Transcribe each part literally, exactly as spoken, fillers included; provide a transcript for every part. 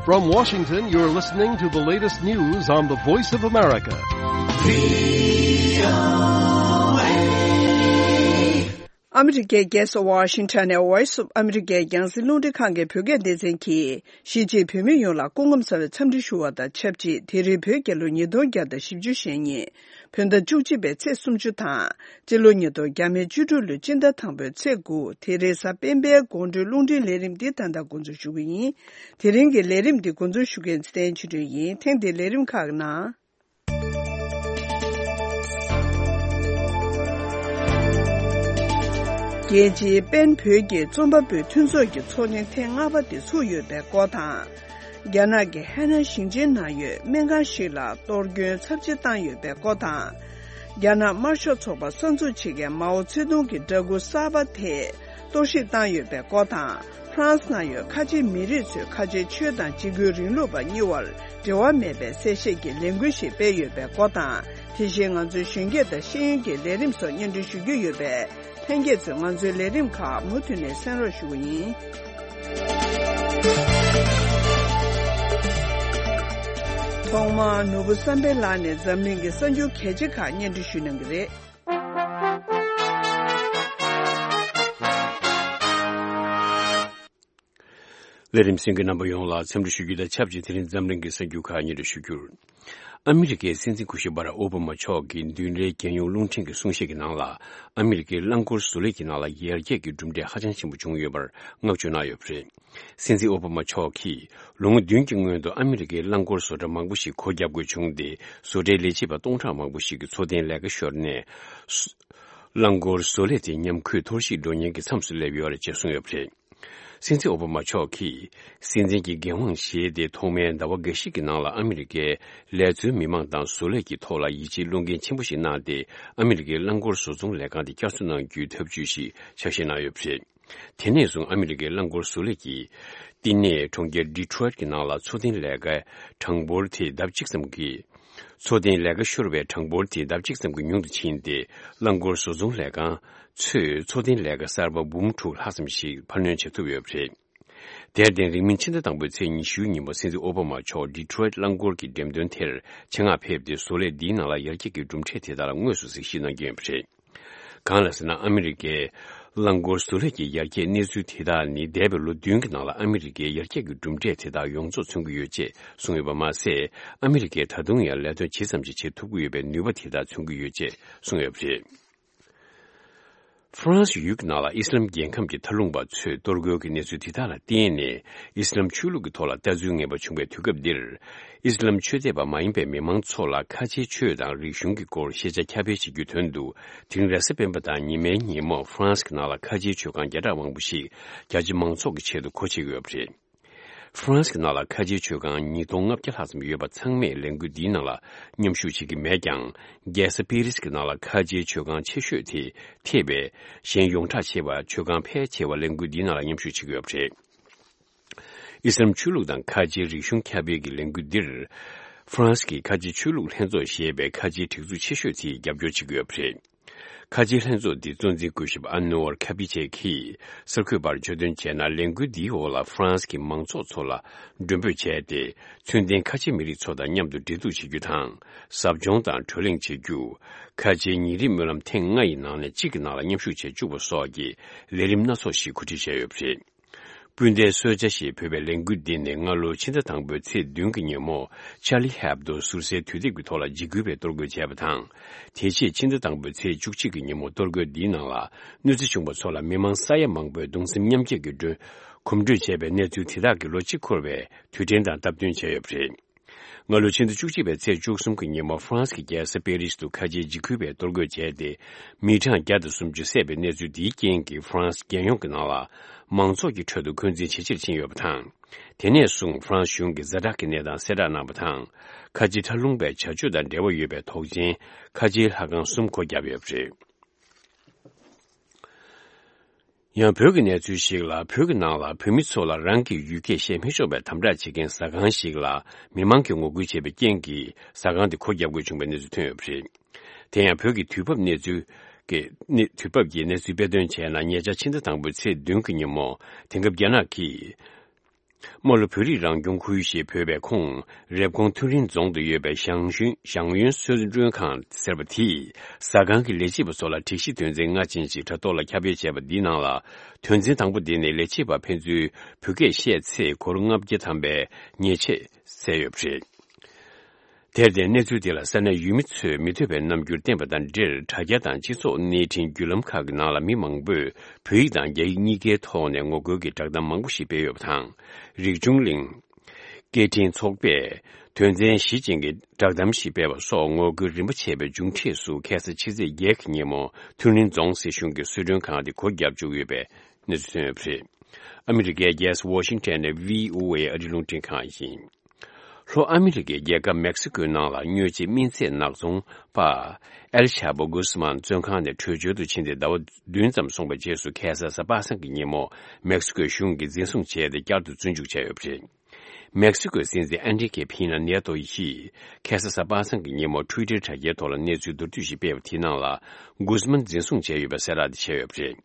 From Washington, you're listening to the latest news on the Voice of America. ཨ་མི་རི་ཀའི་རྒྱལ་ས་ཝ་ཤིང་ཊོན་ནས་Voice of America རྒྱང་སྲིང་རླུང་འཕྲིན་ཁང་གི་བོད་སྐད་སྡེ་ཚན་གྱིས། གཞིས་བྱེས་བོད་མི་ཡོངས་ལ་སྐུ་ཁམས་བཟང་བའི་འཚམས་འདྲི་ཞུ་བ་དང་ཆབས་ཅིག་དེ་རིང་བོད་རྒྱལ་ལོ་ཉིས་སྟོང་བརྒྱ་དང་བཞི་བཅུ་ཞེ་གཉིས། བོད་ཟླ་བཅུ་གཅིག་པའི་ཚེས་སུམ་ཅུ་དང་། སྤྱི་ལོ་ཉིས་སྟོང་བརྒྱ་མེད་བཅུ་དྲུག་ལོའི་སྤྱི་ཟླ་དང་པོའི་ཚེས་དགུ། དེ་རིང་གཟའ་སྤེན་པའི་དགོང་དྲོའི་རླུང་འཕྲིན་ལས་རིམ་འདི་ད་ལྟ་འགོ་འཛུགས་ཞུ་གི་ཡིན། དེ་རིང་གི་ལས་རིམ་འདི་འགོ་འཛུགས་ཞུ་མཁན་ཚེ་བརྟན་ཆོས་སྒྲོན་ཡིན། ཐེངས་འདིའི་ལས་རིམ་ཁག་ནང་། རྒྱལ་སྤྱིའི་པེན་བོད་ཀྱི་རྩོམ་པ་པོའི་མཐུན་ཚོགས་ཀྱི་ཚོགས་ཆེན་ཐེངས་ལྔ་པ་དེ་ཚུགས་ཡོད་པའི་སྐོར་དང་། རྒྱ་ནག་གི་ཧེ་ནན་ཞིང་ཆེན་ནང་ཡོད་སྨན་ཁང་ཞིག་ལ་གཏོར་སྐྱོན་ཚབས་ཆེ་བཏང་ཡོད་པའི་སྐོར་དང་། རྒྱ་ནག་དམར་ཤོག་ཚོགས་པ་གསར་འཛུགས་བྱེད་མཁན་མའོ་ཙེ་ཏུང་གི་འདྲ་སྐུ་གསར་པ་དེ་གཏོར་བཤིག་བཏང་ཡོད་པའི་སྐོར་དང་། ཧྥ་རན་སི་ནང་ཡོད་ཁ་ཆེ་མི་རིགས་ཚོས་ཁ་ཆེ་ཆོས་དང་འཇིགས་སྐུལ་རིང་ལུགས་པ་གཉིས་བར་འབྲེལ་བ་མེད་པའི་གསལ་བཤད་ཀྱི་ལས་འགུལ་ཞིག་སྤེལ་ཡོད་པའི་སྐོར་དང་། དེ་བཞིན་ང་ཚོའི་གཞོན་སྐྱེས་དང་ཤེས་ཡོན་གྱི་ལས་རིམ་སོགས་སྙན་སྒྲོན་ཞུ་རྒྱུ་ཡོད་པས། ལྷན་རྒྱས་ཚོས་ང་ཚོའི་ལས་རིམ་ཁག་མུ་མཐུད་ནས་གསན་རོགས་ཞུ་གི་ཡིན། ཐོག་མར་ནོར་བུ་བསམ་འཕེལ་ལགས་ནས་འཛམ་གླིང་གི་གསར་འགྱུར་གལ་ཆེ་ཁག་སྙན་སྒྲོན་ཞུ་གནང་གི་རེད། ལས་རིམ་གསན་མཁན་རྣམ་པ་ཡོངས་ལ་འཚམས་འདྲི་ཞུ་རྒྱུ་དང་ཆབས་ཅིག་དེ་རིང་འཛམ་གླིང་གི་གསར་འགྱུར་ཁག་སྙན་སྒྲོན་ཞུ་རྒྱུར། ཨ་མི་རི་ཀའི་སྲིད་འཛིན་སྐུ་ཞབས་བྷ་རག་ཨོ་བྷ་མ་མཆོག་གིས་མདུན་རེའི་རྒྱལ་ཡོངས་རླུང་འཕྲིན་གྱི་གསུང་བཤད་ཀྱི་ནང་ལ། ཨ་མི་རི་ཀའི་རླངས་འཁོར་བཟོ་ལས་ཀྱི་ནང་ལ་ཡར་རྒྱས་ཀྱི་གྲུབ་འབྲས་ཧ་ཅང་ཆེན་པོ་བྱུང་ཡོད་པར་བསྔགས་བརྗོད་གནང་ཡོད་པ་རེད། སྲིད་འཛིན་ཨོ་བྷ་མ་མཆོག་གིས་ལོ་ངོ་བདུན་གྱི་སྔོན་དུ་ཨ་མི་རི་ཀའི་རླངས་འཁོར་བཟོ་གྲྭ་མང་པོ་ཞིག་སྒོ་བརྒྱབ་དགོས་བྱུང་སྟེ། བཟོ་གྲྭའི་ལས་བྱེད་པ་སྟོང་ཕྲག་མང་པོ་ཞིག་གི་འཚོ་རྟེན་ལས་ཀ་ཤོར་ནས། རླངས་འཁོར་བཟོ་ལས་དེ་ཉམས་རྒུད་འཐོར་ཞིག་འགྲོ་ཉེན་གྱི་མཚམས་སུ་སླེབས་ཡོད་རེད་ཅེས་གསུངས་ཡོད་པ་རེད། སྲིད་འཛིན་ཨོ་བྷ་མ་མཆོག་གིས། སྲིད་འཛིན་གྱི་འགན་དབང་བཞེས་ཏེ་ཐོག་མའི་ཟླ་བ་འགའ་ཞིག་གི་ནང་ལ་ཨ་མི་རི་ཀའི་ལས་བཟོའི་མི་མང་དང་བཟོ་ལས་ཀྱི་ཐོག་ལ་ཡིད་ཆེས་བློ་འགེལ་ཆེན་པོ་ཞིག་གནང་སྟེ། ཨ་མི་རི་ཀའི་རླངས་འཁོར་བཟོ་ཚོང་ལས་ཁང་དེ་བསྐྱར་གསོ་གནང་རྒྱུའི་ཐབས་ཇུས་ཤིག་ཆ་ཤས་གནང་ཡོད་པ་རེད། དེ་ནས་བཟུང་ཨ་མི་རི་ཀའི་རླངས་འཁོར་བཟོ་ལས་ཀྱི་བསྟི་གནས་གྲོང་ཁྱེར་ཌི་ཊོ་རོའིཊ་ཀྱི་ནང་ལ་འཚོ་རྟེན་ལས་ཀའི་གྲངས་འབོར་དེ་ལྡབ་གཅིག་ཙམ་གྱིས། འཚོ་རྟེན་ལས་ཀ་ཤོར་བའི་གྲངས་འབོར་དེ་ལྡབ་གཅིག་ཙམ་གྱིས་ཉུང་དུ་ཕྱིན་ཏེ། རླངས་འཁོར་བཟོ་ཚོང་ལས་ཁང་ཚོས་འཚོ་རྟེན་ལས་ཀ་གསར་པ་འབུམ་དྲུག་ལྷག་ཙམ་ཞིག་འཕར་སྣོན་བྱེད་ཐུབ་ཡོད་པ་རེད། དེར་བརྟེན། རིང་མིན་ཕྱི་ཟླ་དང་པོའི་ཚེས་ཉི་ཤུའི་ཉིན་མོ་སྲིད་འཛིན་ཨོ་བྷ་མ་མཆོག་ཌི་ཊོ་རོའིཊ་རླངས་འཁོར་གྱི་འགྲེམས་སྟོན་དེར་ཆེད་མངགས་ཕེབས་ཏེ། བཟོ་ལས་འདིའི་ནང་ལ་ཡར་རྒྱས་ཀྱི་གྲུབ་འབྲས་དེ་དག་ལ་དངོས་སུ་གཟིགས་ཞིབ་གནང་རྒྱུ་ཡིན་པ་རེད། གང་ལགས་ཟེར་ན། ཨ་མི་རི་ཀའི་རླངས་འཁོར་བཟོ་ལས་ཀྱི་ཡར་རྒྱས་གནས་ཚུལ་དེ་དག་ནི། འདས་པའི་ལོ་བདུན་གྱི་ནང་ལ་ཨ་མི་རི་ཀའི་ཡར་རྒྱས་ཀྱི་གྲུབ་འབྲས་དེ་དག་ཡོངས་རྫོགས་མཚོན་གྱི་ཡོད་ཅེས་གསུངས་ཡོད་པ་མ་ཟད། ཨ་མི་རི་ཀས་ད་དུང་ཡང་ལས་དོན་ཇི་ཙམ་ཞིག་བྱེད་ཐུབ་ཀྱི་ཡོད་པའི་ནུས་པ་དེ་དག་མཚོན་གྱི་ཡོད་ཅེས་གསུངས་ཡོད་པ་རེད། ཧྥ་རན་སི་ཡུལ་གྱི་ནང་ལ་ཨི་སི་ལམ་རྒྱལ་ཁམས་ཀྱི་མཐའ་ལྷུང་པ་ཚོས་གཏོར་རྒོལ་གྱི་གནས་ཚུལ་དེ་དག་ལ་བརྟེན་ནས། ཨི་སི་ལམ་ཆོས་ལུགས་ཀྱི་ཐོག་ལ་ལྟ་ཚུལ་ངེས་པ་བྱུང་བའི་དུས་སྐབས་འདིར། ཨི་སི་ལམ་ཆོས་དད་པ་མ་ཡིན་པའི་མི་མང་ཚོ་ལ་ཁ་ཆེའི་ཆོས་དང་རིག་གཞུང་གི་སྐོར་ཤེས་བྱ་ཁྱབ་སྤེལ་བྱེད་རྒྱུའི་དོན་དུ། དེ་རིང་རེས་གཟའ་སྤེན་པ་དང་ཉི་མའི་ཉིན་མོ་ཧྥ་རན་སི་གི་ནང་ལ་ཁ་ཆེའི་ཆོས་ཁང་བརྒྱ་ཕྲག་མང་པོ་ཞིག་རྒྱ་ཆེ་མང་ཚོགས་ཀྱི་ཆེད་དུ་སྒོ་ཕྱེ་གི་ཡོད་པ་རེད། ཧྥ་རན་སི་གི་ནང་ལ་ཁ་ཆེའི་ཆོས་ཁང་ཉིས་སྟོང་ལྔ་བརྒྱ་ལྷག་ཙམ་ཡོད་པ་ཚང་མས་ལས་འགུལ་འདིའི་ནང་ལ་མཉམ་ཞུགས་བྱེད་ཀྱི་མེད་ཀྱང་། རྒྱལ་ས་པེ་རི་སི་གི་ནང་ལ་ཁ་ཆེའི་ཆོས་ཁང་ཆེ་ཤོས་དེ་ཐེ་བའི་གཞན་ཡོངས་གྲགས་ཆེ་བ་ཆོས་ཁང་ཕལ་ཆེ་བ་ལས་འགུལ་འདིའི་ནང་ལ་མཉམ་ཞུགས་བྱེད་ཀྱི་ཡོད་པ་རེད། ཨི་སི་ལམ་ཆོས་ལུགས་དང་ཁ་ཆེའི་རིག་གཞུང་ཁྱབ་སྤེལ་གྱི་ལས་འགུལ་འདིར། ཧྥ་རན་སི་གི་ཁ་ཆེའི་ཆོས་ལུགས་ལྷན་ཚོགས་ཞེས་པའི་ཁ་ཆེའི་སྒྲིག་འཛུགས་ཆེ་ཤོས་དེས་རྒྱབ་སྐྱོར་བྱེད་ཀྱི་ཡོད་པ་རེད། ཁ་ཆེའི་ལྷན་ཚོགས་འདི་གཙོ་འཛིན་སྐུ་ཞབས་ཨན་ནོར་ཁ་པི་ཆེ་གིས་གསར་འགོད་པར་བརྗོད་དོན་བྱས་ན། ལས་འགུལ་འདིའི་འོག་ལ་ཧྥ་རན་སི་གི་མང་ཚོགས་ཚོ་ལ་མགྲོན་འབོད་བྱས་ཏེ། ཚུལ་ལྡན་ཁ་ཆེ་མི་རིགས་ཚོ་དང་མཉམ་དུ་འབྲེལ་གཏུག་བྱེད་རྒྱུ་དང་། ཟབ་སྦྱོང་དང་བགྲོ་གླེང་བྱེད་རྒྱུ། ཁ་ཆེའི་ཉིན་རེའི་སྨོན་ལམ་ཐེངས་ལྔ་ཡི་ནང་ནས་གཅིག་གི་ནང་ལ་མཉམ་ཞུགས་བྱེད་བཅུག་པ་སོགས་ཀྱི་ལས་རིམ་སྣ་ཚོགས་ཤིག་གོ་སྒྲིག་བྱས་ཡོད་པ་རེད། སྤུན་ཟླའི་གསོལ་ཇ་ཞེས་འབོད་པའི་ལས་འགུལ་འདི་ནི་སྔ་ལོའི་ཕྱི་ཟླ་དང་པོའི་ཚེས་བདུན་གྱི་ཉིན་མོ། ཆར་ལི་ཧེབ་དོ་ཟུར་ཟའི་དུས་དེབ་ཀྱི་ཐོག་ལ་འཇིགས་སྐུལ་བའི་གཏོར་རྒོལ་བྱས་པ་དང་། དེ་རྗེས་ཕྱི་ཟླ་དང་པོའི་ཚེས་བཅུ་གཅིག་གི་ཉིན་མོ། གཏོར་རྒོལ་འདིའི་ནང་ལ་གནོད་འཚེ་བྱུང་བ་ཚོ་ལ་མི་མང་ས་ཡ་མང་པོས་གདུང་སེམས་མཉམ་སྐྱེད་ཀྱི་སྒྲོན། གོམ་བགྲོད་བྱས་པའི་གནས་ཚུལ་དེ་དག་གིས་ལོ་གཅིག་འཁོར་བའི་དུས་དྲན་དང་སྟབས་བསྟུན་བྱས་ཡོད་པ་རེད། སྔ་ལོ་ཕྱི་ཟླ་བཅུ་གཅིག་པའི་ཚེས་བཅུ་གསུམ་གྱི་ཉིན་མོ། ཧྥ་རན་སི་གི་རྒྱལ་ས་པེ་རི་སི་དུ་ཁ་ཆེའི་འཇིགས་སྐུལ་བས་གཏོར་རྒོལ་བྱས་ཏེ། མི་གྲངས་བརྒྱ་དང་སུམ་ཅུ་བསད་པའི་གནས་ཚུལ་འདིའི་རྐྱེན་གྱིས། ཧྥ་རན་སི་རྒྱལ་ཡོངས་ཀྱི་ནང་ལ་མང་ཚོགས་ཀྱི་ཁྲོད་དུ་འཁོན་འཛིན་ཇེ་ཆེར་ཕྱིན་ཡོད་པ་དང་། དེ་ནས་བཟུང་ཧྥ་རན་སི་གཞུང་གིས་ཛ་དྲག་གི་གནས་སྟངས་གསལ་བསྒྲགས་གནང་བ་དང་། ཁ་ཆེའི་མཐའ་ལྷུང་པའི་བྱ་སྤྱོད་དང་འབྲེལ་བ་ཡོད་པའི་དོགས་ཅན་ཁ་ཆེའི་ལྷ་ཁང་གསུམ་སྒོ་བརྒྱབ་ཡོད་པ་རེད། ཡང་བོད་ཀྱི་གནས་ཚུལ་ཞིག་ལ། བོད་ཀྱི་ནང་ལ་བོད་མི་ཚོ་ལ་རང་གི་ཡུལ་སྐད་བཤད་མི་ཆོག་པའི་དམ་དྲག་བྱེད་མཁན་ཟ་ཁང་ཞིག་ལ་མི་མང་གིས་ངོ་རྒོལ་བྱས་པའི་རྐྱེན་གྱིས། ཟ་ཁང་དེ་སྒོ་བརྒྱབ་དགོས་བྱུང་བའི་གནས་ཚུལ་ཐོན་ཡོད་པ་རེད། དེ་ཡང་བོད་ཀྱི་དུས་བབ་གནས་ཚུལ་གྱི་གནས། དུས་བབ་ཀྱི་གནས་ཚུལ་དཔེ་སྟོན་བྱས་ན། ཉེ་ཆར་ཕྱི་ཟླ་དང་པོའི་ཚེས་བདུན་གྱི་ཉིན་མོ། དེང་སྐབས་རྒྱ་ནག་གིས། རྨ་ལྷོ་བོད་རིགས་རང་སྐྱོང་ཁུལ་ཞེས་འབོད་པའི་ཁོངས་རེབ་གོང་ཐུན་རིན་རྫོང་དུ་ཡོད་པའི་ཞང་ཞུན་ཞང་ཡོན་གསོལ་མགྲོན་ཁང་ཟེར་བ་དེས་ཟ་ཁང་གི་ལས་བྱེད་པ་ཚོ་ལ་སྒྲིག་གཞི་དོན་ཚན་ལྔ་ཅན་ཞིག་དྲ་ཐོག་ལ་ཁྱབ་སྤེལ་བྱས་པ་འདིའི་ནང་ལ། དོན་ཚན་དང་པོ་དེ་ནི་ལས་བྱེད་པ་ཕན་ཚུན་བོད་སྐད་བཤད་ཚེ་སྒོར་ལྔ་བརྒྱ་ཐམ་པའི་ཉེས་ཆད་བསད་ཡོད་པ་རེད། དེར་བརྟེན་གནས་ཚུལ་དེ་ལ་ས་གནས་ཡུལ་མི་ཚོས་མི་འདོད་པའི་རྣམ་འགྱུར་བསྟན་པ་དང་འབྲེལ་དྲ་རྒྱ་དང་སྤྱི་ཚོགས་གནས་འཕྲིན་བརྒྱུད་ལམ་ཁག་གི་ནང་ལ་མི་མང་པོས་བོད་ཡིག་དང་རྒྱ་ཡིག་གཉིས་ཀའི་ཐོག་ནས་ངོ་རྒོལ་གྱི་བསྒྲགས་གཏམ་མང་པོ་ཞིག་སྤེལ་ཡོད་པ་དང་། རིག་འབྱུང་གླིང་སྐད་འཕྲིན་ཚོགས་པས་དོན་ཚན་བཞི་ཅན་གྱི་བསྒྲགས་གཏམ་ཞིག་སྤེལ་བ་སོགས་ངོ་རྒོལ་རིམ་པ་བྱས་པའི་མཇུག་འབྲས་སུ་ཁ་སང་ཕྱི་ཚེས་བརྒྱད་ཀྱི་ཉིན་མོ་ཐུན་རིན་རྫོང་སྲིད་གཞུང་གི་གསོལ་མགྲོན་ཁང་དེ་སྒོ་བརྒྱབ་བཅུག་ཡོད་པའི་གནས་ཚུལ་ཐོན་ཡོད་པ་རེད། ཨ་མི་རི་ཀའི་རྒྱལ་ས་ཝ་ཤིང་ཊོན་ནས་བྷི་ཨོ་ཨེ་ཨ་རིའི་རླུང་འཕྲིན་ཁང་ཡིན། ལྷོ་ཨ་མི་རི་ཀའི་རྒྱལ་ཁབ་མེག་སི་ཀོའི་ནང་ལ་དངོས་གཞིའི་སྨན་རྫས་ནག་ཚོང་པ་ཨེལ་ཆ་པོ་གུ་སི་མན་བཙོན་ཁང་ནས་བྲོས་བྱོལ་དུ་ཕྱིན་ཏེ་ཟླ་བ་བདུན་ཙམ་སོང་བའི་རྗེས་སུ་ཁ་སང་གཟའ་པ་སངས་ཀྱི་ཉིན་མོ་མེག་སི་ཀོའི་གཞུང་གིས་འཛིན་བཟུང་བྱས་ཏེ་བསྐྱར་དུ་བཙོན་འཇུག་བྱས་ཡོད་པ་རེད། མེག་སི་ཀོའི་སྲིད་འཛིན་ཨན་ཌི་ཀེ་ཕི་ན་ནེ་ཏོ་ཡིས་ཁ་སང་གཟའ་པ་སངས་ཀྱི་ཉིན་མོ་ཊུའི་ཊར་དྲ་རྒྱའི་ཐོག་ལ་གནས་ཚུལ་མདོར་བསྡུས་ཤིག་སྤེལ་བ་དེའི་ནང་ལ་གུ་སི་མན་འཛིན་བཟུང་བྱས་ཡོད་པའི་གསལ་བསྒྲགས་དེ་བྱས་ཡོད་པ་རེད།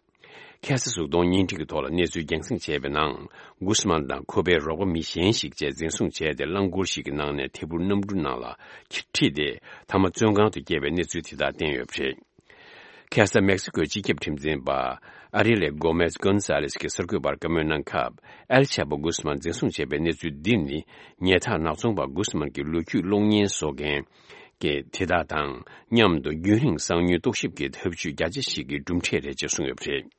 ཁ་སང་གཟུགས་མཐོང་བརྙན་འཕྲིན་གྱི་ཐོག་ལ་གནས་ཚུལ་རྒྱང་སྲིང་བྱས་པའི་ནང་། གུ་སི་མན་དང་ཁོ་པའི་རོགས་པ་མི་གཞན་ཞིག་བཅས་འཛིན་བཟུང་བྱས་ཏེ་རླངས་འཁོར་ཞིག་གི་ནང་ནས་ཐད་འཕུར་གནམ་གྲུ་ནང་ལ་ཁྲིད་དེ་མཐའ་མ་བཙོན་ཁང་དུ་བསྐྱལ་བའི་གནས་ཚུལ་དེ་དག་བསྟན་ཡོད་པ་རེད། ཁ་སང་མེག་སི་ཀོའི་སྤྱི་ཁྱབ་ཁྲིམས་འཛིན་པ་ཨ་རི་ལེ་གོ་མེས་གོན་ས་ལེས་ཀྱིས་གསར་འགོད་པར་བཀའ་མོལ་གནང་སྐབས། ཨེལ་ཆ་པོ་གུ་སི་མན་འཛིན་བཟུང་བྱས་པའི་གནས་ཚུལ་འདི་ནི་ཉལ་ཐ་ནག་ཚོང་པ་གུ་སི་མན་གྱི་ལོ་རྒྱུས་གློག་བརྙན་བཟོ་མཁན། གྱི་དེ་དག་དང་མཉམ་དུ་རྒྱུན་རིང་གསང་མྱུལ་རྟོག་ཞིབ་ཀྱི་ཐབས་ཇུས་རྒྱ་ཆེ་ཞིག་གི་གྲུབ་འབྲས་རེད་ཅེས་གསུངས་ཡོད་པ་རེད།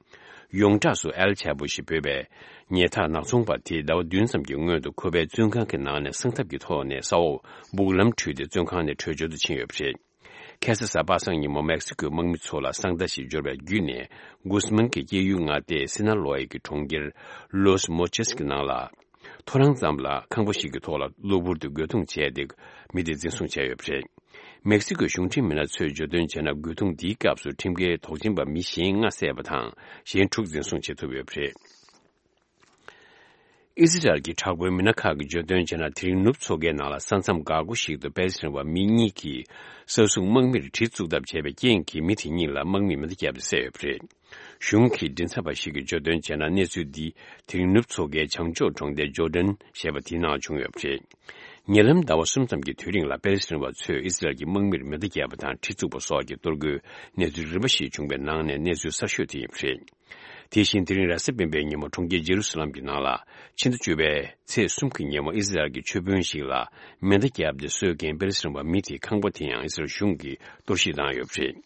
ཡོངས་གྲགས་སུ་ཨེལ་ཆ་པོ་ཞེས་འབོད་པའི་ཉལ་ཐ་ནག་ཚོང་པ་དེས་ཟླ་བ་བདུན་ཙམ་གྱི་སྔོན་དུ་ཁོ་པའི་བཙོན་ཁང་གི་ནང་ནས་གསང་ཐབས་ཀྱི་ཐོག་ནས་ས་འོག་སྦུག་ལམ་བྲུས་ཏེ་བཙོན་ཁང་ནས་བྲོས་བྱོལ་དུ་ཕྱིན་ཡོད་པ་རེད། ཁ་སང་གཟའ་པ་སངས་ཉིན་མོ་མེག་སི་ཀོའི་དམག་མི་ཚོ་ལ་གསང་བརྡ་ཞིག་འབྱོར་བའི་བརྒྱུད་ནས་གུ་སི་མན་གྱི་སྐྱེས་ཡུལ་མངའ་སྡེ་སི་ན་ལོ་ཨེ་གི་གྲོང་ཁྱེར་ལོས་མོ་ཆེས་ཀྱི་ནང་ལ། ཐོ་རངས་ཙམ་ལ་ཁང་པ་ཞིག་གི་ཐོག་ལ་གློ་བུར་དུ་རྒོལ་རྡུང་བྱས་ཏེ་མི་དེ་འཛིན་བཟུང་བྱས་ཡོད་པ་རེད། མེག་སི་ཀོའི་གཞུང་འབྲེལ་མི་སྣ་ཚོས་བརྗོད་དོན་བྱས་ན། རྒོལ་རྡུང་འདིའི་སྐབས་སུ་ཁྲིམས་འགལ་དོགས་ཟོན་པ་མི་གཞན་ལྔ་བསད་པ་དང་གཞན་དྲུག་འཛིན་བཟུང་བྱེད་ཐུབ་ཡོད་པ་རེད། ཨི་ཟི་རལ་གྱི་དྲག་པོའི་མི་སྣ་ཁག་གིས་བརྗོད་དོན་བྱས་ན། དེ་རིང་ནུབ་མཚོ་ཁའི་ནང་ལ་ས་མཚམས་འགག་སྒོ་ཞིག་ཏུ་པེ་ལེ་སི་ཐན་པ་མི་གཉིས་ཀྱིས་ས་སྲུང་དམག་མིར་གྲི་བཙུགས་ཐབས་བྱས་པའི་རྐྱེན་གྱིས་མི་དེ་གཉིས་ལ་དམག་མིས་མེ་མདའ་བརྒྱབ་སྟེ་བསད་ཡོད་པ་རེད། གཞུང་གི་མགྲིན་ཚབ་པ་ཞིག་གིས་བརྗོད་དོན་བྱས་ན། གནས་ཚུལ་འདི་དེ་རིང་ནུབ་མཚོ་ཁའི་བྱང་ཕྱོགས་གྲོང་རྡལ་ཇོར་ཌན་ཞེས་པ་དེའི་ནང་བྱུང་ཡོད་པ་རེད། ཉེ་ལམ་ཟླ་བ་གསུམ་ཙམ་གྱི་དུས་རིང་ལ་པེ་ལེ་སི་ཐན་པ་ཚོས་ཨི་ཟི་རལ་གྱི་དམག་མིར་མེ་མདའ་བརྒྱབ་པ་དང་གྲི་བཙུགས་པ་སོགས་ཀྱི་གཏོར་རྒོལ་གནས་ཚུལ་རིམ་པ་ཞིག་བྱུང་བའི་ནང་ནས་གནས་ཚུལ་གསར་ཤོས་དེ་ཡིན་པ་རེད། དེ་བཞིན་དེ་རིང་རེས་གཟའ་སྤེན་པའི་ཉིན་མོ་གྲོང་ཁྱེར་ཇེ་རུ་སཱ་ལམ་གྱི་ནང་ལ་ཕྱི་ཟླ་བཅུ་པའི་ཚེས་གསུམ་གྱི་ཉིན་མོ་ཨི་ཟི་རལ་གྱི་ཆོས་དཔོན་ཞིག་ལ་མེ་མདའ་བརྒྱབ་སྟེ་གསོད་མཁན་པེ་ལེ་སི་ཐན་པ་མི་དེའི་ཁང་པ་དེ་ཡང་ཨི་ཟི་རལ་གཞུང་གིས་གཏོར་བཤིག་བཏང་ཡོད་པ་རེད།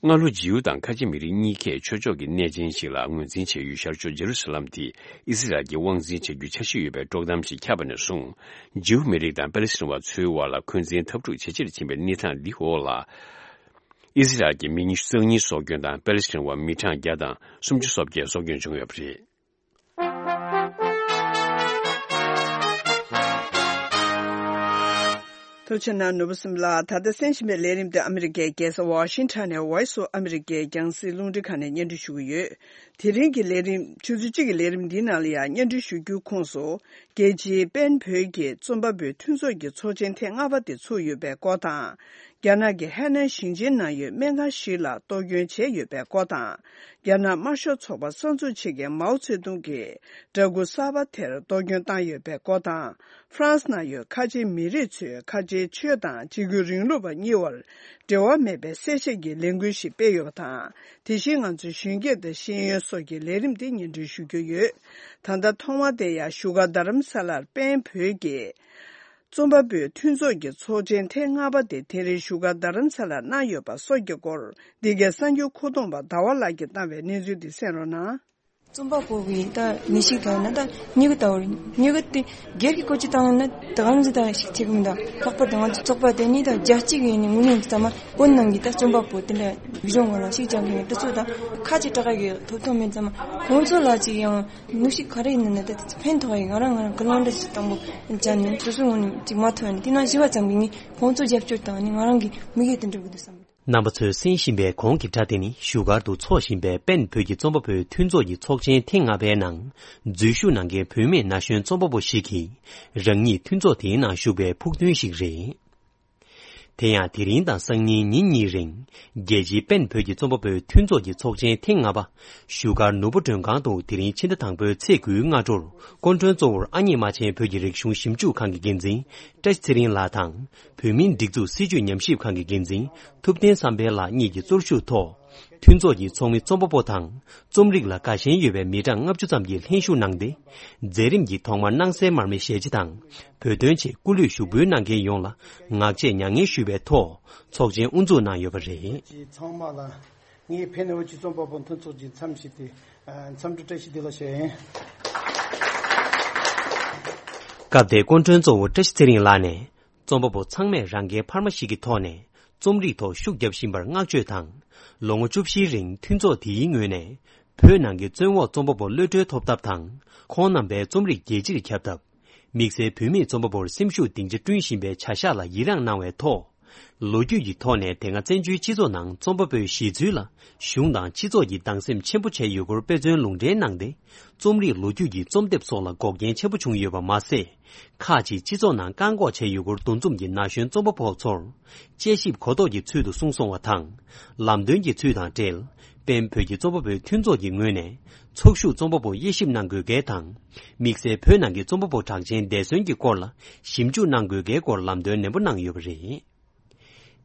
སྔ་ལོ་ཇིའུ་དང་ཁ་ཆེ་མི་རིགས་གཉིས་ཀས་ཆོས་ཕྱོགས་ཀྱི་གནས་ཆེན་ཞིག་ལ་ངོས་འཛིན་བྱེད་ཡུལ་ཤར་ཕྱོགས་ཇེ་རུ་སཱ་ལམ་དེ་ཨི་སི་རལ་གྱིས་དབང་འཛིན་བྱ་རྒྱུའི་འཆར་གཞི་ཡོད་པའི་དཀྲོག་གཏམ་ཞིག་ཁྱབ་པ་ནས་བཟུང་། ཇིའུ་མི་རིགས་དང་པེ་ལེ་སི་ཐན་པ་ཚོའི་དབར་ལ་འཁོན་འཛིན་འཐབ་འཁྲུག་ཇེ་ཆེར་ཕྱིན་པའི་གནས་སྟངས་འདི་འོག་ལ། ཨི་སི་རལ་གྱི་མི་ཉི་ཤུ་རྩ་གཉིས་སྲོག་སྐྱོན་དང་པེ་ལེ་སི་ཐན་པ་མི་གྲངས་བརྒྱ་དང་སུམ་ཅུ་སོ་བརྒྱད་སྲོག་སྐྱོན་བྱུང་ཡོད་པ་རེད། ཐུགས་རྗེ་གནང་ནོར་བུ་སེམས་ལགས། ད་ལྟ་གསན་བཞིན་པའི་ལས་རིམ་དེ་ཨ་མི་རི་ཀའི་རྒྱལ་ས་ཝ་ཤིང་ཊོན་ནས་Voice of America རྒྱང་སྲིང་རླུང་འཕྲིན་ཁང་ནས་སྙན་སྒྲོན་ཞུ་གི་ཡོད། དེ་རིང་གི་ལས་རིམ། ཆུ་ཚོད་གཅིག་གི་ལས་རིམ་འདིའི་ནང་ལ་ཡང་སྙན་སྒྲོན་ཞུ་རྒྱུའི་ཁོངས་སུ། རྒྱལ་སྤྱིའི་པེན་བོད་ཀྱི་རྩོམ་པ་པོའི་མཐུན་ཚོགས་ཀྱི་ཚོགས་ཆེན་ཐེངས་ལྔ་པ་དེ་ཚུགས་ཡོད་པའི་སྐོར་དང་། རྒྱ་ནག་གི་ཧའེ་ནན་ཞིང་ཆེན་ནང་ཡོད་སྨན་ཁང་ཞིག་ལ་གཏོར་སྐྱོན་བྱས་ཡོད་པའི་སྐོར་དང་། རྒྱ་ནག་དམར་ཤོག་ཚོགས་པ་གསར་འཛུགས་བྱེད་མཁན་མའོ་ཙེ་ཏུང་གིས་འདྲ་སྐུ་གསར་པ་དེར་གཏོར་སྐྱོན་བཏང་ཡོད་པའི་སྐོར་དང་། ཧྥ་རན་སི་ནང་ཡོད་ཁ་ཆེའི་མི་རིགས་ཚོས་ཁ་ཆེའི་ཆོས་དང་གཅིག་གྱུར་རིང་ལུགས་པ་གཉིས་བར་འབྲེལ་བ་མེད་པའི་གསལ་བཤད་ཀྱི་ལས་འགུལ་ཞིག་སྤེལ་ཡོད་པ་དང་། དེ་བཞིན་ང་ཚོའི་གཞོན་སྐྱེས་དང་ཤེས་ཡོན་སོགས་ཀྱི་ལས་རིམ་དེ་སྙན་སྒྲོན་ཞུ་རྒྱུ་ཡོད། ད་ལྟ་ཐོག་མར་དེ་ཡང་བཞུགས་སྒར་རྡ་རམ་ས་ལར་པེན་བོད་ཀྱི་རྩོམ་པ་པོའི་མཐུན་ཚོགས་ཀྱི་ཚོགས་ཆེན་ཐེངས་ལྔ་པ་དེ་དེ་རིང་བཞུགས་སྒར་རྡ་རམ་ས་ལར་གནང་ཡོད་པ་སོགས་ཀྱི་སྐོར། འདི་གའི་གསར་འགྱུར་མཁོ་གཏོང་པ་ཟླ་བ་ལགས་ཀྱིས་བཏང་བའི་གནས་ཚུལ་འདི་གསན་རོགས་གནང་། རྩོམ་པ་པོ་གི་ད་ནི་ཞིག་ད་ན་ད་སྨྱུ་གུ་ལྟ་བུ་རེད། སྨྱུ་གུ་དེ་སྒེར་གྱི་བཀོལ་སྤྱོད་བཏང་ན་ད་གང་ཟིག་ད་ཞིག་ཐེག་མི་ད་ལྷག་པར་དུ་ང་ཚོ་ཚོགས་པ་དེ་ནི་ད་རྒྱ་སྤྱི་གི་ནི་དངོས་གནས་ཀྱི་ཚང་མ་བོད་ནང་གི་ད་རྩོམ་པ་པོ་དེ་འདྲ་བི་ཞོན་ངོ་ལ་ཞིག་ཅང་གི་ནི་དེ་ཚོ་ད་ཁ་ཅིག་དྲག་གི་ཐོབ་ཐང་མེད་ཙང་མ་ཁོང་ཚོ་ལ་ཅིག་ཡང་ནུ་ཞིག་ག་རེ་ཡིན་ན་ད་དེ་ཚོ་ཕན་ཐོགས་ཡི། ང་རང་ང་རང་གི་ལོན་འདྲ་ཞིག་དང་པོ་ཅང་ནི་སོ་སོའི་ངོས་ནས་ཅིག་མ་ཐོན་ནི་དེ་ན་བཞི་བ་ཙམ་གི་ནི་ཁོང་ཚོ་རྒྱབ་སྐྱོར་དང་ནི་ང་རང་གི་མི་གེ་དེ་འགྲུབ་གི་འདུག་བསམ། རྣམ་པ་ཚོས་གསན་བཞིན་པའི་གོང་གི་སྒྲ་དེ་ནི་བཞུགས་སྒར་དུ་འཚོགས་བཞིན་པའི་པེན་བོད་ཀྱི་རྩོམ་པ་པོའི་མཐུན་ཚོགས་ཀྱི་ཚོགས་ཆེན་ཐེངས་ལྔ་པའི་ནང་འཛུལ་ཞུགས་གནང་མཁན་བུད་མེད་ན་གཞོན་རྩོམ་པ་པོ་ཞིག་གིས་རང་ཉིད་མཐུན་ཚོགས་དེའི་ནང་ཞུགས་པའི་ཕུགས་འདུན་ཞིག་རེད། དེ་ཡང་དེ་རིང་དང་སང་ཉིན་ཉིན་གཉིས་རིང་རྒྱལ་སྤྱིའི་པེན་བོད་ཀྱི་རྩོམ་པ་པོའི་མཐུན་ཚོགས་ཀྱི་ཚོགས་ཆེན་ཐེངས་ལྔ་པ་བཞུགས་སྒར་ནོར་བུ་མགྲོན་ཁང་དུ་དེ་རིང་ཕྱི་ཟླ་དང་པོའི་ཚེས་དགུའི་སྔ་དྲོར་སྐུ་མགྲོན་གཙོ་བོར་ཨ་མྱེས་རྨ་ཆེན་བོད་ཀྱི་རིག་གཞུང་ཞིབ་འཇུག་ཁང་གི་འགན་འཛིན་བཀྲ་ཤིས་ཚེ་རིང་ལགས་དང་། བོད་མིའི་སྒྲིག་འཛུགས་སྲིད་བྱུས་ཉམས་ཞིབ་ཁང་གི་འགན་འཛིན་ཐུབ་བསྟན་བསམ་འཕེལ་ལགས་གཉིས་ཀྱིས་གཙོར་ཞུགས་ཐོག་མཐུན་ཚོགས་ཀྱི་ཚོགས་མི་རྩོམ་པ་པོ་དང་རྩོམ་རིག་ལ་དགའ་ཞེན་ཡོད་པའི་མི་གྲངས་ལྔ་བཅུ་ཙམ་གྱིས་ལྷན་ཞུགས་གནང་སྟེ། མཛད་རིམ་གྱི་ཐོག་མར་སྣང་གསལ་མར་མེ་ཞལ་ལྕེ་དང་བོད་དོན་ཆེད་སྐུ་ལུས་ཞུགས་འབུལ་གནང་མཁན་ཡོངས་ལ་ངག་བཅད་མྱ་ངན་ཞུས་པའི་ཐོག་ཚོགས་ཆེན་དབུ་འཛུགས་གནང་ཡོད་པ་རེད། ཚང་མ་ལ་ངས་ཕེབས་གནང་བའི་རྩོམ་པ་པོ་མཐུན་ཚོགས་ཀྱི་མཚམས་ཞུས་ཏེ། ཨ། འཚམས་འདྲི་བཀྲ་ཤིས་བདེ་ལེགས་ཞུ་ཡིན། སྐབས་དེར་སྐུ་མགྲོན་གཙོ་བོ་བཀྲ་ཤིས་ཚེ་རིང་ལགས་ནས། རྩོམ་པ་པོ་ཚང་མས་རང་འགན་འཕར་མ་ཞིག་གི་ཐོག་ནས་རྩོམ་རིག་ཐོག་ཤུགས་བརྒྱབ་བཞིན་པར་བསྔགས་བརྗོད་དང་། ལོ་ངོ་བཅུ་བཞིའི་རིང་མཐུན་ཚོགས་དེའི་ངོས་ནས་བོད་ནང་གི་བཙོན་འོག་རྩོམ་པ་པོ་གློད་གྲོལ་ཐོབ་ཐབས་དང་། ཁོང་རྣམ་པའི་རྩོམ་རིག་རྒྱལ་སྤྱིར་ཁྱབ་ཐབས། དམིགས་བསལ་བོད་མིས་རྩོམ་པ་པོར་སེམས་ཤུགས་སྡིངས་ཆ་བསྐྲུན་བཞིན་པའི་བྱ་གཞག་ལ་ཡི་རངས་གནང་བའི་ཐོག་ལོ་རྒྱུས་ཀྱི་ཐོག་ནས་དེ་སྔ་བཙན་བྱོལ་སྤྱི་ཚོགས་ནང་རྩོམ་པ་པོའི་གཞི་ཚུལ་ལ་གཞུང་དང་སྤྱི་ཚོགས་ཀྱིས་སྡང་སེམས་ཆེན་པོ་བྱས་ཡོད་སྐོར་དཔེ་མཚོན་ལུང་འདྲེན་གནང་སྟེ། རྩོམ་རིག་ལོ་རྒྱུས་ཀྱི་རྩོམ་དེབ་སོགས་ལ་འགོག་རྐྱེན་ཆེན་པོ་བྱུང་ཡོད་པ་མ་ཟད། ཁག་ཅིག་སྤྱི་ཚོགས་ནང་བཀག་འགོག་བྱས་ཡོད་སྐོར་འདུ་འཛོམས་ཀྱི་ན་གཞོན་རྩོམ་པ་པོ་ཚོར་དཔྱད་ཞིབ་གོ་རྟོགས་ཀྱི་ཚུལ་དུ་གསུང་སོང་བ་དང་། ལམ་སྟོན་གྱི་ཚུལ་དང་འབྲེལ། པེན་བོད་ཀྱི་རྩོམ་པ་པོའི་མཐུན་ཚོགས་ཀྱི་ངོས་ནས་ཚོགས་ཞུགས་རྩོམ་པ་པོ་དབྱེ་ཞིབ་གནང་དགོས་གལ་དང་། དམིགས་བསལ་བོད་ནང་གི་རྩོམ་པ་པོ་གྲགས་ཅན་འདས་གསོན་གྱི་སྐོར་ལ་ཞིབ་འཇུག་གནང་དགོས་གལ་སྐོར་ལམ་སྟོན་ནན་པོ་གནང་ཡོད་པ་རེད།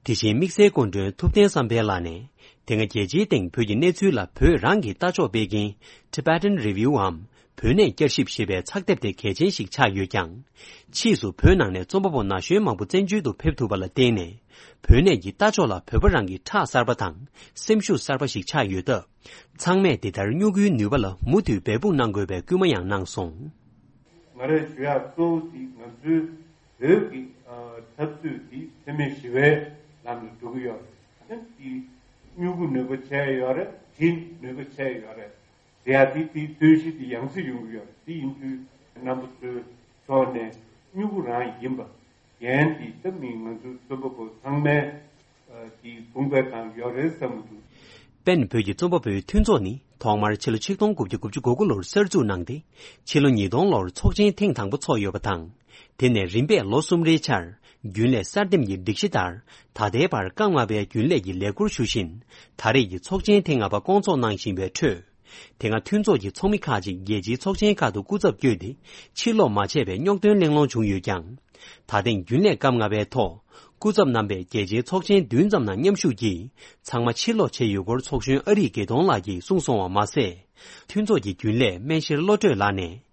དེ་བཞིན་དམིགས་བསལ་སྐུ་མགྲོན་ཐུབ་བསྟན་བསམ་འཕེལ་ལགས་ནས། དེ་སྔ་རྒྱལ་སྤྱིའི་སྟེང་བོད་ཀྱི་གནས་ཚུལ་ལ་བོད་རང་གི་ལྟ་ཕྱོགས་སྤེལ་མཁན་Tibetan Review འམ་བོད་གནས་བསྐྱར་ཞིབ་ཞེས་པའི་ཚགས་དེབ་དེ་གལ་ཆེན་ཞིག་ཆགས་ཡོད་ཀྱང་། ཕྱིས་སུ་བོད་ནང་ནས་རྩོམ་པ་པོ་ན་གཞོན་མང་པོ་བཙན་བྱོལ་དུ་ཕེབས་ཐུབ་པ་ལ་བརྟེན་ནས། བོད་གནས་ཀྱི་ལྟ་ཕྱོགས་ལ་བོད་པ་རང་གི་ཁྲག་གསར་པ་དང་སེམས་ཤུགས་གསར་པ་ཞིག་ཆགས་ཡོད་སྟབས། ཚང་མས་དེ་ལྟར་སྨྱུ་གུའི་ནུས་པ་ལ་མུ་མཐུད་འབད་འབུངས་གནང་དགོས་པའི་སྐུལ་མ་ཡང་གནང་སོང་། ང་རས་ཞུ་ཡག་གཙོ་བོ་དེ་ང་ཚོའི་བོད་ཀྱི་ཨ་འཐབ་རྩོད་དེ་འཚེ་མེད་ཞི་བའི་ལམ་དུ་འགྲོ་གི་ཡོད་རེད། དེ་སྨྱུ་གུ་ནུས་པ་ཆེ་ཡོད་རེད། གྲི་ནུས་པ་ཆེ་ཡོད་རེད། དེ་ཡང་དེ་དེའི་རྩོད་གཞི་དེ་ཡང་སེ་ཡོང་གི་ཡོད་རེད། དེ་ཡིན་དུས་རྣམ་པ་ཚོའི་ཕྱོགས་ནས་སྨྱུ་གུ་རང་ཡིན་པ། འགན་དེ་ད་མི་ང་ཚོའི་རྩོམ་པ་པོ་ཚང་མའི་ཨ་དེ་དགོངས་པའི་སྒང་ཡོད་རེད་བསམ་གྱི་འདུག་པེན་བོད་ཀྱི་རྩོམ་པ་པོའི་མཐུན་ཚོགས་ནི་ཐོག་མར་ཕྱི་ལོ་ཆིག་སྟོང་དགུ་བརྒྱ་དགུ་བཅུ་གོ་དགུ་ལོར་གསར་འཛུགས་གནང་སྟེ། ཕྱི་ལོ་ཉིས་སྟོང་ལོར་ཚོགས་ཆེན་ཐེངས་དང་པོ་ཚོགས་ཡོད་པ་དང་། དེ་ནས་རིམ་པས་ལོ་གསུམ་རེའི་ཆར་རྒྱུན་ལས་གསར་འདེམས་ཀྱི་སྒྲིག་གཞི་ལྟར། ད་ལྟའི་བར་སྐབས་ལྔ་པའི་རྒྱུན་ལས་ཀྱི་ལས་འཁུར་ཞུ་བཞིན། ད་རེས་ཀྱི་ཚོགས་ཆེན་ཐེངས་ལྔ་པ་སྐོང་ཚོགས་གནང་བཞིན་པའི་ཁྲོད། དེ་སྔ་མཐུན་ཚོགས་ཀྱི་ཚོགས་མི་ཁག་ཅིག་རྒྱལ་སྤྱིའི་ཚོགས་ཆེན་ཁག་ཏུ་སྐུ་ཚབ་བསྐྱོད་དེ། ཕྱིར་ལོག་མ་བྱས་པའི་རྙོག་འདོན་གླེང་སློང་བྱུང་ཡོད་ཀྱང་། ད་ཐེངས་རྒྱུན་ལས་སྐབས་ལྔ་པའི་ཐོག་སྐུ་ཚབ་རྣམ་པས་རྒྱལ་སྤྱིའི་ཚོགས་ཆེན་བདུན་ཙམ་ནང་མཉམ་ཞུགས་ཀྱིས་ཚང་མ་ཕྱིར་ལོག་བྱས་ཡོད་སྐོར་ཚོགས་གཞོན་ཨ་རིག་དགེ་མཐོང་ལགས་ཀྱིས་གསུངས་སོང་བ་མ་ཟད། མཐུན་ཚོགས་ཀྱི་རྒྱུན་ལས་སྨན་ཤེར་བློ་གྲོས་ལགས་ནས།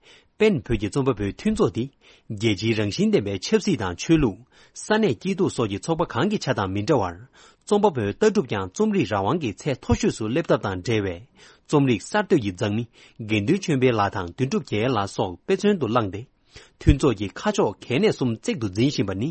པེན་བོད་ཀྱི་རྩོམ་པ་པོའི་མཐུན་ཚོགས་འདི། རྒྱལ་སྤྱིའི་རང་བཞིན་ལྡན་པའི་ཆབ་སྲིད་དང་ཆོས་ལུགས། ས་གནས་སྐྱིད་སྡུག་སོགས་ཀྱི་ཚོགས་པ་གང་གི་ཆ་དང་མི་འདྲ་བར། རྩོམ་པ་པོའི་ལྟ་གྲུབ་ཀྱང་རྩོམ་རིག་རང་དབང་གི་ཚད་མཐོ་ཤོས་སུ་སླེབས་ཐབས་དང་འབྲེལ་བའི། རྩོམ་རིག་གསར་གཏོད་ཀྱི་མཛངས་མི། དགེ་འདུན་ཆོས་འཕེལ་ལགས་དང་དོན་གྲུབ་རྒྱལ་ལགས་སོགས་དཔེ་མཚོན་དུ་བླངས་ཏེ། མཐུན་ཚོགས་ཀྱི་ཁ་ཕྱོགས་གལ་གནད་གསུམ་གཙིགས་སུ་འཛིན་བཞིན་པ་ནི།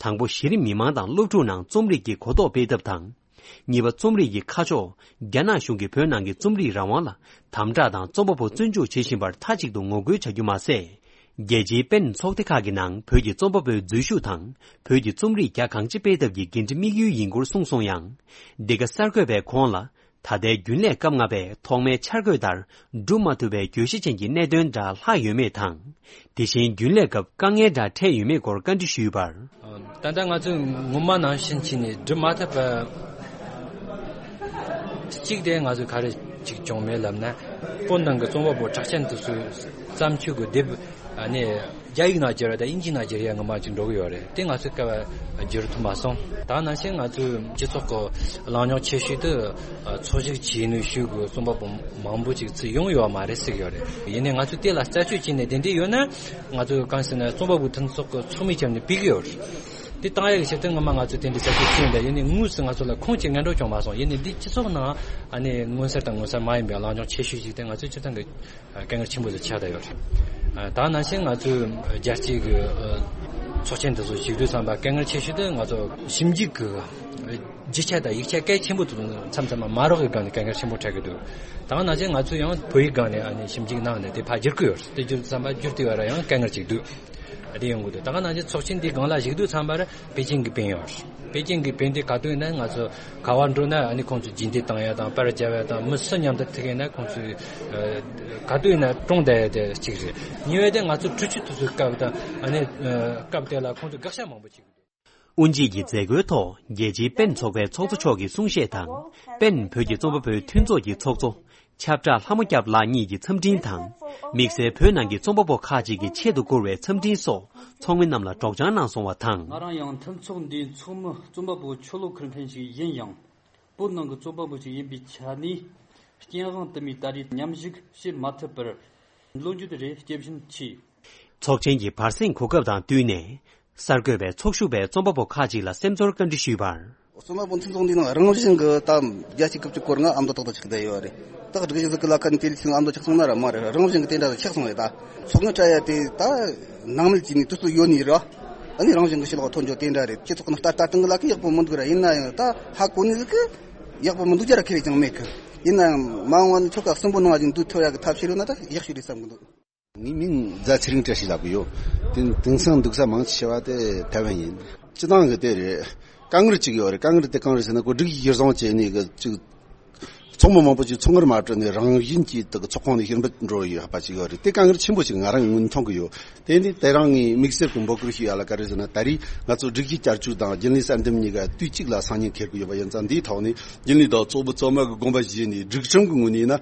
དང་པོ་གཞི་རིམ་མི་མང་དང་སློབ་ཕྲུག་ནང་རྩོམ་རིག་གི་གོ་རྟོགས་སྤེལ་ཐབས་དང་། གཉིས་པ། རྩོམ་རིག་གི་ཁ་ཕྱོགས། རྒྱ་ནག་གཞུང་གིས་བོད་ནང་གི་རྩོམ་རིག་རང་དབང་ལ་དམ་དྲག་དང་རྩོམ་པ་པོ་བཙོན་འཇུག་བྱེད་བཞིན་པར་མཐའ་གཅིག་ཏུ་ངོ་རྒོལ་བྱ་རྒྱུ་མ་ཟད། རྒྱལ་སྤྱིའི་པེན་ཚོགས་སྡེ་ཁག་གི་ནང་བོད་ཀྱི་རྩོམ་པ་པོའི་འཛུལ་ཞུགས་དང་། བོད་ཀྱི་རྩོམ་རིག་རྒྱ་གང་ཆེ་སྤེལ་ཐབས་ཀྱི་འགན་འཁྲི་དམིགས་ཡུལ་ཡིན་སྐོར་གསུངས་སོང་ཡང་། འདི་ག་གསར་འགོད་པས་ཁོང་ལ། ད་ལྟའི་རྒྱུན་ལས་སྐབས་ལྔ་པས་ཐོག་མའི་འཆར་འགོད་ལྟར་འགྲུབ་མ་ཐུབ་པའི་བརྗོད་གཞི་ཅན་གྱི་གནད་དོན་འདྲ་ལྷག་ཡོད་མེད་དང་། དེ་བཞིན་རྒྱུན་ལས་སྐབས་དཀའ་ངལ་འདྲ་འཕྲད་ཡོད་མེད་སྐོར་བཀའ་འདྲི་ཞུས་པར། ད་ལྟ་ང་ཚོས་ངོ་མ་ནང་བཞིན་བྱས་ནས་སྒྲུབ་མ་ཐུབ་པ། གཅིག་དེ་ང་ཚོས་ག་རེ་ཅིག་བྱུང་མེད་ལབ་ན། བོད་ནང་གི་རྩོམ་པ་པོ་གྲགས་ཅན་དེ་ཚོའི་བརྩམས་ཆོས་ཀྱི་དེབ་ཨ་ནི་རྒྱ་ཡིག་ནང་བསྒྱུར་བ་དང་དབྱིན་ཇི་ནང་བསྒྱུར་ཡ་ངོ་མ་ཅིག་འགྲོ་གི་ཡོད་རེད། དེ་ང་ཚོས་སྐབས་བསྒྱུར་ཐུབ་མ་སོང་། ད་ནང་བཞིན་ང་ཚོའི་སྤྱི་ཚོགས་ཀྱི་གླེང་སློང་ཆེ་ཤོས་དེ་ཚོགས་ཞུགས་བྱས་ནས་ཞུགས་དགོས་རྩོམ་པ་པོ་མང་པོ་ཅིག་ཚུར་ཡོང་ཡོད་མ་རེད་ཟེར་གྱི་ཡོད་རེད། ཡིན་ནའི་ང་ཚོས་དེ་ལ་རྩད་གཅོད་བྱས་ནས་དེ་འདྲ་ཡོད་ན་ང་ཚོས་གང་ཟེར་ན་རྩོམ་པ་པོའི་མཐུན་ཚོགས་ཀྱི་ཚོགས་མི་བྱས་ནས་ཕུལ་གྱི་ཡོད་རེད། དེ་བཏང་ཡག་གི་ཆེད་དུ་སྔོན་མ་ང་ཚོས་དེ་འདྲའི་རྩད་གཅོད་བྱས་ཡིན་ད། ཡིན་ནའི་དངོས་སུ་ང་ཚོ་ལ་ཁུངས་ཀྱི་སྔོན་འགྲོ་བྱུང་མ་སོང་། ཡིན་ནའི་འདི་སྤྱི་ཚོགས་ནང་ཨ་ནི་མངོན་གསལ་དང་མངོན་གསལ་མ་ཡིན་པའི་གླེང་སློང་ཆེ་ཤོས་ཤིག་དེ་ང་ཚོའི་སྤྱིར་བཏང་གི་དཀའ་ངལ་ཆེན་པོ་ཞིག་ཆགས་བསྡད་ཡོད་རེད། ད་ནང་བཞིན་ང་ཚོའི་རྒྱལ་སྤྱིའི་གི་ཚོགས་ཆེན་དེ་ཚོ་ཞུགས་དུས་ཙམ་པ་དཀའ་ངལ་ཆེ་ཤོས་དེ་ང་ཚོ་ཞིབ་འཇུག་གི་རྒྱུ་ཆ་དང་ཡིག་ཆ་གལ་ཆེན་པོ་དེ་ཚོ་མཚམས་མཚམས་མ་རག་གི་སྒང་ནས་དཀའ་ངལ་ཆེན་པོ་འཕྲད་ཀྱི་འདུག་ད་ནང་བཞིན་ང་ཚོས་ཡང་བོད་ཡིག་སྒང་ནས་ཨ་ནི་ཞིབ་འཇུག་གནང་ནས་དེ་ཕར་བསྒྱུར་གྱི་ཡོད་རེད། དེ་བསྒྱུར་དུས་ཙམ་པ་བསྒྱུར་དུས་བར་ཡང་དཀའ་ངལ་ཅིག་འདུག་དེ་ཡོང་གི་འདུག་ད་ག་ནང་བཞིན་ཚོགས་ཆེན་འདིའི་སྒང་ལ་ཞུགས་དུས་ཙམ་པར་པེ་ཅིང་གི་པེན་ཡོད་རེད། པེ་ཅིང་གི་པེན་དེ་ག་དུས་ཡིན་ན་ང་ཚོ་ག་བར་འགྲོ་ན་ཨ་ནི་ཁོང་ཚོས་རྗེས་འདེད་བཏང་ཡ་དང་པར་རྒྱབ་ཡ་དང་མི་སུ་མཉམ་དུ་ཐུག་ཡིན་ན་ཁོང་ཚོས་ག་དུས་ཡིན་ན་བཀྲོངས་བསྡད་ཡ་དེ་གཅིག་རེད། གཉིས་པ་དེ་ང་ཚོ་འཕྲུལ་ཆས་དེ་ཚོའི་སྐབས་དང་ཨ་ནི་སྐབས་དེ་ལ་ཁོང་ཚོས་དགག་བྱ་མང་པོ་བྱེད་ཀྱི་འདུག་དབུ་འབྱེད་ཀྱི་མཛད་སྒོའི་ཐོག་རྒྱལ་སྤྱིའི་པེན་ཚོགས་པའི་ཚོགས་གཙོ་མཆོག་གི་གསུང་བཤད་དང་། པེན་བོད་ཀྱི་རྩོམ་པ་པོའི་མཐུན་ཚོགས་ཀྱི་ཚོགས་གཙོ་ཁྱབ་བསྒྲགས་ལྷ་མོ་སྐྱབས་ལགས་གཉིས་ཀྱི་འཚམས་འཕྲིན་དང་། དམིགས་བསལ་བོད་ནང་གི་རྩོམ་པ་པོ་ཁག་ཅིག་གི་ཆེད་དུ་བསྐུར་བའི་འཚམས་འཕྲིན་སོགས་ཚོགས་མི་རྣམས་ལ་སྒྲོག་སྦྱང་གནང་སོང་བ་དང་། ང་རང་ཡང་མཐུན་ཚོགས་འདིའི་ཚོགས་མི་རྩོམ་པ་པོ་ཆོས་ལོ་ཁུར་མཁན་ཞིག་ཡིན་ཡང་། བོད་ནང་གི་རྩོམ་པ་པོ་ཞིག་ཡིན་པའི་ཆ་ནས། རྐྱེན་དབང་དུ་མའི་ད་རེས་མཉམ་ཞུགས་བྱེད་མ་ཐུབ་པར་ལོ་རྒྱུས་རེ་སྐྱེ་བཞིན་མཆིས། ཚོགས་ཆེན་གྱི་བར་གསེང་གོ་སྐབས་དང་བསྟུན་ནས། གསར་འགོད་པས་ཚོགས་ཞུགས་པའི་རྩོམ་པ་པོ་ཁག་ཅིག་ལ་སེམས་ཚོར་བཀའ་འདྲི་ཞུས་པར། རྩོམ་པ་པོ་མཐུན་ཚོགས་འདི་ནང་རང་བཞིན་གྱི་ད་རྒྱལ་སྤྱིའི་སྐབས་ཀྱི་སྐོར་ང་ཨ་མདོ་ཏག་ཏག་ཆགས་བསྡད་ཡོད་རེད། ད་སྒྲིག་གཞི་ཟིག་གི་ལ་ཁ་ནས་དེ་ལས་ཆེ་ཨ་མདོ་ཆགས་སོང་ན་ར་མ་རེད། རང་བཞིན་གྱི་དེ་འདྲ་ཆགས་སོང་རེད། ད་ཚོགས་དངུལ་སྤྲད་ཡ་དེ་ད་ནང་མི་གཅིག་ནས་དུས་ཚོད་ཡོད་ནི་ར། ཨ་ནི་རང་བཞིན་གྱི་ཞི་ལོག་ཐོན་རྒྱུ་དེ་འདྲ་རེད། སྤྱི་ཚོགས་ནང་ལྟ་ལྟ་སྟངས་གི་ལ་ཁ་ཡག་པོ་མི་འདུག་ར། ཡིན་ན་ཡང་ད་ཧ་གོ་ནི་ཟིག་གི་ཡག་པོ་མི་འདུག་རྒྱུ་ར་ཁེ་རེ་ཅང་མེད་གི། ཡིན་ན་ཡང་མ་འོངས་པ་ནས་ཆོལ་ཁ་གསུམ་པོ་ནང་བཞིན་འདུག་ཐུབ་ཡ་གི་ཐབས་ཤེས་ཡོད་ན་ད་ཡག་ཤོས་རེད་བསམ་གི་འདུག། ངའི་མིང་རྫ་ཚེ་རིང་བཀྲ་ཤིས་ལབ་གི་ཡོད། དེ་དེང་སང་འདུག་ས་མང་ཆེ་བ་དེ་ཐའེ་ཝན་ཡིན། སྤྱི་བཏང་གི་དེ་རེད། དཀའ་ངལ་གཅིག་ཡོད་རེད། དཀའ་ངལ་དེ་གང་རེད་ཟེར་ན། ཁོ་སྒྲིག་གཞི་གཞིར་བཟུང་བྱས་ནས་གི་གཅིག་ཚོགས་མི་མང་པོ་ཅིག་ཚོགས་ངར་མ་སྤྲོད་ནས་རང་བཞིན་གྱིས་དེ་གི་ཚོགས་ཁང་ནས་ཕྱིར་འབུད་འགྲོ་ཡོད་པ་ཅིག་ཡོད་རེད། དེ་དཀའ་ངལ་ཆེན་པོ་ཅིག་ང་རང་ངོས་ནས་མཐོང་གི་ཡོད། དེ་ནི་དེ་རིང་ངས་དམིགས་བསལ་གྱི་འབོད་སྐུལ་ཞུ་ཡ་ལ་ག་རེ་ཟེར་ན། ད་རེས་ང་ཚོ་སྒྲིག་གཞི་བསྐྱར་བཅོས་དང་རྒྱུན་ལས་གསར་འདེམས་གཉིས་ཀ་དུས་གཅིག་ལ་སང་ཉིན་འཁེལ་གི་ཡོད་པ་ཡིན་ཙང་། འདིའི་ཐོག་ནས་རྒྱུན་ལས་དང་ཚོགས་མི་ཚང་མ་གི་དགོངས་པ་བཞེས་ནས། སྒྲིག་ཁྲིམས་ཀྱི་ངོས་ནས་ཡིན་ན།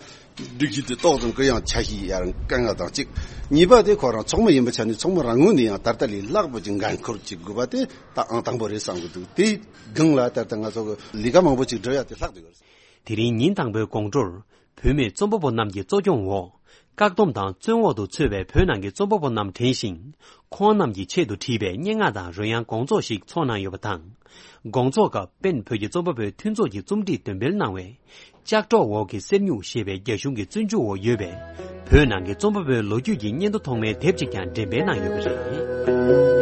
སྒྲིག་གཞི་དེ་ཏོག་ཙམ་གུ་ཡངས་ཆ་ཞིག་ཡར་བཀལ་ཡ་དང་གཅིག། གཉིས་པ་དེ་ཁོ་རང་ཚོགས་མི་ཡིན་པའི་ཆ་ནས་ཚོགས་མི་རང་ངོས་ནས་ཡང་ད་ལྟ་ལས་ལྷག་པ་ཅིག་འགན་འཁུར་བྱེད་དགོས་པ་དེ་ད་ཨང་དང་པོ་རེད་བསམ་གི་འདུག། དེའི་སྒང་ལ་ད་ལྟ་ང་ཚོ་གི་ལས་ཀ་མང་པོ་ཅིག་སྒྲུབ་ཡ་དེ་ལྷག་བསྡད་ཡོད་རེད། དེ་རིང་ཉིན་དང་པོའི་དགོང་དྲོར་བུད་མེད་རྩོམ་པ་པོ་རྣམས་ཀྱི་གཙོ་སྐྱོང་འོག་བཀག་སྡོམ་དང་བཙོན་འོག་ཏུ་ཚུད་པའི་བོད་ནང་གི་རྩོམ་པ་པོ་རྣམས་དྲན་ཞིང་། ཁོང་རྣམས་ཀྱི་ཆེད་དུ་བྲིས་པའི་སྙན་ངག་དང་རོལ་དབྱངས་དགོང་ཚོགས་ཤིག་ཚོགས་གནང་ཡོད་པ་དང་། དགོང་ཚོགས་སྐབས་པེན་བོད་ཀྱི་རྩོམ་པ་པོའི་མཐུན་ཚོགས་ཀྱི་རྩོམ་སྒྲིག་འདོན་སྤེལ་གནང་བའི་ལྕགས་སྒྲོག་འོག་གི་གསེར་སྨྱུག་ཞེས་པའི་རྒྱ་གཞུང་གི་བཙོན་འཇུག་འོག་ཡོད་པའི་བོད་ནང་གི་རྩོམ་པ་པོའི་ལོ་རྒྱུས་ཀྱི་སྙན་ཐོ་ཐོག་མའི་དེབ་ཅིག་ཀྱང་འགྲེམས་སྤེལ་གནང་ཡོད་པ་རེད།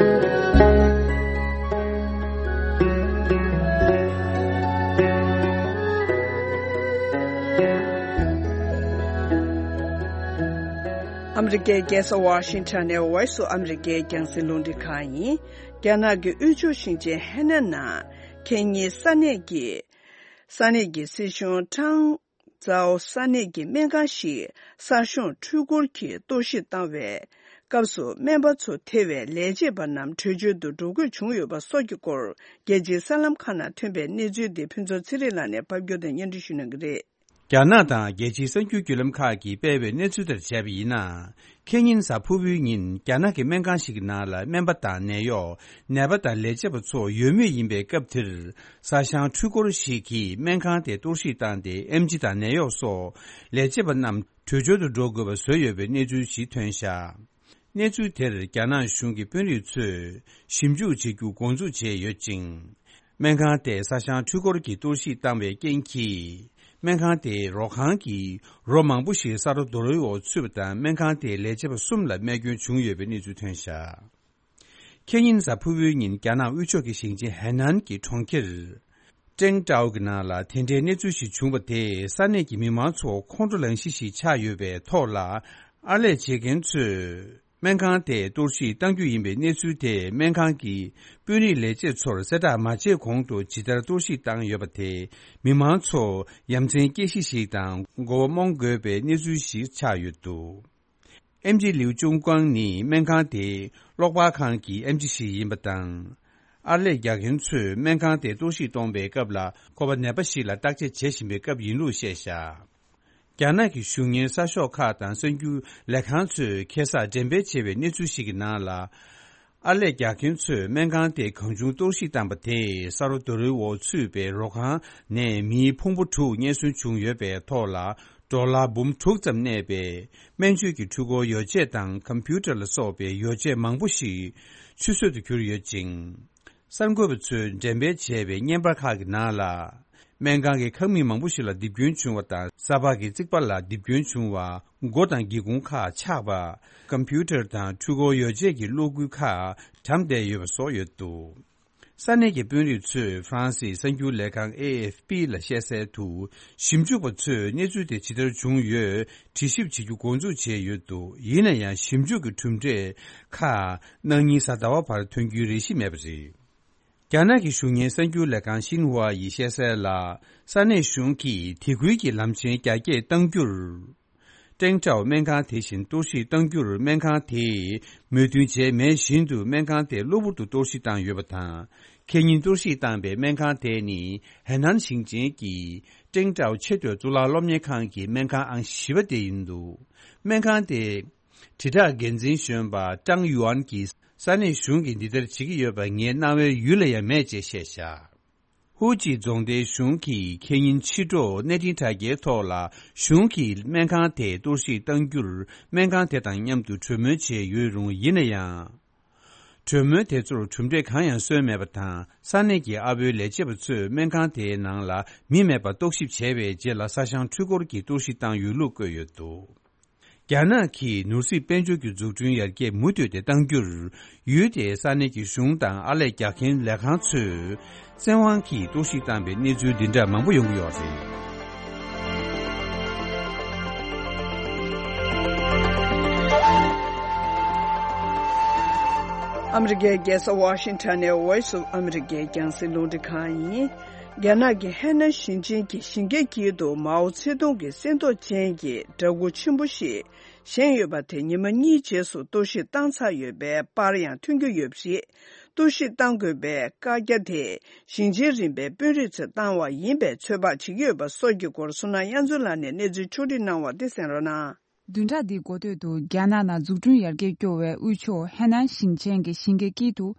ཨ་མི་རི་ཀའི་རྒྱལ་ས་ཝ་ཤིང་ཊོན་ནས་ཝོ་ཡིས་ཨོཕ་ཨ་མི་རི་ཀའི་རྒྱང་སྲིང་རླུང་འཕྲིན་ཁང་ཡིན། རྒྱ་ནག་གི་དབུས་ཕྱོགས་ཞིང་ཆེན་ཧེ་ནན་ནང་ཁེ་ཉིན་ས་གནས་ཀྱི་ས་གནས་ཀྱི་སྲིད་གཞུང་ཀྲང་ཙའོ་ས་གནས་ཀྱི་སྨན་ཁང་ཞིག་གསར་ཤོང་འཕྲུལ་འཁོར་གྱིས་གཏོར་བཤིག་བཏང་བའི་སྐབས་སུ། སྨན་པ་ཚོ་ཐེ་བའི་ལས་བྱེད་པ་རྣམས་བྲོས་བྱོལ་དུ་འགྲོ་དགོས་བྱུང་ཡོད་པ་སོགས་ཀྱི་སྐོར། རྒྱལ་སྤྱིའི་གསར་ལམ་ཁག་ནང་ཐོན་པའི་གནས་ཚུལ་དེ་ཕུན་ཚོགས་ཚེ་རིང་ལགས་ནས་ཕབ་སྒྱུར་དང་སྙན་སྒྲོན་ཞུ་གནང་གི་རེད། རྒྱ་ནག་དང་རྒྱལ་སྤྱིའི་གསར་འགྱུར་བརྒྱུད་ལམ་ཁག་གིས་སྤེལ་བའི་གནས་ཚུལ་ལྟར་བྱས་པ་ཡིན་ན། ཁེ་ཉིན་གཟའ་ཕུར་བུའི་ཉིན་རྒྱ་ནག་གི་སྨན་ཁང་ཞིག་གི་ནང་ལ་སྨན་པ་དང་ནད་གཡོག་ནད་པ་དང་ལས་བྱེད་པ་ཚོ་ཡོད་མུས་ཡིན་པའི་སྐབས་དེར། གསར་ཤང་འཕྲུལ་འཁོར་ཞིག་གིས་སྨན་ཁང་དེ་གཏོར་བཤིག་བཏང་སྟེ། ཨེམ་ཆི་དང་ནད་གཡོག་སོགས་ལས་བྱེད་པ་རྣམས་བྲོས་བྱོལ་དུ་འགྲོ་དགོས་པ་བཟོས་ཡོད་པའི་གནས་ཚུལ་ཞིག་ཐོན་བཞག། གནས་ཚུལ་དེར་རྒྱ་ནག་གཞུང་གི་དཔོན་རིགས་ཚོས་ཞིབ་འཇུག་བྱེད་རྒྱུ་འགོ་འཛུགས་བྱས་ཡོད་ཅིང་། སྨན་ཁང་དེ་གསར་ཤང་འཕྲུལ་འཁོར་གྱིས་གཏོར་བཤིག་བཏང་བའི་རྐྱེན་གྱིས། སྨན་ཁང་དེའི་རོ་ཁང་གི་རོ་མང་པོ་ཞིག་ས་རོ་རྡོ་རོའི་འོག་ཚུད་པ་དང་། སྨན་ཁང་དེའི་ལས་བྱེད་པ་གསུམ་ལ་རྨས་སྐྱོན་བྱུང་ཡོད་པའི་གནས་ཚུལ་ཐོན་བཞག། ཁེ་ཉིན་གཟའ་ཕུར་བུའི་ཉིན་རྒྱ་ནག་དབུས་ཕྱོགས་ཀྱི་ཞིང་ཆེན་ཧེ་ནན་གྱི་གྲོང་ཁྱེར་ཀྲེང་ཀྲའོ་གི་ནང་ལ་དེ་འདྲའི་གནས་ཚུལ་ཞིག་བྱུང་བ་དེས་ས་གནས་ཀྱི་མི་མང་ཚོ་ཁོང་ཁྲོ་ལངས་གཞི་ཞིག་ཆགས་ཡོད་པའི་ཐོག་ལ། ཨར་ལས་བྱེད་མཁན་ཚོས་སྨན་ཁང་དེ་གཏོར་བཤིག་གཏང་རྒྱུ་ཡིན་པའི་གནས་ཚུལ་དེ་སྨན་ཁང་གི་དཔོན་རིགས་ལས་བྱེད་ཚོར་གསལ་བསྒྲགས་མ་བྱས་གོང་དུ་ཇི་ལྟར་གཏོར་བཤིག་བཏང་ཡོད་པ་དེས། མི་མང་ཚོ་ཡ་མཚན་སྐྱེ་གཞི་ཞིག་དང་མགོ་བོ་རྨོངས་དགོས་པའི་གནས་ཚུལ་ཞིག་ཆགས་ཡོད་འདུག། ཨེམ་ཆི་ལིའུ་ཅུང་ཀང་ནི་སྨན་ཁང་དེའི་གློག་སྤར་ཁང་གི་ཨེམ་ཆི་ཞིག་ཡིན་པ་དང་། ཨར་ལས་རྒྱག་མཁན་ཚོས་སྨན་ཁང་དེ་གཏོར་བཤིག་གཏོང་བའི་སྐབས་ལ། ཁོ་པ་ནད་པ་ཞིག་ལ་བརྟག་དཔྱད་བྱེད་བཞིན་པའི་སྐབས་ཡིན་ལུགས་བཤད་བཞག། རྒྱ་ནག་གི་གཞུང་གཉེར་གསར་ཤོག་ཁག་དང་གསར་འགྱུར་ལས་ཁང་ཚོས་ཁ་སང་འགྲེམས་སྤེལ་བྱས་པའི་གནས་ཚུལ་ཞིག་གི་ནང་ལ། ཨར་ལས་རྒྱག་མཁན་ཚོས་སྨན་ཁང་དེ་གང་བྱུང་གཏོར་བཤིག་བཏང་པ་དེས་ས་རོ་རྡོ་རོའི་འོག་ཚུད་པའི་རོ་ཁང་ནས་མིའི་ཕུང་པོ་དྲུག་རྙེད་སོན་བྱུང་ཡོད་པའི་ཐོག་ལ། ཌོ་ལར་འབུམ་དྲུག་ཙམ་གནས་པའི་སྨན་བཅོས་ཀྱི་འཕྲུལ་འཁོར་ཡོ་བྱད་དང་ཀམ་པུ་ཊར་ལ་སོགས་པའི་ཡོ་བྱད་མང་པོ་ཞིག་ཆུད་ཟོས་སུ་གྱུར་ཡོད་ཅིང་། གསར་འགོད་པ་ཚོས་འགྲེམས་སྤེལ་བྱས་པའི་བརྙན་པར་ཁག་གི་ནང་ལ། སྨན་ཁང་གི་ཁང་མིག་མང་པོ་ཞིག་ལ་རྡིབ་སྐྱོན་བྱུང་བ་དང་། ས་ཕག་གི་རྩིག་པ་ལ་རྡིབ་སྐྱོན་བྱུང་བ། སྒོ་དང་སྒེའུ་ཁུང་ཁག་ཆག་པ། ཀམ་པུ་ཊར་དང་འཕྲུལ་འཁོར་ཡོ་བྱད་ཀྱི་གློག་སྒུལ་ཁག་གྲམ་བསྡད་ཡོད་པ་སོགས་ཡོད་འདུག། ས་གནས་ཀྱི་དཔོན་རིགས་ཚོས་ཧྥ་རན་སིའི་གསར་འགྱུར་ལས་ཁང་ཨེ་ཨེཕ་པི་ལ་བཤད་གསལ་དུ། ཞིབ་འཇུག་པ་ཚོས་གནས་ཚུལ་དེ་ཇི་ལྟར་བྱུང་ཡོད་དྲི་ཞིབ་བྱེད་རྒྱུ་འགོ་འཛུགས་བྱས་ཡོད་འདུག། ཡིན་ན་ཡང་ཞིབ་འཇུག་གི་གྲུབ་འབྲས་ཁག་གནངས་ཉིན་གཟའ་ཟླ་བ་བར་ཐོན་རྒྱུའི་རེ་གཞི་མེད་པ་རེད། རྒྱ་ནག་གི་གཞུང་གཉེར་གསར་འགྱུར་ལས་ཁང་ཤིན་ཧྭ་ཡིས་བཤད་གསལ་ལ། ས་གནས་གཞུང་གིས་དེ་ཁུལ་གྱི་ལམ་ཆེན་རྒྱ་སྐྱེད་གཏང་རྒྱུར། ཀྲེང་ཀྲའོ་སྨན་ཁང་དེ་བཞིན་གཏོར་བཤིག་གཏང་རྒྱུར་སྨན་ཁང་དེས་མོས་མཐུན་བྱས་མེད་བཞིན་དུ། སྨན་ཁང་དེ་གློ་བུར་དུ་གཏོར་བཤིག་བཏང་ཡོད་པ་དང་། ཁེ་ཉིན་གཏོར་བཤིག་བཏང་པའི་སྨན་ཁང་དེ་ནི་ཧེ་ནན་ཞིང་ཆེན་གྱི་ཀྲེང་ཀྲའོ་ཆེས་མཐོའི་གཙུག་ལག་སློབ་གཉེར་ཁང་གི་སྨན་ཁང་ཨང་བཞི་པ་དེ་ཡིན་འདུག་སྨན་ཁང་དེ་དྲིལ་བསྒྲགས་འགན་འཛིན་གཞོན་པ་ཀྲང་ཡུའན་གྱིས་ས་གནས་གཞུང་གིས་འདི་ལྟར་བྱེད་ཀྱི་ཡོད་པ་ངའི་རྣ་བའི་ཡུལ་ལ་ཡང་མེད་ཅེས་བཤད་བཞག་ཧུའུ་ཅི་རྫོང་སྡེའི་གཞུང་གིས་ཁེ་ཉིན་ཕྱི་དྲོ་གནས་འཕྲིན་དྲ་རྒྱའི་ཐོག་ལ་གཞུང་གིས་སྨན་ཁང་དེ་གཏོར་བཤིག་གཏང་རྒྱུར་སྨན་ཁང་དེ་དང་མཉམ་དུ་གྲོས་མོལ་བྱས་ཡོད་རུང་། ཡིན་ན་ཡང་། གྲོས་མོལ་དེ་ཚོར་གྲུབ་འབྲས་གང་ཡང་སོན་མེད་པ་དང་། ས་གནས་ཀྱི་ཨ་བོའི་ལས་བྱེད་པ་ཚོས་སྨན་ཁང་དེའི་ནང་ལ་མི་མེད་པར་རྟོག་ཞིབ་བྱས་པའི་རྗེས་ལ་ས་ཞང་འཕྲུལ་འཁོར་གྱིས་གཏོར་བཤིག་བཏང་ཡོད་ལུགས་བཀོད་ཡོད་འདུག་རྒྱ་ནག་གིས་ནོར་སྲིད་དཔལ་འབྱོར་གྱི་འཛུགས་སྐྲུན་ཡར་རྒྱས་མུ་མཐུད་དེ་གཏང་རྒྱུར། ཡུལ་དེའི་ས་གནས་ཀྱི་གཞུང་དང་ཨར་ལས་རྒྱག་མཁན་ལས་ཁང་ཚོས་བཙན་དབང་གིས་གཏོར་བཤིག་བཏང་པའི་གནས་ཚུལ་འདི་འདྲ་མང་པོ་ཡོང་གི་ཡོད་རེད། ཨ་མི་རི་ཀའི་རྒྱལ་ས་ཝ་ཤིང་ཊོན་ནས་Voice of America རྒྱང་སྲིང་རླུང་འཕྲིན་ཁང་ཡིན། རྒྱ་ནག་གི་ཧེ་ནན་ཞིང་ཆེན་གྱི་ཞིང་ཁའི་དཀྱིལ་དུ་མའོ་ཙེ་ཏུང་གི་གསེར་མདོག་ཅན་གྱི་འདྲ་སྐུ་ཆེན་པོ་ཞིག་བཞེངས་ཡོད་པ་དེ་ཉི་མ་གཉིས་རྗེས་སུ་གཏོར་བཤིག་བཏང་ཚར་ཡོད་པའི་པར་ཡང་ཐོན་གྱི་ཡོད་པ་རེད། གཏོར་བཤིག་བཏང་དགོས་པའི་བཀའ་རྒྱ་དེ་ཞིང་ཆེན་རིམ་པའི་དཔོན་རིགས་ཚོས་བཏང་བ་ཡིན་པའི་ཚོད་དཔག་བྱེད་ཀྱི་ཡོད་པ་སོགས་ཀྱི་སྐོར་བསོད་ནམས་དབྱངས་མཚོ་ལགས་ནས་གནས་ཚུལ་ཕྱོགས་སྒྲིག་གནང་བ་དེ་གསན་རོགས་གནང་། བདུན་ཕྲག་འདིའི་འགོ་སྟོད་དུ་རྒྱ་ནག་ནང་འཛུགས་སྐྲུན་ཡར་རྒྱས་སྐྱོ་བའི་དབུས་ཕྱོགས་ཧེ་ནན་ཞིང་ཆེན་གྱི་ཞིང་ཁའི་དཀྱིལ་དུ།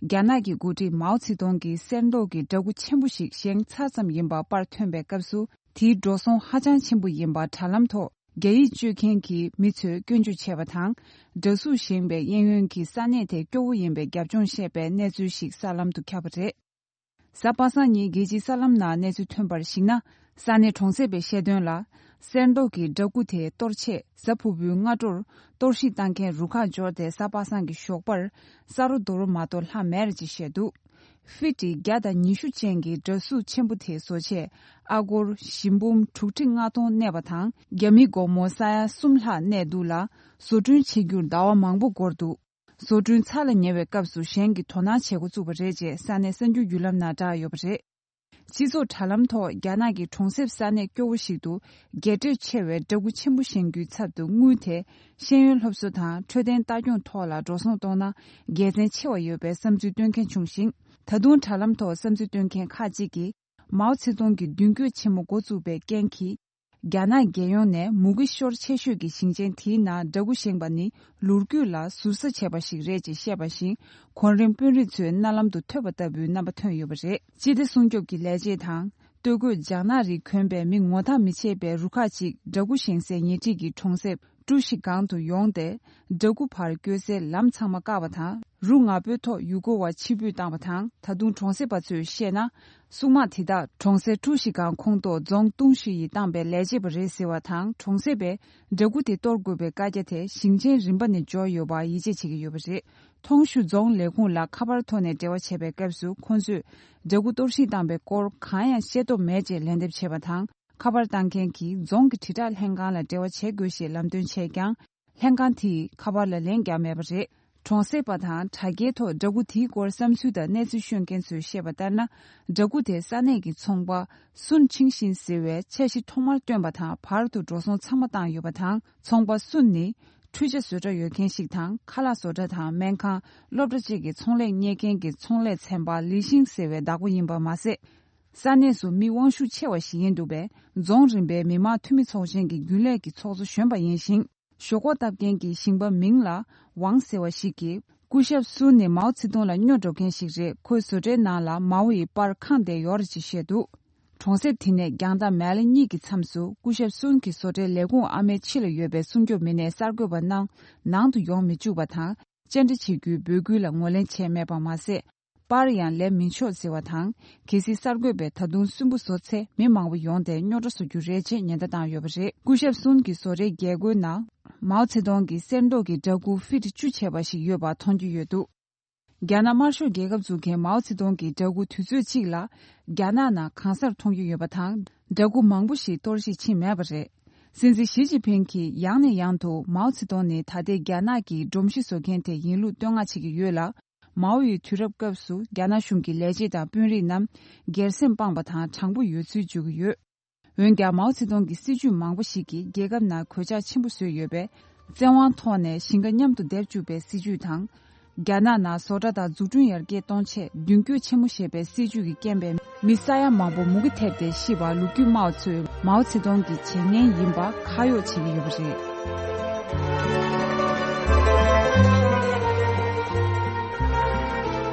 རྒྱ་ནག་གི་འགོ་ཁྲིད་མའོ་ཙེ་ཏུང་གི་གསེར་མདོག་གི་འདྲ་སྐུ་ཆེན་པོ་ཞིག་བཞེངས་ཚར་ཙམ་ཡིན་པ་པར་ཐོན་པའི་སྐབས་སུ། དེའི་འགྲོ་སོང་ཧ་ཅང་ཆེན་པོ་ཡིན་པ་དྲ་ལམ་ཐོག་རྒྱ་ཡིག་སྤྱོད་མཁན་གྱི་མི་ཚོས་སྐྱོན་བརྗོད་བྱས་པ་དང་། འདྲ་གཟུགས་བཞེངས་པའི་གཡས་གཡོན་གྱི་ས་གནས་དེ་སྐྱོ་བོ་ཡིན་པའི་རྒྱབ་ལྗོངས་བཤད་པའི་གནས་ཚུལ་ཞིག་གསར་ལམ་དུ་ཁྱབ་པ་རེད། གཟའ་པ་སངས་ཉིན་རྒྱལ་སྤྱིའི་གསར་ལམ་ནང་གནས་ཚུལ་ཐོན་པར་གཞིགས་ན། ས་གནས་གྲོང་གསེབ་པས་བཤད་དོན་ལ། གསེར་མདོག་གི་འདྲ་སྐུ་དེ་གཏོར་ཆེད་གཟའ་ཕུར་བུའི་སྔ་དྲོར་གཏོར་བཤིག་བཏང་མཁན་རུ་ཁག་འབྱོར་ཏེ་གཟའ་པ་སངས་ཀྱི་ཞོགས་པར་ས་རོ་རྡོ་རོ་མ་གཏོགས་ལྷག་མེད་རེད་ཅེས་བཤད་འདུག་ཧྥི་ཏི་བརྒྱ་དང་ཉི་ཤུ་ཅན་གྱི་འདྲ་གཟུགས་ཆེན་པོ་དེ་བཟོ་ཆེད་ཨ་སྒོར་བཞི་འབུམ་དྲུག་ཁྲི་ལྔ་སྟོང་གནས་པ་དང་། རྒྱ་མི་སྒོར་མོ་ས་ཡ་གསུམ་ལྷག་གནས་འདུག་ལ། བཟོ་སྐྲུན་བྱེད་རྒྱུར་ཟླ་བ་མང་པོ་འགོར་འདུག་བཟོ་སྐྲུན་ཚར་ལ་ཉེ་བའི་སྐབས་སུ་གཞན་གྱིས་དོ་སྣང་བྱེད་འགོ་བཙུགས་པ་རེད་ཅེས་ས་གནས་གསར་འགྱུར་བརྒྱུད་ལམ་ནང་བསྒྲགས་ཡོད་པ་རེད། སྤྱི་ཚོགས་དྲ་ལམ་ཐོག་རྒྱ་ནག་གི་གྲོང་གསེབ་ས་གནས་སྐྱོ་བོ་ཞིག་ཏུ་རྒྱས་སྤྲོས་ཆེ་བའི་འདྲ་སྐུ་ཆེན་པོ་བཞེངས་རྒྱུའི་ཚབ་ཏུ་དངུལ་དེ་ཤེས་ཡོན་སློབ་གསོ་དང་འཕྲོད་བསྟེན་ལྟ་སྐྱོང་ཐོག་ལ་འགྲོ་སོང་གཏོང་ན་དགེ་མཚན་ཆེ་བ་ཡོད་པའི་བསམ་ཚུལ་བཏོན་མཁན་བྱུང་ཞིང་། ད་དུང་དྲ་ལམ་ཐོག་བསམ་ཚུལ་བཏོན་མཁན་ཁག་ཅིག་གིས། མའོ་ཙེ་ཏུང་གི་མདུན་སྐྱོད་ཆེན་མོ་འགོ་བཙུགས་པའི་རྐྱེན་གྱིས། རྒྱ་ནག་རྒྱལ་ཡོངས་ནས་མུ་གེ་ཤོར་ཆེ་ཤོས་ཀྱི་ཞིང་ཆེན་དེའི་ནང་འདྲ་སྐུ་བཞེངས་པ་ནི་ལོ་རྒྱུས་ལ་ཟུར་ཟ་བྱས་པ་ཞིག་རེད་ཅེས་བཤད་པ་བཞིན། གོང་རིམ་དཔོན་རིགས་ཚོའི་མནའ་ལམ་དུ་ཐོས་པ་ལྟ་བུའི་རྣམ་པ་ཐོན་ཡོད་པ་རེད། སྤྱི་བདེ་སྲུང་སྐྱོབ་ཀྱི་ལས་བྱེད་དང་། སྟོད་གོས་ལྗང་ནག་རིགས་གོན་པའི་མི་ངོ་ཐག་མི་ཆད་པའི་རུ་ཁག་ཅིག་འདྲ་སྐུ་བཞེངས་སའི་ཉེ་འཁྲིས་ཀྱི་གྲོང་གསེབ། ཀྲུའུ་ཞི་སྒང་དུ་ཡོང་སྟེ། འདྲ་སྐུ་ཕར་བསྐྱོད་སའི་ལམ་ཚང་མ་བཀག་པ་དང་། རུ་ང་ཕོད་ཐོག་ཡུལ་སྐོར་བ་ཕྱིར་འབུད་བཏང་བ་དང་། ད་དུང་གྲོང་གསེབ་པ་ཚོས་བཤད་ན། སྲུང་དམག་དེ་དག་གྲོང་གསེབ་ཀྲུའུ་ཞི་སྒང་ཁོངས་གཏོགས་རྫོང་ཏུང་ཞི་ཡིས་བཏང་པའི་ལས་བྱེད་པ་རེད་ཟེར་བ་དང་། གྲོང་གསེབ་པས་འདྲ་སྐུ་དེ་གཏོར་དགོས་པའི་བཀའ་རྒྱ་དེ་ཞིང་ཆེན་རིམ་པ་ནས་འབྱོར་ཡོད་པར་ཡིད་ཆེས་བྱེད་ཀྱི་ཡོད་པ་རེད། ཐོང་ཤུ་རྫོང་ལས་ཁུངས་ལ་ཁ་པར་ཐོག་ནས་འབྲེལ་བ་བྱས་པའི་སྐབས་སུ། ཁོང་ཚོས་འདྲ་སྐུ་གཏོར་བཤིག་བཏང་པའི་སྐོར་གང་ཡང་ཤེས་རྟོགས་མེད་ཅེས་ལན་འདེབས་བྱས་པ་དང་། ཁ་པར་བཏང་མཁན་གྱིས་རྫོང་གི་དྲིལ་བསྒྲགས་ལྷན་ཁང་ལ་འབྲེལ་བ་བྱེད་དགོས་ཞེས་ལམ་སྟོན་བྱས་ཀྱང་། ལྷན་ཁང་དེས་ཁ་པར་ལ་ལན་བརྒྱབ་མེད་པ་རེད། གྲོང་གསེབ་པ་དང་དྲ་རྒྱའི་ཐོག་འདྲ་སྐུ་དེའི་སྐོར་བསམ་ཚུལ་དང་གནས་ཚུལ་ཤོད་མཁན་ཚོས་བཤད་པ་ལྟར་ན། འདྲ་སྐུ་དེ་ས་གནས་ཀྱི་ཚོང་པ་སུན་ཆིང་ཤིན་ཟེར་བས་འཆར་གཞི་ཐོག་མར་བཏོན་པ་དང་བར་དུ་འགྲོ་སོང་ཚང་མ་བཏང་ཡོད་པ་དང་། ཚོང་པ་སུན་ནི་འཕྲུལ་ཆས་བཟོ་གྲྭ་ཡོད་མཁན་ཞིག་དང་། ཁ་ལག་བཟོ་གྲྭ་དང་སྨན་ཁང་། སློབ་གྲྭ་བཅས་ཀྱི་ཚོང་ལས་གཉེར་མཁན་གྱི་ཚོང་ལས་ཚན་པ་ལི་ཤིང་ཟེར་བའི་བདག་པོ་ཡིན་པ་མ་ཟད། ས་གནས་སུ་མི་དབང་ཤུགས་ཆེ་བ་ཞིག་ཡིན་འདུག་པས། རྫོང་རིམ་པའི་མི་དམངས་འཐུས་མི་ཚོགས་ཆེན་གྱི་རྒྱུན་ལས་ཀྱི་ཚོགས་གཙོ་གཞོན་པ་ཡིན་ཞིང་། ཞོག་ཁོག་བཏབ་མཁན་གྱི་ཞིང་པ་མིང་ལ་ཝང་ཟེར་བ་ཞིག་གིས། སྐུ་ཞབས་སུན་ནི་མའོ་ཙེ་ཏུང་ལ་སྨྱོ་འགྲོ་མཁན་ཞིག་རེད། ཁོའི་བཟོ་གྲྭའི་ནང་ལ་མའོ་ཡི་པར་གང་བསྡད་ཡོད་རེད་ཅེས་བཤད་འདུག་གྲོང་གསེབ་དེ་ནས་རྒྱང་ཐག་མལ་ལེ་གཉིས་ཀྱི་མཚམས་སུ་སྐུ་ཞབས་སུན་གྱི་བཟོ་གྲྭའི་ལས་ཁུངས་ཨ་མའི་ཕྱི་ལ་ཡོད་པའི་སྲུང་སྐྱོབ་མི་སྣས་གསར་འགོད་པ་རྣམས་ནང་དུ་ཡོང་མི་བཅུག་པ་དང་། བཅར་འདྲི་བྱེད་རྒྱུའི་འབོད་སྐུལ་ལ་ངོས་ལེན་བྱས་མེད་པ་མ་ཟད། པར་ཡང་ལེན་མི་ཆོག་ཟེར་བ་དང་། གལ་སྲིད་གསར་འགོད་པས་ད་དུང་སུན་པོ་བཟོ་ཚེ་མི་མང་པོ་ཡོང་སྟེ་རྙོག་དྲ་བཟོ་རྒྱུ་རེད་ཅེས་ཉེན་བརྡ་བཏང་ཡོད་པ་རེད། སྐུ་ཞབས་སུན་གྱི་བཟོ་གྲྭའི་རྒྱལ་སྒོའི་ནང་མའོ་ཙེ་ཏུང་གི་གསེར་མདོག་གི་འདྲ་སྐུ་ཧྥིཊ་བཅུ་བྱས་པ་ཞིག་ཡོད་པ་མཐོང་རྒྱུ་ཡོད་འདུག་རྒྱ་ནག་དམར་ཤོག་རྒྱལ་ཁབ་འཛུགས་མཁན་མའོ་ཙེ་ཏུང་གི་འདྲ་སྐུ་དུས་ཚོད་གཅིག་ལ་རྒྱ་ནག་ནང་གང་སར་མཐོང་རྒྱུ་ཡོད་པ་དང་། འདྲ་སྐུ་མང་པོ་ཞིག་གཏོར་བཤིག་ཕྱིན་མེད་པ་རེད། སྲིད་འཛིན་ཞི་ཅིན་ཕིང་གིས་ཡང་ནས་ཡང་དུ་མའོ་ཙེ་ཏུང་ནི་ད་ལྟའི་རྒྱ་ནག་གི་སྒྲོམ་གཞི་བཟོ་མཁན་དེ་ཡིན་ལུགས་བསྟོད་བསྔགས་བྱེད་ཀྱི་ཡོད་ལ། མའོ་ཡི་དུས་རབས་སྐབས་སུ་རྒྱ་ནག་གཞུང་གི་ལས་བྱེད་དང་དཔོན་རིགས་རྣམས་སྒེར་སེམས་སྤངས་པ་དང་དྲང་པོ་ཡོད་ཚུལ་བརྗོད་ཀྱི་ཡོད། འོན་ཀྱང་མའོ་ཙེ་ཏུང་གི་སྲིད་ཇུས་མང་པོ་ཞིག་གིས་རྒྱལ་ཁབ་ནང་གོད་ཆག་ཆེན་པོ་བཟོས་ཡོད་པས། བཙན་དབང་ཐོག་ནས་ཞིང་ཁ་མཉམ་དུ་འདེབས་བཅུག་པའི་སྲིད་ཇུས་དང་། རྒྱ་ནག་ནང་བཟོ་གྲྭ་དང་འཛུགས་སྐྲུན་ཡར་རྒྱས་གཏོང་ཆེད་མདུན་སྐྱོད་ཆེན་མོ་ཞེས་པའི་སྲིད་ཇུས་ཀྱི་རྐྱེན་པས་མི་ས་ཡ་མང་པོ་མུ་གེ་ཐེབས་ཏེ་ཤི་བ་ལོ་རྒྱུས་སྨྲ་བ་ཚོས་མའོ་ཙེ་ཏུང་གི་བྱེད་ངན་ཡིན་པ་ཁ་གཡོག་བྱེད་ཀྱི་ཡོད་པ་རེད།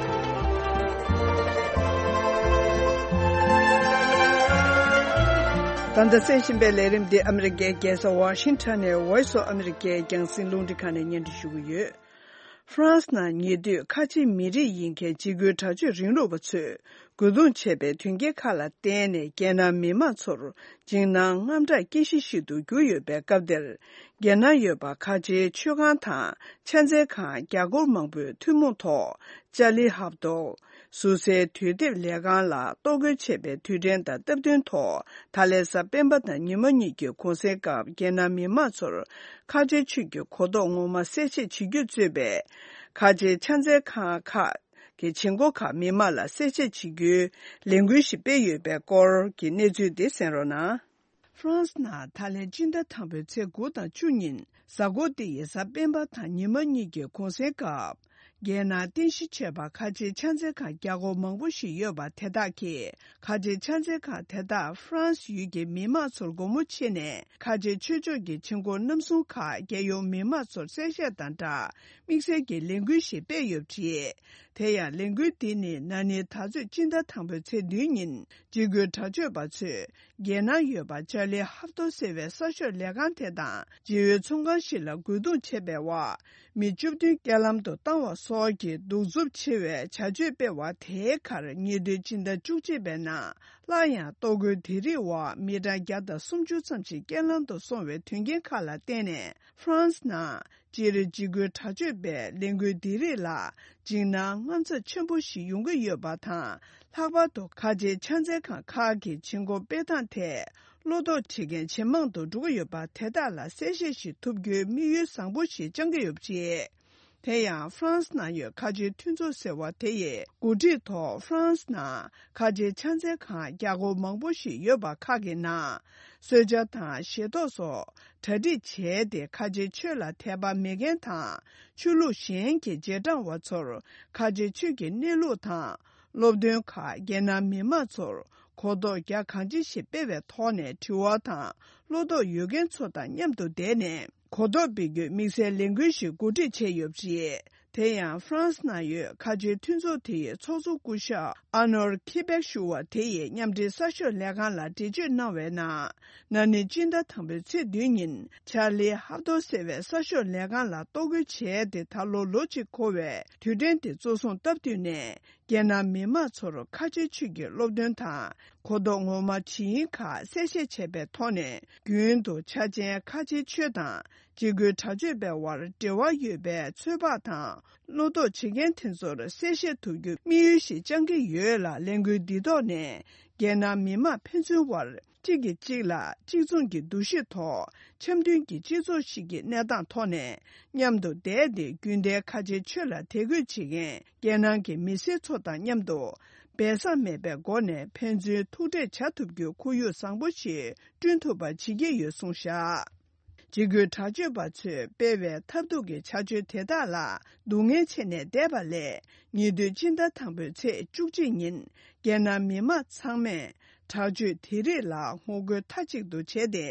ད་ལྟ་གསན་བཞིན་པའི་ལས་རིམ་འདི་ཨ་མི་རི་ཀའི་རྒྱལ་ས་ཝ་ཤིང་ཊོན་ནས་Voice of America རྒྱང་སྲིང་རླུང་འཕྲིན་ཁང་ནས་སྙན་སྒྲོན་ཞུ་གི་ཡོད། ཧྥ་རན་སི་ནང་ཉེ་དུས་ཁ་ཆེ་མི་རིགས་ཡིན་མཁན་འཇིགས་སྐུལ་དྲག་སྤྱོད་རིང་ལུགས་པ་ཚོས་རྒོལ་རྡུང་བྱས་པའི་དོན་རྐྱེན་ཁག་ལ་བརྟེན་ནས་རྒྱལ་ནང་མི་མང་ཚོར་འཇིགས་སྣང་དངངས་སྐྲག་སྐྱེ་གཞི་ཞིག་ཏུ་གྱུར་ཡོད་པའི་སྐབས་འདིར། རྒྱལ་ནང་ཡོད་པ་ཁ་ཆེའི་མཆོད་ཁང་དང་ཕྱག་འཚལ་ཁང་བརྒྱ་སྐོར་མང་པོས་ཐུན་མོང་ཐོག་ཅཱ་ལི་ཧབ་ཏོ། ཟུར་སའི་དུས་དེབ་ལས་ཁང་ལ་གཏོར་རྒོལ་བྱས་པའི་དུས་དྲན་དང་སྟབས་བསྟུན་ཐོག་ད་ལན་གཟའ་སྤེན་པ་དང་ཉི་མ་གཉིས་ཀྱི་གུང་སེང་སྐབས་རྒྱལ་ནང་མི་མང་ཚོར་ཁ་ཆེ་ཆོས་ཀྱི་གོ་རྟོགས་ངོ་མ་གསལ་བཤད་བྱེད་རྒྱུ་གཙོས་པའི་ཁ་ཆེ་ཕྱག་འཚལ་ཁང་ཁག་གི་བྱེད་སྒོ་ཁག་མི་མང་ལ་གསལ་བཤད་བྱེད་རྒྱུའི་ལས་འགུལ་ཞིག་སྤེལ་ཡོད་པའི་སྐོར་གྱི་གནས་ཚུལ་དེ་གསན་རོགས་གནང་། ཧྥ་རན་སི་ནང་ད་ལན་སྤྱི་ཟླ་དང་པོའི་ཚེས་དགུ་དང་བཅུ་ཉིན་གཟའ་འཁོར་འདི་ཡི་གཟའ་སྤེན་པ་དང་ཉི་མ་གཉིས་ཀྱི་གུང་སེང་སྐབས། རྒྱལ་ནང་རྟེན་གཞི་བྱས་པ་ཁ་ཆེའི་ཕྱག་འཚལ་ཁང་བརྒྱ་སྐོར་མང་པོ་ཞིག་ཡོད་པ་དེ་དག་གིས་ཁ་ཆེའི་ཕྱག་འཚལ་ཁང་དེ་དག་ཧྥ་རན་སི་ཡུལ་གྱི་མི་མང་ཚོར་སྒོ་མོ་ཕྱེ་ནས་ཁ་ཆེའི་ཆོས་ཕྱོགས་ཀྱི་བྱེད་སྒོ་རྣམ་གསུམ་ཁག་རྒྱལ་ཡོངས་མི་མང་ཚོར་གསལ་བཤད་དང་སྦྲགས་དམིགས་བསལ་གྱི་ལས་འགུལ་ཞིག་སྤེལ་ཡོད་པ་རེད། དེ་ཡང་ལས་འགུལ་འདི་ནི་ན་ནིང་ད་གཟོད་སྤྱི་ཟླ་དང་པོའི་ཚེས་བདུན་ཉིན་འཇིགས་སྐུལ་དྲག་སྤྱོད་པ་ཚོས། རྒྱལ་ནང་ཡོད་པ་ཅཱ་ལི་ཧབ་ཏོ་ཟེར་བའི་གསར་ཤོག་ལས་ཁང་དེ་དང་སྦྱི་ཡུལ་ཚོང་ཁང་ཞིག་ལ་རྒོལ་རྡུང་བྱས་པའི་འོག་མི་བཅུ་བདུན་རྐྱེན་ལམ་དུ་བཏང་བ་སོགས་ཀྱི་གདུག་རྩུབ་ཆེ་བའི་བྱ་སྤྱོད་སྤེལ་བ་དེའི་ཁར་ཉེ་དུས་སྤྱི་ཟླ་བཅུ་གཅིག་པའི་ནང་སླར་ཡང་གཏོར་རྒོལ་དེ་རིགས་འོག་མི་གྲངས་བརྒྱ་དང་སུམ་ཅུ་ཙམ་ཞིག་རྐྱེན་ལམ་དུ་སོང་བའི་དོན་རྐྱེན་ཁག་ལ་བརྟེན་ནས་ཧྥ་རན་སི་ནང་སྤྱིར་འཇིགས་སྐུལ་དྲག་སྤྱོད་པའི་ལས་འགུལ་འདི་རིགས་ལ་འཇིགས་སྣང་དངངས་འཚབ་ཆེན་པོ་ཞིག་ཡོང་གི་ཡོད་པ་དང་། ལྷག་པར་དུ་ཁ་ཆེའི་ཕྱག་འཚལ་ཁང་ཁག་གི་བྱེད་སྒོ་སྤེལ་སྟངས་ཐད་བློ་དོགས་བྱེད་མཁན་ཇེ་མང་དུ་འགྲོ་གི་ཡོད་པ་དེ་དག་ལ་གསལ་བཤད་ཞིག་ཐུབ་རྒྱུའི་དམིགས་ཡུལ་བཟང་པོ་ཞིག་བཅངས་ཀྱི་ཡོད་པ་རེད། དེ་ཡང་ཧྥ་རན་སི་ནང་ཡོད་ཁ་ཆེའི་མཐུན་ཚོགས་ཟེར་བ་དེ་ཡི་འགོ་ཁྲིད་ཐོག་ཧྥ་རན་སི་ནང་ཁ་ཆེའི་ཕྱག་འཚལ་ཁང་བརྒྱ་སྐོར་མང་པོ་ཞིག་ཡོད་པ་ཁག་གི་ནང་གསོལ་ཇ་དང་ཞལ་ཏོག་སོགས་གྲ་སྒྲིག་བྱས་ཏེ་ཁ་ཆེའི་ཆོས་ལ་དད་པ་མེད་མཁན་དང་ཆོས་ལུགས་གཞན་གྱི་རྗེས་འབྲང་བ་ཚོར་ཁ་ཆེའི་ཆོས་ཀྱི་གནས་ལུགས་དང་སློབ་སྟོན་ཁག་རྒྱལ་ནང་མི་མང་ཚོར་གོ་རྟོགས་རྒྱ་གང་ཆེ་ཞིག་སྤེལ་བའི་ཐོག་ནས་དྲི་བ་དང་བློ་དོགས་ཡོད་མཁན་ཚོ་དང་མཉམ་དུ་བསྡད་ནས་གོ་རྟོགས་སྤེལ་རྒྱུའི་དམིགས་བསལ་ལས་འགུལ་ཞིག་གོ་སྒྲིག་བྱས་ཡོད་པ་རེད། དེ་ཡང་ཧྥ་རན་སི་ནང་ཡོད་ཁ་ཆེའི་མཐུན་ཚོགས་དེ་ཡི་ཚོགས་གཙོ་སྐུ་ཞབས་ཨ་ནོར་ཁི་པེག་ཞུ་བ་དེ་ཡིས་མཉམ་འབྲེལ་གསར་ཤོག་ལས་ཁང་ལ་འགྲེལ་བརྗོད་གནང་བའི་ནང་། ན་ནིང་སྤྱི་ཟླ་དང་པོའི་ཚེས་བདུན་ཉིན་ཆར་ལི་ཧབ་ཏོ་ཟེར་བའི་གསར་ཤོག་ལས་ཁང་ལ་གཏོར་རྒོལ་བྱས་ཏེ་ད་ལོ་ལོ་གཅིག་འཁོར་བའི་དུས་དྲན་དེ་གཙོ་བཟུང་སྟབས་བསྟུན་ནས། རྒྱལ་ནང་མི་མང་ཚོར་ཁ་ཆེའི་ཆོས་ཀྱི་སློབ་སྟོན་དང་གོ་རྟོགས་ངོ་མ་ཇི་ཡིན་ཁག་གསལ་བཤད་བྱས་པའི་ཐོག་ནས། རྒྱུན་དུ་འཆར་ཅན་ཁ་ཆེའི་ཆོས་དང་འཇིགས་སྐུལ་དྲག་སྤྱོད་པའི་དབར་འབྲེལ་བ་ཡོད་པའི་ཚོད་དཔག་དང་། བློ་དོགས་བྱེད་མཁན་དེ་ཚོར་གསལ་བཤད་ཐུབ་རྒྱུ་དམིགས་ཡུལ་ཞིག་བཅངས་ཀྱི་ཡོད་ལ། ལས་འགུལ་འདི་ཐོག་ནས་རྒྱལ་ནང་མི་མང་ཕན་ཚུན་དབར་གཅིག་གིས་གཅིག་ལ་གཅིག་མཚུངས་ཀྱི་འདུ་ཤེས་ཐོག་འཆམ་མཐུན་གྱི་སྤྱི་ཚོགས་ཤིག་གི་གནས་སྟངས་ཐོག་ནས་མཉམ་དུ་བསྡད་དེ། རྒྱུན་ལྡན་ཁ་ཆེའི་ཆོས་ལ་དད་གུས་བྱེད་མཁན་རྒྱལ་ནང་གི་མི་སེར་ཚོ་དང་མཉམ་དུ་སྦས་གསང་མེད་པའི་སྒོ་ནས་ཕན་ཚུན་ཐུག་འཕྲད་བྱ་ཐུབ་རྒྱུའི་ཁོར་ཡུག་བཟང་པོ་ཞིག་བསྐྲུན་ཐུབ་པ་བྱེད་ཀྱི་ཡོད་གསུངས་བཞག་འཇིགས་སྐུལ་དྲག་སྤྱོད་པ་ཚོས་སྤེལ་བའི་ཐབས་སྡུག་གི་བྱ་སྤྱོད་དེ་དག་ལ་སྡུག་བསྔལ་བྱས་ནས་བསྡད་པ་ལས། ཉེ་དུས་སྤྱི་ཟླ་དང་པོའི་ཚེས་བཅུ་གཅིག་ཉིན་རྒྱལ་ནང་མི་མང་ཚང་མས་དྲག་སྤྱོད་དེ་རིགས་ལ་ངོ་རྒོལ་མཐའ་གཅིག་ཏུ་བྱས་ཏེ།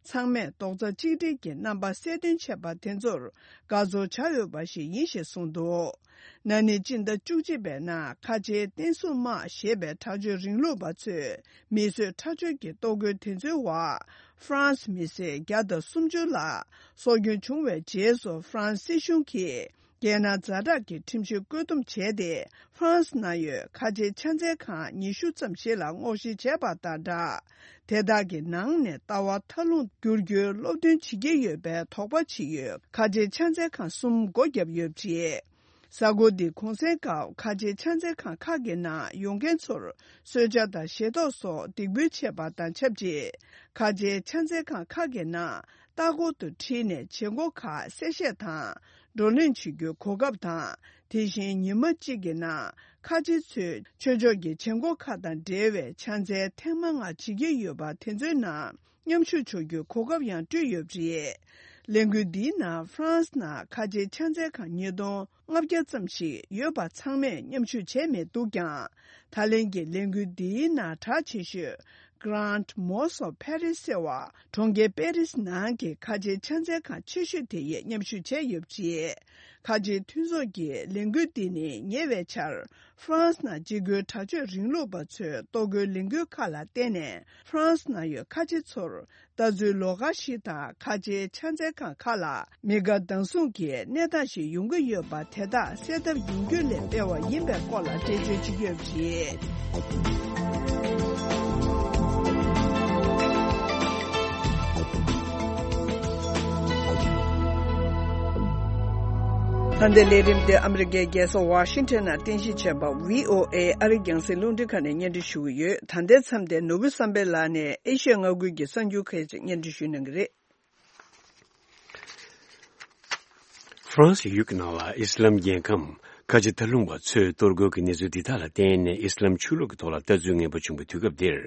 ཚང་མས་རྡོག་རྩ་གཅིག་སྒྲིལ་གྱི་རྣམ་པ་གསལ་སྟོན་བྱས་པ་དེ་ཚོར་དགའ་ཚོར་བྱ་འོས་པ་ཞིག་ཡིན་ཞེས་གསུངས་འདུག་ན་ནིང་སྤྱི་ཟླ་བཅུ་གཅིག་པའི་ནང་ཁ་ཆེའི་བསྟན་སྲུང་དམག་ཞེས་པའི་དྲག་སྤྱོད་རིང་ལུགས་པ་ཚོས་མི་གསོད་ཁྲག་སྦྱོར་གྱི་གཏོར་རྒོལ་དེ་ཚོའི་འོག་ཧྥ་རན་སི་མི་སེར་བརྒྱ་དང་སུམ་ཅུ་ལ་སྲོག་སྐྱོན་བྱུང་བའི་རྗེས་སུ། ཧྥ་རན་སི་སྲིད་གཞུང་གིས་རྒྱལ་ནང་ཛ་དྲག་གི་ཁྲིམས་གཞི་བཀོད་འདོམས་བྱས་ཏེ། ཧྥ་རན་སི་ནང་ཡོད་ཁ་ཆེའི་ཕྱག་འཚལ་ཁང་ཉི་ཤུ་ཙམ་ཞིག་ལ་སྔོག་བཤེར་བྱས་པ་དང་སྦྲགས། དེ་དག་གི་ནང་ནས་ལྟ་བ་མཐའ་ལྷུང་བསྒྱུར་རྒྱུའི་སློབ་སྟོན་བྱེད་ཀྱི་ཡོད་པའི་དོགས་པ་ཅིག་ཡོད་ཁ་ཆེའི་ཕྱག་འཚལ་ཁང་གསུམ་སྒོ་བརྒྱབ་ཡོད་པ་རེད། གཟའ་འཁོར་འདིའི་གུང་སེང་སྐབས་ཁ་ཆེའི་ཕྱག་འཚལ་ཁང་ཁག་གི་ནང་ཡོང་མཁན་ཚོར་གསོལ་ཇ་དང་ཞལ་ཏོག་སོགས་འདེགས་འབུལ་བྱས་པ་དང་ཆབས་ཅིག་ཁ་ཆེའི་ཕྱག་འཚལ་ཁང་ཁག་གི་ནང་ལྟ་སྐོར་དུ་ཁྲིད་ནས་བྱེད་སྒོ་ཁག་གསལ་བཤད་དང་བགྲོ་གླེང་བྱེད་རྒྱུའི་གོ་སྐབས་དང་། དེ་བཞིན་ཉི་མ་གཅིག་གི་ནང་ཁ་ཆེ་ཚོས་ཆོས་ཕྱོགས་ཀྱི་བྱེད་སྒོ་ཁག་དང་འབྲེལ་བའི་ཕྱག་འཚལ་ཐེངས་མ་ལྔ་བྱེད་ཀྱི་ཡོད་པ་དེ་ཚོའི་ནང་མཉམ་ཞུགས་ཆོག་རྒྱུའི་གོ་སྐབས་ཡང་སྤྲོད་ཡོད་པ་རེད། ལས་འགུལ་འདིའི་ནང་ཧྥ་རན་སི་ནང་ཁ་ཆེའི་ཕྱག་འཚལ་ཁང་ཉིས་སྟོང་ལྔ་བརྒྱ་ཙམ་ཞིག་ཡོད་པ་ཚང་མས་མཉམ་ཞུགས་བྱས་མེད་འདུག་ཀྱང་། ད་ལན་གྱི་ལས་འགུལ་འདིའི་ནང་གྲགས་ཆེ་ཤོས་Grand Mosque of Paris ཟེར་བ་གྲོང་ཁྱེར་པེ་རིས་ནང་གི་ཁ་ཆེའི་ཕྱག་འཚལ་ཁང་ཆེ་ཤོས་དེ་ཡིས་མཉམ་ཞུགས་བྱས་ཡོད་པ་རེད། ཁ་ཆེའི་མཐུན་ཚོགས་ཀྱི་ལས་འགུལ་འདི་ནི་ཉེ་བའི་ཆར་ཧྥ་རན་སི་ནང་འཇིགས་སྐུལ་དྲག་སྤྱོད་རིང་ལུགས་པ་ཚོའི་གཏོར་རྒོལ་ལས་འགུལ་ཁག་ལ་བརྟེན་ནས་ཧྥ་རན་སི་ནང་ཡོད་ཁ་ཆེ་ཚོར་ལྟ་ཚུལ་ལོགས་ཀ་ཞིག་དང་། ཁ་ཆེའི་ཕྱག་འཚལ་ཁང་ཁག་ལ་མི་དགའ་སྡང་ཟུང་གི་གནས་སྟངས་ཤིག་ཡོང་གི་ཡོད་པ་དེ་དག་སེལ་ཐབས་ཡོང་རྒྱུ་ལས་སྤེལ་བ་ཡིན་པའི་སྐོར་ལ་འགྲེལ་བརྗོད་བྱེད་ཀྱི་ཡོད་པ་རེད། ད་ལྟའི་ལས་རིམ་དེ་ཨ་མི་རི་ཀའི་རྒྱལ་ས་ཝ་ཤིང་ཊོན་ནང་རྟེན་གཞི་བྱས་པ་བྷི་ཨོ་ཨེ་ཨ་རི་རྒྱང་སྲིང་རླུང་འཕྲིན་ཁང་ནས་སྙན་སྒྲོན་ཞུ་གི་ཡོད། ད་ལྟའི་མཚམས་དེ་ནོར་བུ་བསམ་འཕེལ་ལགས་ནས་ཨེ་ཤི་ཡ་མངའ་ཁུལ་གྱི་གསར་འགྱུར་ཁག་ཅིག་སྙན་སྒྲོན་ཞུ་གནང་གི་རེད། ཧྥ་རན་སི་ཡུལ་གྱི་ནང་ལ་ཨི་སི་ལམ་རྒྱལ་ཁམས་ཁ་ཆེ་མཐའ་ལྷུང་བ་ཚོས་གཏོར་རྒོལ་གྱི་གནས་ཚུལ་འདི་དག་ལ་བརྟེན་ནས་ཨི་སི་ལམ་ཆོས་ལུགས་ཀྱི་ཐོག་ལ་ལྟ་ཚུལ་ངན་པ་བྱུང་བའི་དུས་སྐབས་འདིར།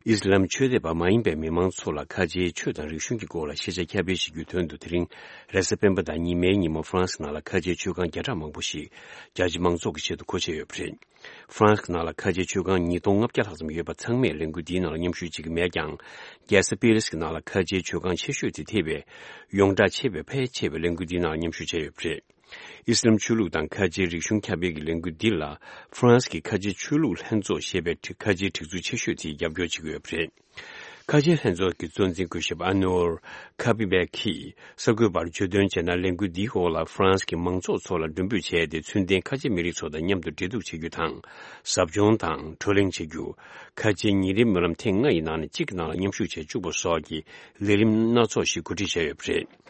ཨི་སི་ལམ་ཆོས་དད་པ་མ་ཡིན་པའི་མི་མང་ཚོ་ལ་ཁ་ཆེའི་ཆོས་དང་རིག་གཞུང་གི་སྐོར་ལ་ཤེས་བྱ་ཁྱབ་སྤེལ་བྱེད་རྒྱུའི་དོན་དུ། དེ་རིང་རེས་གཟའ་སྤེན་པ་དང་ཉི་མའི་ཉིན་མོ་ཧྥ་རན་སི་ནང་ལ་ཁ་ཆེའི་ཆོས་ཁང་བརྒྱ་ཕྲག་མང་པོ་ཞིག་རྒྱ་ཆེ་མང་ཚོགས་ཀྱི་ཆེད་དུ་མཁོ་ཆས་ཡོད་པ་རེད། ཧྥ་རན་སི་ནང་ལ་ཁ་ཆེའི་ཆོས་ཁང་ཉིས་སྟོང་ལྔ་བརྒྱ་ལྷག་ཙམ་ཡོད་པ་ཚང་མས་ལས་འགུལ་འདིའི་ནང་ལ་མཉམ་ཞུགས་བྱེད་ཀྱི་མེད་ཀྱང་། རྒྱལ་ས་པེ་རིས་ཀྱི་ནང་ལ་ཁ་ཆེའི་ཆོས་ཁང་ཆེ་ཤོས་དེ་ཐེ་བའི་ཡོངས་གྲགས་ཆེ་བའི་ཕལ་ཆེ་བས་ལས་འགུལ་འདིའི་ནང་ལ་མཉམ་ཞུགས་བྱས་ཡོད་པ་རེད། ཨི་སི་ལམ་ཆོས་ལུགས་དང་ཁ་ཆེའི་རིག་གཞུང་ཁྱབ་སྤེལ་གྱི་ལས་འགུལ་འདི་ལ་ཧྥ་རན་སི་གི་ཁ་ཆེའི་ཆོས་ལུགས་ལྷན་ཚོགས་ཞེས་པའི་ཁ་ཆེའི་སྒྲིག་འཛུགས་ཆེ་ཤོས་དེས་རྒྱབ་སྐྱོར་བྱེད་ཀྱི་ཡོད་པ་རེད། ཁ་ཆེའི་ལྷན་ཚོགས་ཀྱི་གཙོ་འཛིན་སྐུ་ཞབས་ཨ་ནོར་ཁ་པི་བེ་ཁིས་གསར་འགོད་པར་བརྗོད་དོན་བྱས་ན། ལས་འགུལ་འདིའི་འོག་ལ་ཧྥ་རན་སི་གི་མང་ཚོགས་ཚོ་ལ་མགྲོན་འབོད་བྱས་ཏེ། ཚུལ་ལྡན་ཁ་ཆེ་མི་རིགས་ཚོ་དང་མཉམ་དུ་འབྲེལ་གཏུག་བྱེད་རྒྱུ་དང་། ཟབ་སྦྱོང་དང་བགྲོ་གླེང་བྱེད་རྒྱུ། ཁ་ཆེའི་ཉིན་རེའི་སྨོན་ལམ་ཐེངས་ལྔ་ཡི་ནང་ནས་གཅིག་གི་ནང་ལ་མཉམ་ཞུགས་བྱེད་བཅུག་པ་སོགས་ཀྱི་ལས་རིམ་སྣ་ཚོགས་ཤིག་གོ་སྒྲིག་བྱས་ཡོད་པ་རེད།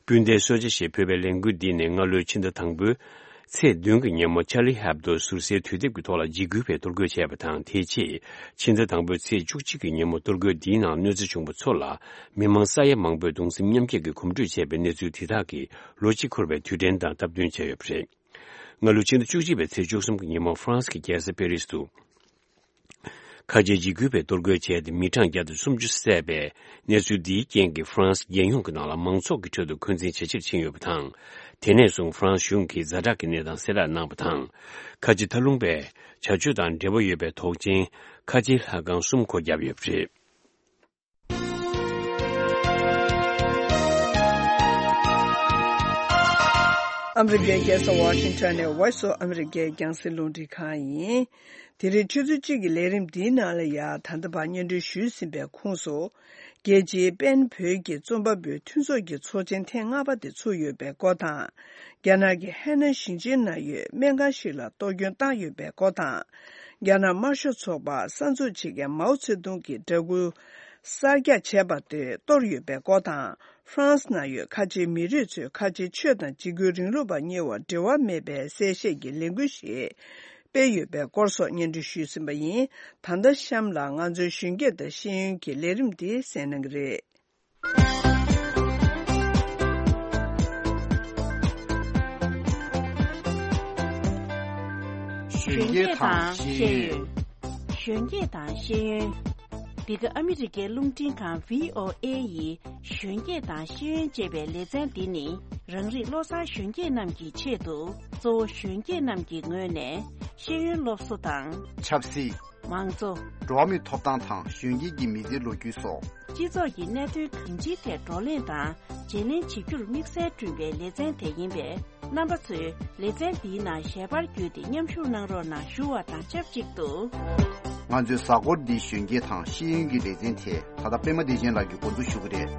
སྤུན་ཟླའི་གསོལ་ཇ་ཞེས་འབོད་པའི་ལས་འགུལ་འདི་ནི་སྔ་ལོའི་ཕྱི་ཟླ་དང་པོའི་ཚེས་བདུན་གྱི་ཉིན་མོ་ཅར་ལི་ཧེབ་དོ་ཟུར་ཟའི་དུས་དེབ་ཀྱི་ཐོག་ལ་འཇིགས་སྐུལ་བའི་གཏོར་རྒོལ་བྱས་པ་དང་། དེའི་རྗེས་ཕྱི་ཟླ་དང་པོའི་ཚེས་བཅུ་གཅིག་གི་ཉིན་མོ་གཏོར་རྒོལ་འདིའི་ནང་གནོད་འཚེ་བྱུང་བ་ཚོ་ལ་མི་མང་ས་ཡ་མང་པོས་གདུང་སེམས་མཉམ་སྐྱེད་ཀྱི་གོམ་བགྲོད་བྱས་པའི་གནས་ཚུལ་དེ་དག་གིས་ལོ་གཅིག་འཁོར་བའི་དུས་དྲན་དང་སྟབས་བསྟུན་བྱས་ཡོད་པ་རེད། སྔ་ལོ་ཕྱི་ཟླ་བཅུ་གཅིག་པའི་ཚེས་བཅུ་གསུམ་གྱི་ཉིན་མོ་ཧྥ་རན་སི་གི་རྒྱལ་ས་པེ་རིས་དུ། ཁ་ཆེའི་འཇིགས་སྐུལ་བའི་གཏོར་རྒོལ་བྱས་ཏེ་མི་གྲངས་བརྒྱ་དང་སུམ་ཅུ་བསད་པའི་གནས་ཚུལ་འདིའི་རྐྱེན་གྱིས་ཧྥ་རན་སི་རྒྱལ་ཡོངས་ཀྱི་ནང་ལ་མང་ཚོགས་ཀྱི་ཁྲོད་དུ་འཁོན་འཛིན་ཇེ་ཆེར་ཕྱིན་ཡོད་པ་དང་། དེ་ནས་བཟུང་ཧྥ་རན་སི་གཞུང་གིས་ཛ་དྲག་གི་གནས་སྟངས་གསལ་བསྒྲགས་གནང་བ་དང་། ཁ་ཆེ་མཐའ་ལྷུང་པའི་བྱ་སྤྱོད་དང་འབྲེལ་བ་ཡོད་པའི་དོགས་ཅན་ཁ་ཆེའི་ལྷ་ཁང་གསུམ་སྒོ་བརྒྱབ་ཡོད་པ་རེད། ཨ་མི་རི་ཀའི་རྒྱལ་ས་ཝ་ཤིང་ཊོན་ནས་Voice of America རྒྱང་སྲིང་རླུང་འཕྲིན་ཁང་ཡིན། དེ་རིང་ཆུ་ཚོད་གཅིག་གི་ལས་རིམ་འདིའི་ནང་ལ་ཡང་ད་ལྟ་བར་སྙན་སྒྲོན་ཞུས་ཟིན་པའི་ཁོངས་སུ། རྒྱལ་སྤྱིའི་པེན་བོད་ཀྱི་རྩོམ་པ་པོའི་མཐུན་ཚོགས་ཀྱི་ཚོགས་ཆེན་ཐེངས་ལྔ་པ་དེ་ཚུགས་ཡོད་པའི་སྐོར་དང་། རྒྱ་ནག་གི་ཧེ་ནན་ཞིང་ཆེན་ནང་ཡོད་སྨན་ཁང་ཞིག་ལ་གཏོར་སྐྱོན་བཏང་ཡོད་པའི་སྐོར་དང་། རྒྱ་ནག་དམར་ཤོག་ཚོགས་པ་གསར་འཛུགས་བྱེད་མཁན་མའོ་ཙེ་ཏུང་གི་འདྲ་སྐུ་གསར་རྒྱག་བྱས་པ་དེ་གཏོར་ཡོད་པའི་སྐོར་དང་། ཧྥ་རན་སི་ནང་ཡོད་ཁ་ཆེའི་མི་རིགས་ཚོས་ཁ་ཆེའི་ཆོས་དང་འཇིགས་སྐུལ་རིང་ལུགས་པ་གཉིས་བར་འབྲེལ་བ་མེད་པའི་གསལ་བཤད་ཀྱི་ལས་འགུལ་ཞིག་སྤེལ་ཡོད་པའི་སྐོར་སོགས་སྙན་སྒྲོན་ཞུས་ཟིན་པ་ཡིན། ད་ལྟ་གཤམ་ལ་ང་ཚོའི་གཞོན་སྐྱེས་དང་ཤེས་ཡོན་གྱི་ལས་རིམ་འདི་གསན་གནང་གི་རེད། གཞོན་སྐྱེས་དང་ཤེས་ཡོན། གཞོན་སྐྱེས་དང་ཤེས་ཡོན། འདི་ག་ཨ་མི་རི་ཀའི་རླུང་འཕྲིན་ཁང་བྷི་ཨོ་ཨེ་ཡི་གཞོན་སྐྱེས་དང་ཤེས་ཡོན་ཅེས་པའི་ལེ་ཚན་འདི་ནི། རང་རིགས་བློ་བཟང་གཞོན་སྐྱེས་རྣམས་ཀྱི་ཆེད་དུ། གཙོ་བོ་གཞོན་སྐྱེས་རྣམས་ཀྱི་ངོས་ནས་ཤེས་ཡོན་སློབ་གསོ་དང་། ཆབ་སྲིད། མང་གཙོ། འགྲོ་བ་མིའི་ཐོབ་ཐང་དང་གཞོན་སྐྱེས་ཀྱི་མི་ཚེའི་ལོ་རྒྱུས་སོགས། སྤྱི་ཚོགས་ཀྱི་གནད་དོན་གང་ཅིའི་ཐད་བགྲོ་གླེང་དང་བརྗེ་ལེན་བྱེད་རྒྱུར་དམིགས་བསལ་བསྐྲུན་པའི་ལེ་ཚན་དེ་ཡིན་པས། རྣམ་པ་ཚོས་ལེ་ཚན་འདིའི་ནང་ཞལ་པར་བརྒྱུད་དེ་མཉམ་ཞུགས་གནང་རོགས་གནང་ཞུ་བ་དང་ཆབས་ཅིག་ཏུ། ང་ཚོའི་གཟའ་འཁོར་འདིའི་གཞོན་སྐྱེས་དང་ཤེས་ཡོན་གྱི་ལེ་ཚན་དེ་ད་ལྟ་པད་མ་བདེ་ཆེན་ལགས་ཀྱིས་འགོ་འཛུགས་ཞུ་གི་རེད།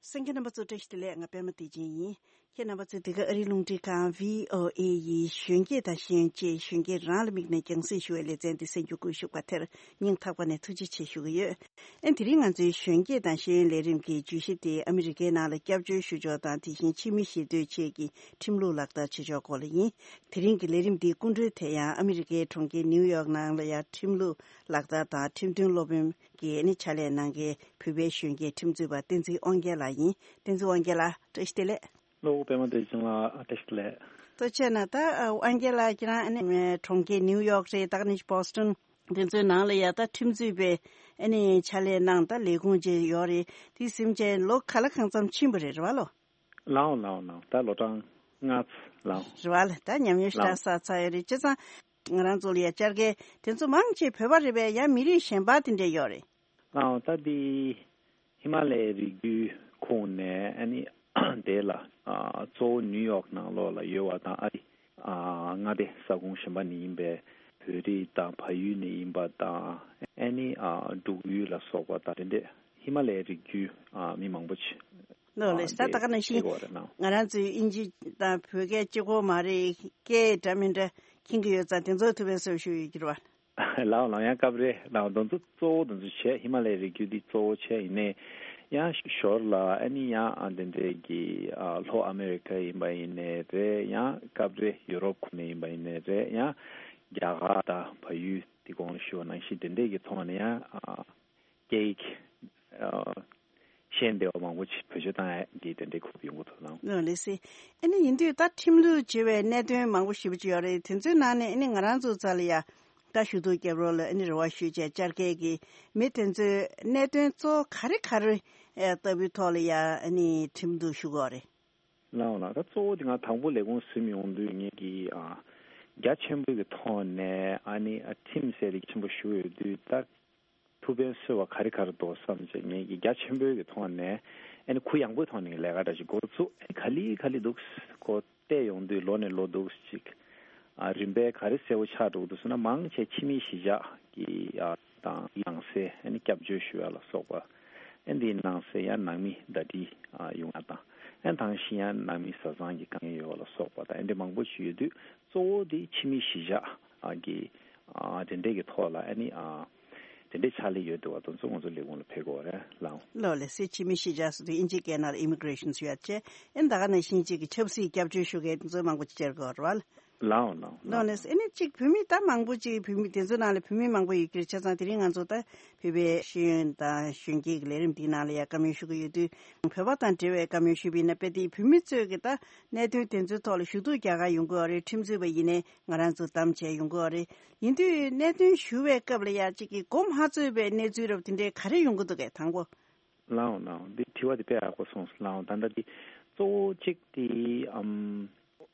གསན་མཁན་རྣམ་པ་ཚོ་བཀྲ་ཤིས་བདེ་ལེགས། ང་པད་མ་བདེ་ཆེན་ཡིན། ཁྱེད་རྣམ་པ་ཚོས་འདི་ག་ཨ་རིའི་རླུང་འཕྲིན་ཁང་བྷི་ཨོ་ཨེ་ཡི་གཞོན་སྐྱེས་དང་ཤེས་ཡོན་ཅེས་གཞོན་སྐྱེས་རང་ལ་དམིགས་ནས་རྒྱང་སྲིང་ཞུ་བའི་ལེ་ཚན་འདི་གསན་རྒྱུ་བཀོད་ཞུ་བ་དེར་སྙིང་ཐག་པ་ནས་ཐུགས་རྗེ་ཆེ་ཞུ་གི་ཡོད། ཨེ་དེ་རིང་ང་ཚོའི་གཞོན་སྐྱེས་དང་ཤེས་ཡོན་ལས་རིམ་གྱི་བརྗོད་གཞི་དེ་ཨ་མི་རི་ཀའི་ནང་ལ་སྐྱབས་བཅོལ་ཞུ་ཕྱོགས་དང་དེ་བཞིན་ཕྱི་མི་ཞི་གཏོད་ཆེད་ཀྱི་ཁྲིམས་ལུགས་ལག་བསྟར་བྱེད་ཕྱོགས་སྐོར་ལ་ཡིན། དེ་རིང་གི་ལས་རིམ་འདིའི་སྐུ་མགྲོན་དེ་ཡང་ཨ་མི་རི་ཀའི་གྲོང་ཁྱེར་ནིའུ་ཡོག་ནང་ལ་ཡང་ཁྲིམས་ལུགས་ལག་བསྟར་དང་ཁྲིམས་དོན་སློབ་དཔོན་གྱི་ནི་ཕྱག་ལས་གནང་མཁན་བོད་པའི་གཞོན་སྐྱེས་ཁྲིམས་རྩོད་པ་བསྟན་འཛིན་དབང་རྒྱལ་ལགས་ཡིན། བསྟན་འཛིན་དབང་རྒྱལ་ལགས་བཀྲ་ཤིས་བདེ་ལེགས། ལོ་པད་མ་བདེ་ཆེན་ལགས་བཀྲ་ཤིས་བདེ་ལེགས། ཐུགས་རྗེ་ཆེ་གནང་། ད་དབང་རྒྱལ་ལགས་ཁྱེད་རང་ཨ་ནི་གྲོང་ཁྱེར་ནིའུ་ཡོག་རེད། ད་ནི་བྷོ་སི་ཊོན་དེ་ཚོའི་ནང་ལ་ཡ་ད་ཁྲིམས་རྩོད་པའི་ ཨ་ནི་ཕྱག་ལས་གནང་ད་ལས་ཁུངས་ཅིག་ཡོད་རེད། དེ་ཟིན་བྱས་ལོ་ག་ལ་གང་འཚམ་ཕྱིན་པ་རེད། རེད་བ་ལོ། ལའོ་ལའོ་ལའོ། ད་ལོ་གྲངས་ལྔ་ཚོ་ལའོ། རེད་བ་ལ། ད་ཉམས་མྱོང་ཞེ་དྲག་བསགས་ཚར་ཡོད་རེད། བྱས་ཙང་ང་རང་ཚོ་ལ་ཡ་བཅར་མཁན་དེ་ཚོ་མང་ཆེ་བོད་པ་རེད་པས། ཡང་མི་རིགས་གཞན་པ་དེ་འདྲས་ཡོད་རེད། ཨ་ད་དེ་ཧི་མ་ལའི་རི་རྒྱུད་ཁོངས་ནས་ཨ་ནི་དེ་ལ་ཨ་གཙོ་བོ་ནིའུ་ཡོག་ནང་ལོགས་ལ་ཡོད་པ་དང་། ཨ་རི་ཨ་མངའ་སྡེ་ས་ཁོངས་གཞན་པ་ནས་ཡིན་པའི་བོད་རིགས་དང་བལ་ཡུལ་ནས་ཡིན་པ་དང་། ཨ་ནི་ཨ་འབྲུག་ཡུལ་ལ་སོགས་པ་དང་དེ་འདྲས་ཧི་མ་ལའི་རི་རྒྱུད་ཨ་མི་མང་པོ་ཅིག་ལོ་ལེ་ས་ད་ག་ནང་བཞིན་ང་རང་ཚོའི་དབྱིན་ཇི་དང་བོད་སྐད་གཅིག་པོ་མ་རེད། སྐད་འདྲ་མི་འདྲ་མཁྱེན་གྱི་ཡོད་ཙང་དེ་ཚོ་ཐུགས་ཕན་གསོས་ཞུ་ཡོད་ཀྱི་རེད་བ། ལའོ་ལའོ། ཡང་སྐབས་རེ་ལའོ་དེ་ཚོ་གཙོ་བོ་དེ་ཚོ་བྱས། ཧི་མ་ལའི་རི་རྒྱུད་འདི་གཙོ་བོ་བྱས། ཡིན་ནའི་ཡང་ཞོར་ལ་ཨ་ནི་ཡང་ཨ་དེ་འདྲའི་གི་ཨ་ལྷོ་ཨ་མེ་རི་ཁ་ཡིན་པ་ཡིན་ནའི་རེད། ཡང་སྐབས་རེ་ཡུ་རོབ་ཁུལ་ནས་ཡིན་པ་ཡིན་ནའི་རེད། ཡང་རྒྱ་གར་དང་བལ་ཡུལ་འདི་གོང་ཞུས་པ་ནང་བཞིན་དེ་འདྲའི་གི་ཐོག་ནས་ཡང་ཨ་སྐད་ཡིག་ཨ་ཤེས་བདེ་བ་མང་པོ་ཅིག་བེད་སྤྱོད་བཏང་ཡ་གི་དེ་འདྲའི་ཁུལ་ཡོང་གི་འདུག་ལགས། ལགས་སེ། ཨ་ནི་ཡིན་དུས་ད་ཁྲིམས་ལུགས་བྱེད་པའི་གནད་དོན་མང་པོ་ཞེ་པོ་ཅིག་ཡོད་རེད། དེ་ཚོའི་ནང་ནས་ཨ་ནི་ང་རང་ཚོ་རྩ་ལ་ཡ་ད་ཞུ་གཏུག་རྒྱབ་རོགས་ལ་ཨ་ནི་རེ་བ་ཞུས་བྱས་བཅར་མཁན་གྱི་མི་དེ་ཚོས་གནད་དོན་གཙོ་བོ་ག་རེ་ག་རེ་ཨེ་ལྟ་བུའི་ཐོག་ལ་ཡ་ཨ་ནི་ཁྲིམས་གཏུག་ཞུ་དགོས་རེད། ལགས་འོང་ལགས། ད་གཙོ་བོ་དེ་ང་དང་པོ་ལས་ཁུངས་ཟིན་ཡོང་དུས་ངེད་ཀྱིས་ཨ་རྒྱ་ཆེན་པོའི་གི་ཐོག་ནས་ཨ་ནི་ཨ་ཁྲིམས་ཟེར་དེ་ཆེན་པོ་ཞུ་ཡོད་དུས། ད་ཐུགས་ཕན་གསོས་པ་ག་རེ་ག་རེ་འདུག་བསམ་བྱས་ངེད་ཀྱིས་རྒྱ་ཆེན་པོའི་གི་ཐོག་ནས་ཨ་ནི་གུ་ཡངས་པོའི་ཐོག་ནས་ལས་ཀ་འདྲ་ཞིག་འགོ་བཙུགས། ཨ་ནི་ག་ལེ་ག་ལེ་འདུག་གོ་བལྟས་ཡོང་དུས་ལོ་ནས་ལོ་འདུག་ཅིག་ཨ་རིམ་པས་ག་རེ་གསལ་པོ་ཆགས་འགྲོ་གི་འདུག་ཟེར་ན། མང་ཆེ་ཕྱི་མི་གཞིས་ཆགས་ཀྱི་ཨ་དང་ནང་སའི་ཨ་ནི་སྐྱབས་བཅོལ་ཞུ་ཡ་ལ་སོགས་པ། ཨ་འདིའི་ནང་སའི་ཡང་ནང་མི་ཟླ་སྒྲིལ་ཨ་ཡོང་ཡ་དང་། ཨ་དེ་བཞིན་ཡང་ནང་མི་བཟའ་ཚང་གི་དཀའ་ངལ་ཡོད་པ་ལ་སོགས་པ་དང་། ཨ་འདི་མང་པོ་ཞིག་ཡོད་དུས་གཙོ་བོ་དེ་ཕྱི་མི་གཞིས་ཆགས་ཨ་གི་ཨ་དེ་འདྲས་ཀྱི་ཐོག་ལ་ཨ་ནི་ཨ་དེ་འདྲས་ཕྱག་ལས་ཡོད་འདུག་བ། དེ་ཚོ་ང་ཚོ་ལས་ཁུངས་ལ་ཕེབས་དགོས་རེད་ལགས། ལགས་ལགས་སེ། ཕྱི་མི་གཞིས་ཆགས་ཟེར་དུས་དབྱིན་ཇིའི་སྐད་ནང་ལ་ཨི་མི་གྷི་རེ་ཤན་ཞུ་ཡ་བྱས། ཨ་ནི་ད་ག་ནང་བཞིན་གཅིག་གི་ཆབ་སྲིད་སྐྱབས་བཅོལ་ཞུ་མཁན་དེ་ཚོ་མང་པོ་ཅིག་བཅར་དགོས་རེད་བ། ལགས་འོང་ལགས་འོང་། ལགས་འོང་། ལགས་ལགས་སེ། ཨ་ནི་གཅིག་བོད་མི་ད་མང་པོ་ཅིག་བོད་མི་དེ་ཚོ་ནང་ལ་བོད་མི་མང་པོ་ཡོད་ཀྱི་རེད། བྱས་ཙང་དེ་རིང་ང་ཚོ་ད་བོད་པའི་ཤེས་ཡོན་དང་གཞོན་སྐྱེས་ཀྱི་ལས་རིམ་འདིའི་ནང་ལ་ཡ་བཀའ་མོལ་ཞུ་གི་ཡོད་དུས། བོད་པ་དང་འབྲེལ་བའི་བཀའ་མོལ་ཞུས་པ་ཡིན་ན། དཔེ་དེ་བོད་མི་ཚོས་ཀྱི་ད་གནད་དོན་དེ་ཚོའི་ཐོག་ལ་ཞུ་གཏུག་རྒྱག་ག་ཡོང་གི་ཡོད་རེད། ཁྲིམས་རྩོད་པ་ཡིན་ནའི་ང་རང་ཚོ་གདམ་བྱས་ཡོང་གི་ཡོད་རེད། ཡིན་དུས་གནད་དོན་ཞུ་བའི་སྐབས་ལ་ཡ་གཅིག་གི་མགོ་མ་ཚོས་པའི་གནས་ཚུལ་རབ་དེ་འདྲའི་ག་རེ་ཡོང་གི་འདུག་གས། དང་པོ། ལགས་འོང་ལགས་འོང་། འདི་དྲི་བ་འདི་དཔེ་ཡག་པོ་གསུངས་སོང་། ལགས་འོང་། ད་ལྟ་འདི་གཙོ་བོ་གཅིག་དེ་ཨམ་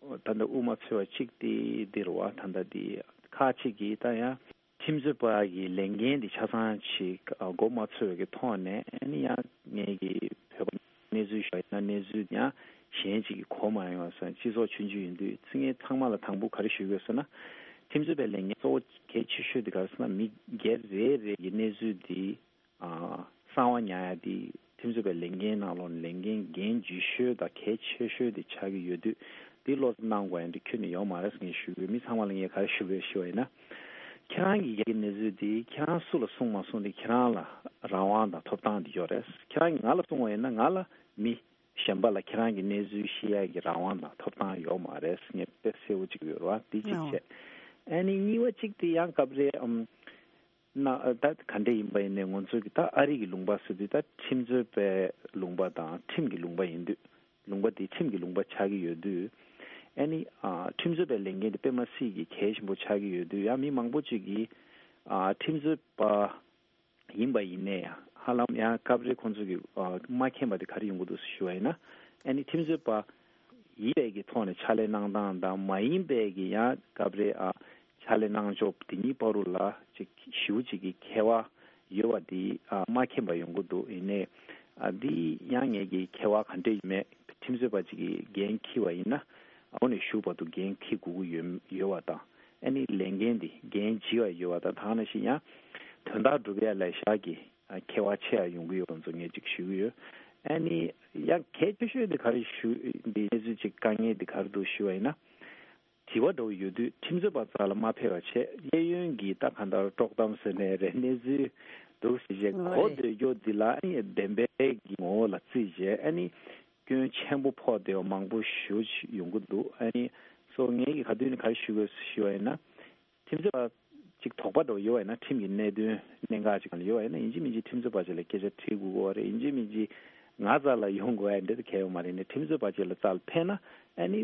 ད་ལྟ་དབུ་མ་ཚོས་པ་གཅིག་དེ་འདི་རེད་བ། ད་ལྟ་འདི་ཁག་ཅིག་གིས་ད་ཡང་ཁྲིམས་རྩོད་པ་གི་ལས་འགན་འདི་ཆ་ཚང་ཅིག་ཨ་མགོ་མ་ཚོས་པའི་གི་ཐོག་ནས། ཨ་ནི་ཡང་ངེད་ཀྱི་བོད་པ་གནས་ཚུལ་ཞུ་བ་ཡིན་ན། གནས་ཚུལ་ཡང་གཞན་ཅིག་གིས་གོ་མ་ཡོང་བ་སོང་། སྤྱི་ཚོགས་ཆུང་ཆུང་ཡིན་དུས། ཚིག་ངན་ཚང་མ་ལ་དང་པོ་ག་རེ་ཞུ་དགོས་ཟེར་ན། ཁྲིམས་རྩོད་པའི་ལས་འགན་གཙོ་བོ་གལ་ཆེ་ཤོས་དེ་ག་རེ་ཟེར་ན། མི་སྒེར་རེ་རེ་གི་གནས་ཚུལ་འདི་ཨ་གསང་བ་ཉར་ཡ་དེ་ཁྲིམས་རྩོད་པའི་ལས་འགན་ནང་ལོགས་ནས་ལས་འགན་འགན་ལྗིད་ཤོས་དང་གལ་ཆེ་ཤོས་དེ་ཆགས་ཀྱི་ཡོད་དུས། དེ་བློ་བཟང་གནང་དགོས་ཡ་འདི་ཁྱོན་ནས་ཡོད་མ་རེད་ཟེར་ངས་ཞུ་གི་ཡོད། མི་ཚང་མ་ལ་ངས་ག་རེ་ཞུ་དགོས་ཞུ་བ་ཡིན་ན། ཁྱེད་རང་གི་ཡ་གི་གནས་ཚུལ་དེ་ཁྱེད་རང་སུ་ལ་གསུང་མ་གསུང་དེ་ཁྱེད་རང་ལ་རང་དབང་དང་ཐོབ་ཐང་དེ་ཡོད་རེད། ཁྱེད་རང་གིས་ང་ལ་གསུང་བ་ཡིན་ན། ང་ལ་མི་གཞན་པ་ལ་ཁྱེད་རང་གི་གནས་ཚུལ་བཤད་ཡ་གི་རང་དབང་དང་ཐོབ་ཐང་ཡོད་མ་རེད་ཟེར་ངས་དཔེ་གསལ་པོ་གཅིག་ཡོད་རེད་བ། དེ་གཅིག་བྱས། ཨ་ནི་གཉིས་པ་གཅིག་དེ་ཡང་སྐབས་རེ་ཨམ། ན་ད་ག་འདྲ་ཡིན་པ་ཡིན་ནའི་ང་ཚོ་གི་ད་ཨ་རི་གི་ལུང་པ་ཟེར་དུས་ད་ཁྲིམས་རྩོད་པའི་ལུང་པ་དང་ཁྲིམས་ཀྱི་ལུང་པ་ཡིན་དུས། ལུང་པ་དེ་ཁྲིམས་ཀྱི་ལུང་པ་ཆགས་ཀྱི་ཡོད་དུས། ཨ་ནི་ཨ་ཁྲིམས་རྩོད་པའི་ལས་འགན་དེ་དཔེ་མ་སྲིད་ཀྱི་གལ་ཆེན་པོ་ཆགས་ཀྱི་ཡོད་དུས། ཡང་མི་མང་པོ་ཅིག་གིས་ཨ་ཁྲིམས་རྩོད་པ་ཡིན་པ་ཡིན་ནའི་ཧ་ལམ་ཡང་སྐབས་རེ་ཁོང་ཚོ་གི་ཨ་མ་མཁྱེན་པ་དེ་ག་རེ་ཡོང་གི་འདུག་ཞུ་བ་ཡིན་ན། ཨ་ནི་ཁྲིམས་རྩོད་པ་ཡིན་པའི་གི་ཐོག་ནས་ཕྱག་ལས་གནང་སྟངས་དང་། མ་ཡིན་པའི་གི་ཡང་སྐབས་རེ་ཨ་ཕྱག་ལས་གནང་ཕྱོགས་དེ་གཉིས་བར་དུ་ལ་ཅིག་ཞེ་པོ་ཅིག་གི་ཁྱད་པར་ཡོད་པ་དེ་ཨ་མ་མཁྱེན་པ་ཡོང་གི་འདུག་ཡིན་ནའི་ཨ་འདི་ཡང་ངེད་ཀྱི་ཁྱད་པར་ག་འདྲ་ཡོད་མེད། ཁྲིམས་རྩོད་པ་ཅིག་གིས་འགན་འཁྱེར་བ་ཡིན་ན། འོག་ནས་གཞུག་བར་དུ་འགན་འཁྱེར་དགོས་ཀྱི་ཡོད་ཡོད་པ་དང་། ཨ་ནི་ལས་འགན་འདི་འགན་ལྗི་བ་ཡོད་པ་དང་། དེ་ནང་བཞིན་ཡང་དོན་དག་སྒྲུབ་ཡ་ལ་ཞག་གི་ཨ་ཁྱད་པར་ཆེ་བ་ཡོང་གི་ཡོད་པ་ཚོ་ངས་ཅིག་ཞུ་གི་ཡོད། ཨ་ནི་ཡང་གལ་ཆེ་ཤོས་འདི་ག་རེ་ཞུ། འདི་གནས་ཚུལ་ཅིག་དཀའ་ངལ་འདི་ག་རེ་འདུག་ཞུ་བ་ཡིན་ན། དྲི་བ་འདྲ་བོ་ཡོད་དུས་ཁྲིམས་རྩོད་པ་རྩ་ལ་མ་ཕེབས་པ་བྱས། གཡས་གཡོན་གྱི་ད་གང་ལྟར་དཀྲོག་གཏམ་ཟེར་ནའི་རེད། གནས་ཚུལ་འདུག་ཟེར་བྱས་གོ་འདོད་རྒྱུ་འདི་ལ་ཨ་ནི་བདེན་པའི་གི་ངོ་བོ་ལ་བརྩིས་བྱས། ཨ་ནི་སྐྱོན་ཆེན་པོ་ཕོག་བསྡད་པ་མང་པོ་ཞེ་པོ་ཅིག་ཡོང་གི་འདུག་ཨ་ནི་སོ་ངས་ཀྱིས་ག་དུས་ནས་ག་རེ་ཞུ་དགོས་ཞུ་བ་ཡིན་ན། ཁྲིམས་རྩོད་པ་ཅིག་དོགས་པ་འདྲ་བོ་ཡོད་པ་ཡིན་ན། ཁྲིམས་ཀྱི་གནད་དོན་གནད་འགག་ཅིག་ལ་ཡོད་པ་ཡིན་ན། ཡིན་གཅིག་མིན་གཅིག་ཁྲིམས་རྩོད་པ་ཅིག་ལ་སྐད་ཆ་དྲི་དགོས་ཀྱི་ཡོད་རེད། ཡིན་གཅིག་མིན་གཅིག་ང་རྩ་ལ་ཡོང་དགོས་ཡ་འདྲ་དེ་གལ་ཡོད་མ་རེད། ནས་ཁྲིམས་རྩོད་པ་ཅིག་ལ་རྩ་ལ་ཕེབས་ན། ཨ་ནི་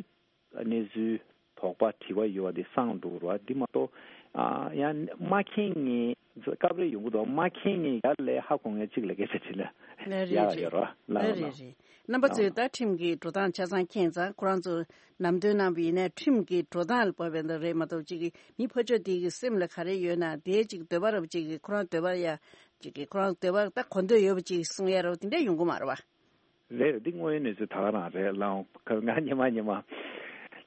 གནས་ཚུལ་དོགས་པ་དྲི་བ་ཡོད་པ་དེ་སངས་འགྲོ་གི་རེད་བ། འདི་མ་གཏོགས་ ཨ་ཡང་མ་མཁྱེན་མཁན་སྐབས་རེ་ཡོང་གི་འདུག་མ་མཁྱེན་མཁན་ཡར་ལས་ཧ་གོ་མཁན་གཅིག་ལ་སྐད་ཆ་དྲིས་ན་ལ་རེད་ཡག་རེད། ཡོད་རོ་ལ་ལ་རེད་ལ། རེད། རྣམ་པ་ཚོས་ད་ཁྲིམས་ཀྱི་འགྲོ་སྟངས་ཆ་ཚང་མཁྱེན་ཙང་ཁོ་རང་ཚོ་ལམ་སྟོན་གནང་བ་ཡིན་ན་ཁྲིམས་ཀྱི་འགྲོ་སྟངས་ལ་བབས་པའི་འདི་རེད་མ་གཏོགས་གཅིག་གི་མི་ཕོ་ཆོས་དེ་གི་སེམས་ལ་ག་རེ་ཡོད་ན་དེའི་གཅིག་འདོད་པ་རབ་གཅིག་གི་ཁོ་རང་འདོད་པ་ཡ་གཅིག་གི་ཁོ་རང་འདོད་པ་ད་གོ་འདོད་ཡོད་པ་གཅིག་གསུང་ཡ་རོ་དེ་འདྲ་ཡོང་གི་མ་རེད་བ། རེད་རེད། འདི་དངོས་ཡོད་གནས་ཚུལ་ད་ག་རང་རེད་ལའང་ང་ཉི་མ་ཉི་མ་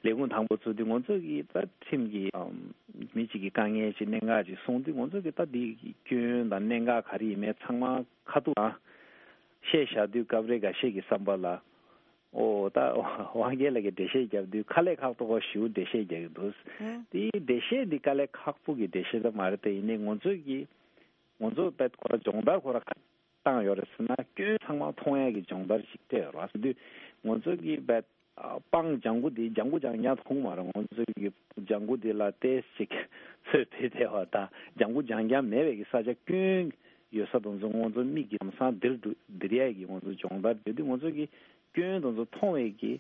ལས་ཁུངས་དང་པོ་ཚུར་འདི་ང་ཚོ་གི་ད་ཁྲིམས་ཀྱི་ཨམ་མི་གཅིག་གི་དཀའ་ངལ་ཅིག་གནད་འགག་ཅིག་གསུངས་དུས་ང་ཚོ་གི་ད་འདི་སྐྱོན་དང་གནད་འགག་ག་རེ་ཡིན་མིན་ཚང་མ་ཁ་ཐུག་ཨ་བཤད་བཞག་དུས་སྐབས་རེ་འགའ་ཤས་ཀྱི་བསམ་པ་ལ་ཨོ་ད་དབང་རྒྱལ་ལགས་ཀྱིས་འགྲེལ་བཤད་བརྒྱབ་དུས་དཀའ་ལས་ཁག་པོ་ཞེ་པོ་འགྲེལ་བཤད་རྒྱག་གི་འདུག་ཨང་། དེའི་འགྲེལ་བཤད་འདི་དཀའ་ལས་ཁག་པོ་གི་འགྲེལ་བཤད་ད་མ་རེད་དེ་ཡིན་ནའི་ང་ཚོ་གི་ང་ཚོ་ད་ཁོ་ར་སྦྱོང་བརྡར་ཁོ་ར་ཁ་བཏང་ཡོད་རེད་ཟེར་ན་སྐྱོན་ཚང་མ་མཐོང་ཡ་གི་སྦྱོང་བརྡར་ཞིག་སྤྲད་ཡོད་རེད་བ། ཟེར་དུས་ང་ཚོ་གི་བད་སྤང་ལྗང་གུ་འདི་ལྗང་གུ་ལྗང་ལྗང་མཐོང་མ་རེད། ང་ཚོ་གི་ལྗང་གུ་འདི་ལ་ཏོག་ཙམ་ཅིག་ཚོས་བེད་བསྡད་པ་དང་ལྗང་གུ་ལྗང་ལྗང་མེད་པའི་གི་ས་ཆ་སྐྱོན་ཡོད་ས་དང་ཚོ་ང་ཚོ་མིག་གི་ལམ་སང་འདིར་འགྲོ་འདིར་ཡ་གི་ང་ཚོ་སྦྱོང་བརྡར་བྱེད་དུས་ང་ཚོ་གི་སྐྱོན་དང་ཚོ་མཐོང་བའི་གི་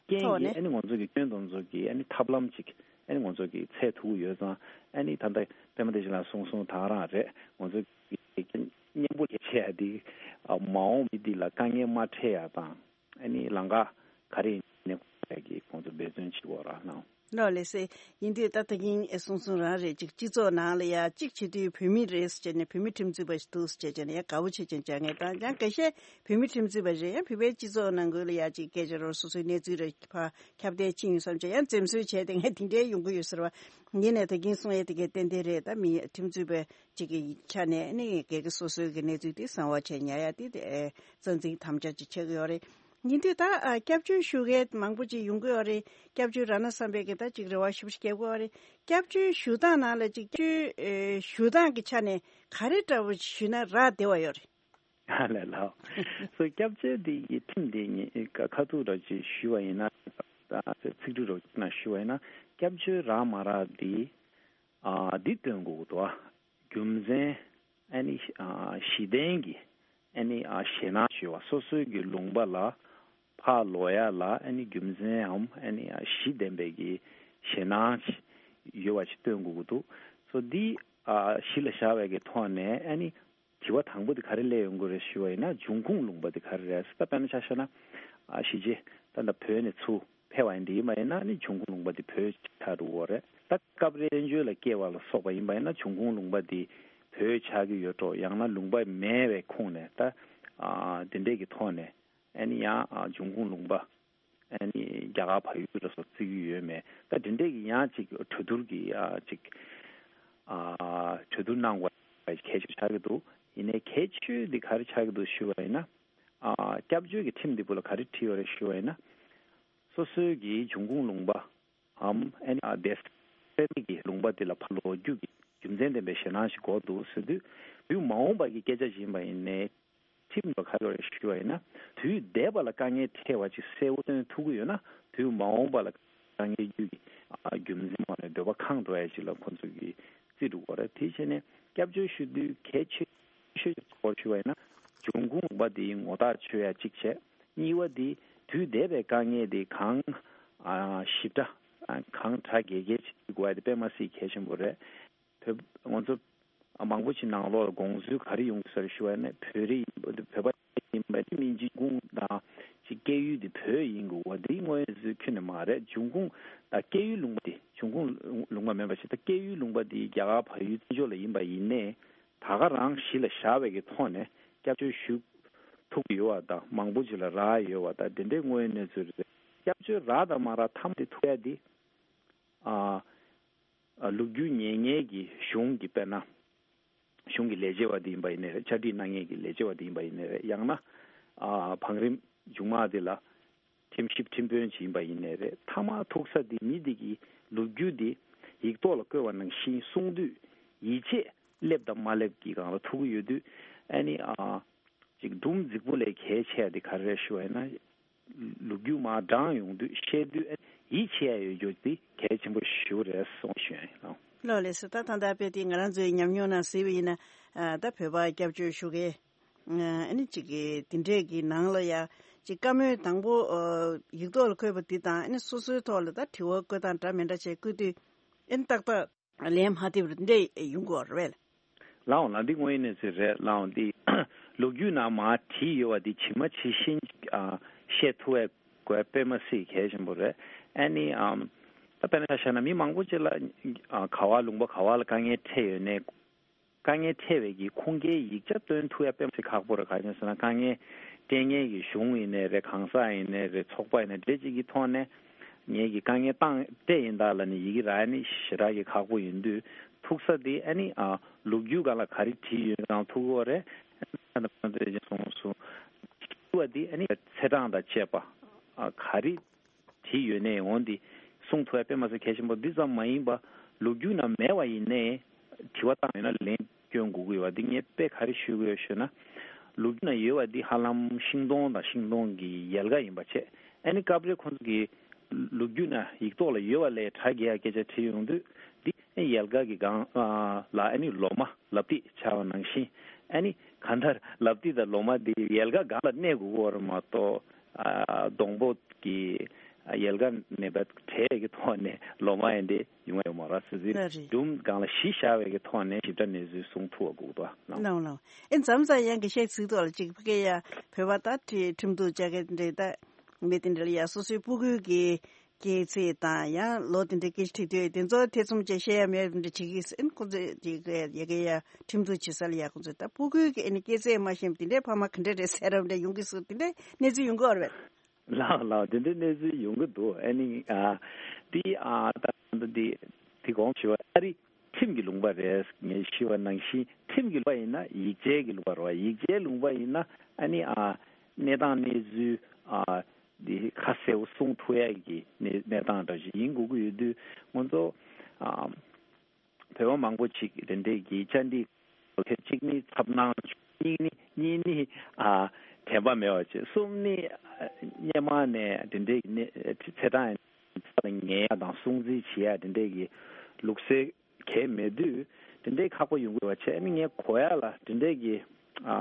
རྐྱེན་ཐོག་གིས་ནས། ཨ་ནི་ང་ཚོ་གི་སྐྱོན་དང་ཚོ་གི་ཨ་ནི་ཐབས་ལམ་ཅིག་ཨ་ནི་ང་ཚོ་གི་འཚོལ་ཐུབ་ཀྱི་ཡོད་ཙང་། ཨ་ནི་ད་ལྟ་པད་མ་བདེ་ཆེན་ལགས་གསུངས་སོང་། ད་ག་རང་རེད། ང་ཚོ་གི་གཉེན་པོ་ལས་བྱེད་ཡ་འདི་མ་འོངས་མི་འདི་ལ་དཀའ་ངལ་མ་འཕྲད་ཡ་དང་། ཨ་ནི་ལམ་ཁ་ག་རེ་ཡིན་ནའི་ཁོང་ཚོ་འབད་བརྩོན་བྱེད་དགོས་ར་ལགས། ལགས་ལགས་སེ། ཡིན་དུས་ད་ལྟ་གིན་ཨེ་གསུང་གསུང་རང་རེད། ཅིག་སྤྱི་ཚོགས་ནང་ལ་ཡ་གཅིག་བྱེད་དུས་བོད་མི་རེད་ཟེར་བྱས་ནས་བོད་མི་ཁྲིམས་རྩོད་པ་ཞིག་འདུག་ཟེར་བྱས་བྱས་ནས་ཡ་དགའ་བོ་བྱེད་ཀྱིན་བྱ་ངེས་དང་ཡང་འགའ་ཤས་བོད་མི་ཁྲིམས་རྩོད་པ་རེད། ཡང་བོད་པའི་སྤྱི་ཚོགས་ནང་ཁུལ་ལ་ཡ་ཅིག་སྐད་ཆ་རོ་སོ་སོའི་གནས་ཚུལ་རེ་ཕར་ཁྱབ་གདལ་ཕྱིན་ཡོང་བསམ་བྱས་ཡང་འཛེམ་ཟོན་བྱས་ཏེ་ངས་དེ་འདྲའི་ཡོང་གི་ཡོད་ཟེར་བ། ཡིན་ནའི་ད་གིན་གསུང་ཡས་དེ་གའི་ཏན་ཏན་རེད། ད་མི་ཁྲིམས་རྩོད་པ་ཅིག་གི་ཆ་ནས་ནི་སྒེར་གྱི་སོ་སོའི་གི་གནས་ཚུལ་དེ་གསང་བ་བྱས་ཉར་ཡ་དེ་དེ་རྩ་འཛིན་དམ་བཅའ་ཅིག་ཆགས་ཀྱི་ཡོད་རེད། ཡིན་དུས་ད་ཨ་སྐྱབས་བཅོལ་ཞུ་མཁན་མང་པོ་ཅིག་ཡོང་གི་ཡོད་རེད། སྐྱབས་བཅོལ་ར་ན་བསམ་པའི་གི་ད་ཅིག་རེ་བ་ཞུ་བ་ཞིག་རྒྱབ་ཀྱི་ཡོད་རེད། སྐྱབས་བཅོལ་ཞུ་སྟངས་ནང་ལ་ཅིག་སྐྱབས་བཅོལ་ཨེ་ཞུ་སྟངས་ཀྱི་ཆ་ནས་ག་རེ་འདྲ་བོ་ཞུས་ན་རག་བདེ་བ་ཡོད་རེད། ཨ་ལས་ལགས། སོ་སྐྱབས་བཅོལ་འདི་ཡི་ཁྲིམས་འདི་ཉིད་ཁ་ཐུག་ར་ཅིག་ཞུ་བ་ཡིན་ན། ད་ཚིག་འབྲུ་ར་ཅིག་ན་ཞུ་བ་ཡིན་ན་སྐྱབས་བཅོལ་རག་མ་རག་འདི་ཨ་འདི་སྟོན་དགོས་ཀྱི་འདུག་ཨ། རྒྱུ་མཚན། ཨ་ནི་ཨ་གཞི་རྟེན་གྱི་ཨ་ནི་ཨ་ཞེད་སྣང་བྱེད་པ། སོ་སོའི་གི་ལུང་པ་ལ་ཕར་ལོག་ཡ་ལ་ཨ་ནི་རྒྱུ་མཚན་འམ་ཨ་ནི་ཨ་གཞི་ལྡན་པའི་གི་ཞེད་སྣང་ཡོད་པ་ཞིག་སྟོན་དགོས་ཀྱི་འདུག་སོ་འདི་ཨ་གཞི་ལ་བཞག་པའི་གི་ཐོག་ནས་ཨ་ནི་དྲི་བ་དང་པོ་དེ་ག་རེ་སླེབས་ཡོང་གི་རེད་ཞུ་བ་ཡིན་ན་འབྱུང་ཁུངས་ལུང་པ་དེ་ག་རེ་རེད། ད་དཔེར་ན་ཆ་བཞག་ན་ཨ་གཞིས་བྱེས་ད་ལྟ་བོད་ནས་ཚུར་ཕེབས་པ་ཡིན་དེ་ཡིན་པ་ཡིན་ན་ནི་འབྱུང་ཁུངས་ལུང་པ་དེ་བོད་ཆགས་འགྲོ་གི་རེད། ད་སྐབས་རེ་བཙན་བྱོལ་ལ་སྐྱེས་པ་ལ་སོགས་པ་ཡིན་པ་ཡིན་ན་འབྱུང་ཁུངས་ལུང་པ་དེ་བོད་ཆགས་ཀྱི་ཡོད་འགྲོ། ཡང་ན་ལུང་པ་མེད་པའི་ཁོངས་ནས་ད་ཨ་དེ་འདྲས་ཀྱི་ཐོག་ནས་ཨ་ནི་ཡང་ཨ་འབྱུང་ཁུངས་ལུང་པ་ཨ་ནི་རྒྱ་གར་བལ་ཡུལ་ལ་སོགས་བརྩི་གི་ཡོད་མེད། ད་དེ་འདྲས་ཀྱི་ཡང་ཅིག་གྲོས་བསྡུར་གྱི་ཨ་ཅིག་ཨ་གྲོས་བསྡུར་གནང་དགོས་པ་གལ་ཆེ་ཆགས་ཀྱི་འདུག་ཡིན་ནའི་གལ་ཆེ་ཤོས་འདི་ག་རེ་ཆགས་ཀྱི་འདུག་ཞུ་བ་ཡིན་ན། ཨ་སྐྱབས་བཅོལ་གྱི་ཁྲིམས་འདི་བུ་ལ་ག་རེ་བྲིས་ཡོད་རེད་ཞུ་བ་ཡིན་ན། སོ་སོའི་གི་འབྱུང་ཁུངས་ལུང་པའམ་ཨ་ནི་ཨ་བསྡད་སའི་གི་ལུང་པ་འདི་ལ་ཕར་ལོག་རྒྱུ་གི་རྒྱུ་མཚན་ལྡན་པའི་ཞེད་སྣང་ཞིག་དགོས་འདུག་ཟེར་དུས། དུས་མ་འོངས་པ་གི་སྐད་ཆ་ཞིག་ཡིན་པ་ཡིན་ནའི་ཁྲིམས་ལ་ག་རེ་ཞུ་བ་ཡིན་ན། དུས་འདས་པ་ལ་དཀའ་ངལ་འཕྲད་པ་ཅིག་གསལ་པོ་སྟོན་ཐུབ་ཀྱི་ཡོད་ན། དུས་མ་འོངས་པ་ལ་དཀའ་ངལ་རྒྱུ་གི་ཨ་རྒྱུ་མཚན་མ་ནས་འདོད་པ་ཁེངས་འགྲོ་ཡ་ཅིག་ལ་ཁོང་ཚོ་གི་རྩིས་འགྲོ་གི་རེད། དེ་བྱས་ནས་སྐྱབས་བཅོལ་ཞུ་དུས་གལ་ཆེ་ཤོས་ཅིག་སྐོར་ཞུ་བ་ཡིན་ན། འབྱུང་ཁུངས་ལུང་པ་དེའི་ངོ་ཐག་ཆོད་ཡ་གཅིག་བྱས། གཉིས་པ་དེ་དུས་འདས་པའི་དཀའ་ངལ་དེ་གང་ཨ་ཞིབ་ཕྲ་ཨ་གང་གྲ་རྒྱས་རྒྱས་ཅིག་དགོས་ཡ་དེ་དཔེ་མ་སྲིད་གལ་ཆེན་པོ་རེད། བོད་ང་ཚོ་མང་པོ་ཅིག་ནང་ལོགས་ལ་དགོངས་ཚུལ་ག་རེ་ཡོང་གི་ཟེར་ཞུ་བ་ཡིན་ན། བོད་རིགས་ཡིན་པ་བོད་པ་ཡིན་པ་དེ་མིན་འབྱུང་ཁུངས་དང་ཅིག་སྐྱེ་ཡུལ་དེ་བོད་ཡིན་དགོས་པ་དེ་དངོས་ཡོད་ཚུལ་ཁྱོན་ནས་མ་རེད། འབྱུང་ཁུངས་དང་སྐྱེ་ཡུལ་ལུང་པ་དེ་འབྱུང་ཁུངས་ལུང་པ་མིན་པ་ཞིག་དང་སྐྱེ་ཡུལ་ལུང་པ་དེ་རྒྱ་གར་བལ་ཡུལ་བཙན་བྱོལ་ལ་ཡིན་པ་ཡིན་ནའི་ད་ག་རང་གཞི་ལ་བཞག་པའི་གི་ཐོག་ནས་སྐྱབས་བཅོལ་ཞུ་ཐུབ་ཀྱི་ཡོད་པ་དང་མང་པོ་ཅིག་ལ་རག་ཡོད་པ་དང་དེ་འདྲའི་དངོས་ཡོད་གནས་ཚུལ་རེད། སྐྱབས་བཅོལ་རག་དང་མ་རག་མཐའ་མ་དེ་ཐུག་ཡ་དེ་ཨ། ལོ་རྒྱུས་ཉན་མཁན་གྱི་གཞུང་གི་དཔེར་ན། གཞུང་གི་ལས་བྱེད་པ་དེ་ཡིན་པ་ཡིན་ནའི་རེད། ཕྱག་བྲིས་གནང་མཁན་གྱི་ལས་བྱེད་པ་དེ་ཡིན་པ་ཡིན་ནའི་རེད། ཡང་ན། ཨ་བང་རིམ་མཇུག་མ་དེ་ལ་ཁྲིམས་ཞིབ་ཁྲིམས་དཔོན་ཅིག་ཡིན་པ་ཡིན་ནའི་རེད། མཐའ་མ་ཐུག་ས་དེ་མི་དེ་གི་ལོ་རྒྱུས་དེ་ཡིག་ཐོག་ལ་བཀོད་པ་ནང་བཞིན་གསུང་དུས་ཡིད་ཆེས་སླེབས་དང་མ་སླེབས་ཀྱི་སྒང་ལ་ཐུག་གི་ཡོད་དུས། ཨ་ནི་ཨ། ཅིག་སྒྲུང་རྫིག་པོ་ལས་གལ་ཆེ་བ་དེ་ག་རེ་རེད་ཞུ་བ་ཡིན་ན། ལོ་རྒྱུས་མར་བགྲང་ཡོང་དུས་བཤད་དུས་ཡིད་ཆེས་ཡ་ཡོད་རྒྱུ་དེ་གལ་ཆེན་པོ་ཞེ་པོ་རེད་གསུངས་ཞུ་ཡ་ཡིན། ལགས་ལགས་སོ། ད་ད་ལྟ་དཔེ་དེ་ང་རང་ཚོའི་ཉམས་མྱོང་ནང་གཟིགས་པ་ཡིན་ན། ད་བོད་པ་སྐྱབས་བཅོལ་ཞུ་མཁན་ཨ་ནི་གཅིག་གི་དེ་འདྲས་ཀྱི་ནང་ལ་ཡ་གཅིག་བཀའ་མོལ་དང་པོ་ཡིག་ཐོག་ལ་འཁོད་པ་འདི་དང་ཨ་ནི་སོ་སོའི་ཐོག་ལ་ད་དྲི་བ་བཀོད་སྟངས་འདྲ་མི་འདྲ་བྱས་བཀོད་དུས་ཨ་ནི་ཏག་ཏག་ལན་མ་ཐེབས་རེད་འདྲ་ཡོང་གི་ཡོད་རེད། ལའོ་ལ་འདི་དངོས་ཡོད་གནས་ཚུལ་རེད། ལའོ་འདི་ལོ་རྒྱུས་ནང་མར་བྲིས་ཡོད་པ་འདི་ཇི་མ་ཇི་བཞིན་ཨ་བཤད་ཐུབ་པའི་དཔེ་མ་སྲིད་གལ་ཆེན་པོ་རེད། ཨ་ནི་ཨམ་ད་དཔེར་ན་ཆ་བཞག་ན་མི་མང་པོ་ཅིག་ལ་ཨ་ག་བ་ལུང་པ་ག་བ་ལ་དཀའ་ངལ་འཕྲད་ཡོད་ནའི་དཀའ་ངལ་འཕྲད་པའི་གི་ཁུངས་སྐྱེལ་ཡིག་ཆ་སྟོན་ཐུབ་ཡ་དཔེ་མ་སྲིད་ཁག་པོ་རེད། ག་རེ་ཟེར་ན་དཀའ་ངལ་སྤྲད་མཁན་གྱི་གཞུང་ཡིན་ནའི་རེད། གང་ཟག་ཡིན་ནའི་རེད། ཚོགས་པ་ཡིན་ནའི་འདྲ་ཅིག་གི་ཐོག་ནས་ངེད་ཀྱི་དཀའ་ངལ་བཏང་སྤྲད་ཡིན་ད་ལབ་ནས་ཡི་གེ་རག་ནི་ཞེ་དྲག་གི་ཁག་པོ་ཡིན་དུས་ཐུག་ས་དེ་ཨ་ནི་ཨ་ལོ་རྒྱུས་སྒང་ལ་ག་རེ་བྲིས་ཡོད་ཀྱང་ཐུག་གི་རེད། ཨ་ནི་ཁོང་ཚོས་ཅིག་གསུངས་སོང་། བྲིས་པ་དེ་ཨ་ནི་ཚེས་གྲངས་དང་བཅས་པ་ཨ་ག་རེ་བྲིས་ཡོད་ནའི་འོ་འདི་གསུང་ཐུབ་ཡ་དཔེ་མ་སྲིད་གལ་ཆེན་པོ། འདི་ཙམ་མ་ཡིན་པ་ལོ་རྒྱུས་ནང་མེད་པ་ཡིན་ནའི་དྲི་བ་བཏང་ཡོད་ན་ལན་སྐྱོན་དགོས་ཀྱི་ཡོད་པ་འདི་ངས་དཔེ་ག་རེ་ཞུ་གི་ཡོད་ཞུ་ན། ལོ་རྒྱུས་ནང་ཡོད་པ་འདི་ཧ་ལམ་ཤིང་སྡོང་དང་ཤིང་སྡོང་གི་ཡལ་ག་ཡིན་པ་བྱས། ཨ་ནི་སྐབས་རེ་ཁོང་ཚོ་གི་ལོ་རྒྱུས་ནང་ཡིག་ཐོག་ལ་ཡོད་པ་ལས་གྲ་རྒྱས་ཡ་སྐད་ཆ་བྲིས་ཡོང་དུས་འདི་ཨ་ཡལ་ག་གི་སྒང་ལ་ཨ་ནི་ལོ་མ་ལབ་ཏིག་ཆགས་པ་ནང་བཞིན། ཨ་ནི་གང་ལྟར་ལབ་ཏིག་དང་ལོ་མ་འདི་ཡལ་ག་སྒང་ལ་གནས་དགོས་ཀྱི་ཡོད་རེད་མ་གཏོགས། ཨ་སྡོང་པོ་གི་ཡལ་ག་ནས་བྲལ་གྱི་ཐོག་ནས་ལོ་མ་ཡིན་ཏེ་ཡོང་ཡོད་མ་རེད། སྲིད་ལ་རེད། སྒྲུང་སྒང་ལ་གཞི་བཞག་པའི་གི་ཐོག་ནས་ཞིབ་ཕྲ་གནས་ཚུལ་གསུང་ཐུབ་པ་དགོས་འདུག་ལགས། ལགས་ལགས། ཨེ་མཚམས་མཚམས་ཡང་གི་བཤད་ཚིག་ཐོག་ལ་ཅིག་ཕ་གི་ཡ་བོད་པ་ད་ཁྲི་ཁྲིམས་གཏུག་བྱ་མཁན་འདྲ་ད་མི་དེ་འདྲ་ལ་ཡ་སོ་སོའི་སྤུ་གུའི་གི་སྐྱེས་ཚེས་དང་ཡང་ལོ་དེ་འདྲའི་སྐད་ཆ་དྲིས་དུས་དེ་ཚོ་ཐེ་ཚོམ་བཅས་བཤད་ཡ་མེད་པ་འདྲ་བྱེད་ཀྱི་ཟེར། ཁོ་ཚོས་དེ་ག་ཡ་གི་ཡ་ཁྲིམས་གཏུག་བྱེད་ས་ལ་ཡ་ཁོ་ཚོས་ད་སྤུ་གུའི་གི་ཨ་ནི་སྐྱེས་ཚེས་མ་ཤེས་པ་དེ་འདྲའི་ཕ་མ་ག་འདྲ་རེད་ཟེར་རབས་འདྲ་ཡོང་གི་ཟེར་དེ་འདྲའི་གནས་ཚུལ་ཡོང་གི་ཡོད་རེད། ལགས་ལགས། དེ་འདྲའི་གནས་ཚུལ་ཡོང་གི་འདུག་ཨ་ནི་ཨ་འདི་ཨ་ད་འདི་འདི་གོང་ཞུ་བ་ཨ་རི་ཁྲིམས་ཀྱི་ལུང་པ་རེད། ངས་ཞུས་པ་ནང་བཞིན་ཁྲིམས་ཀྱི་ལུང་པ་ཡིན་ན་ཡིག་ཆའི་གི་ལུང་པ་རེད་བ། ཡིག་ཆའི་ལུང་པ་ཡིན་ན་ཨ་ནི་ཨ་གནས་སྟངས་གནས་ཚུལ་ཨ་འདི་ཁ་གསལ་པོ་གསུང་ཐུབ་ཡ་གི་གནས་གནས་སྟངས་འདྲ་ཞིག་ཡིན་དགོས་ཀྱི་ཡོད་དུས་ང་ཚོ་ཨ་བོད་པ་མང་པོ་ཅིག་དེ་འདྲའི་གི་བཅར་འདྲི་གལ་ཆེ། གཅིག་ནི་འཚབ་སྣང་བྱུང་། གཉིས་ནི་གཉིས་ནི་ཨ་དྲན་པ་མེད་པ་བྱས། གསུམ་ནི་ཨ་སྔོན་མ་ནས་དེ་འདྲའི་གི་གནས་ཚེས་གྲངས་ས་ལ་ངེས་ཡ་དང་སྲུང་བརྩི་བྱེད་ཡ་དེ་འདྲའི་གི་ལུགས་སྲོལ་གལ་མེད་དུས་དེ་འདྲའི་ཁག་པོ་ཡོང་གི་ཡོད་པ་བྱས། ཨ་ནི་ངས་གོ་ཡ་ལ་དེ་འདྲའི་གི་ཨ་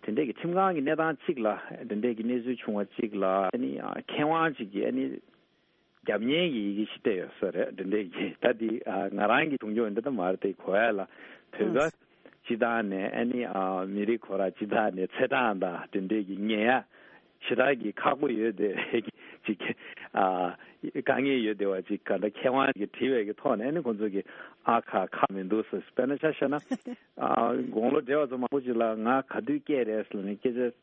དེ་འདྲའི་གི་ཁྲིམས་ཁང་གི་གནས་སྟངས་གཅིག་ལ་དེ་འདྲའི་གི་གནས་ཚུལ་བྱུང་བ་གཅིག་ལ་ཨ་ནི་ཨ་མཁས་དབང་གཅིག་གིས་ཨ་ནི་རྒྱབ་གཉེར་གྱི་ཡི་གེ་ཞིག་སྤྲད་ཡོད་ས་རེད། དེ་འདྲའི་གི་ད་འདི་ཨ་ང་རང་གི་གྲུང་སྐྱོང་འདི་ད་མ་རེད་དེ། གོ་ཡ་ལ་བོད་པ་སྤྱི་བཏང་ནས་ཨ་ནི་ཨ་མི་རིགས་ཁོ་རང་སྤྱི་བཏང་ནས་ཚེས་གྲངས་དང་དེ་འདྲའི་གི་ངེས་ཡ་ཞེ་དྲག་གི་ཁག་པོ་ཡོད་དེ་ཅིག་ཨ་དཀའ་ངལ་ཡོད་དེ་བ་ཅིག་ག་འདྲ་མཁས་དབང་གིས་བྲིས་པའི་གི་ཐོག་ནས་ཨ་ནི་ཁོང་ཚོ་གི་ཨ་ཁ་ཁག་མི་འདུག་ཟེར། དཔེར་ན་ཆ་བཞག་ན་ཨ་དགུང་ལོ་བགྲེས་པ་ཚོ་མང་པོ་ཅིག་ལ་ང་ག་དུས་སྐྱེས་རེད་ཟེར་ནས་སྐད་ཆ་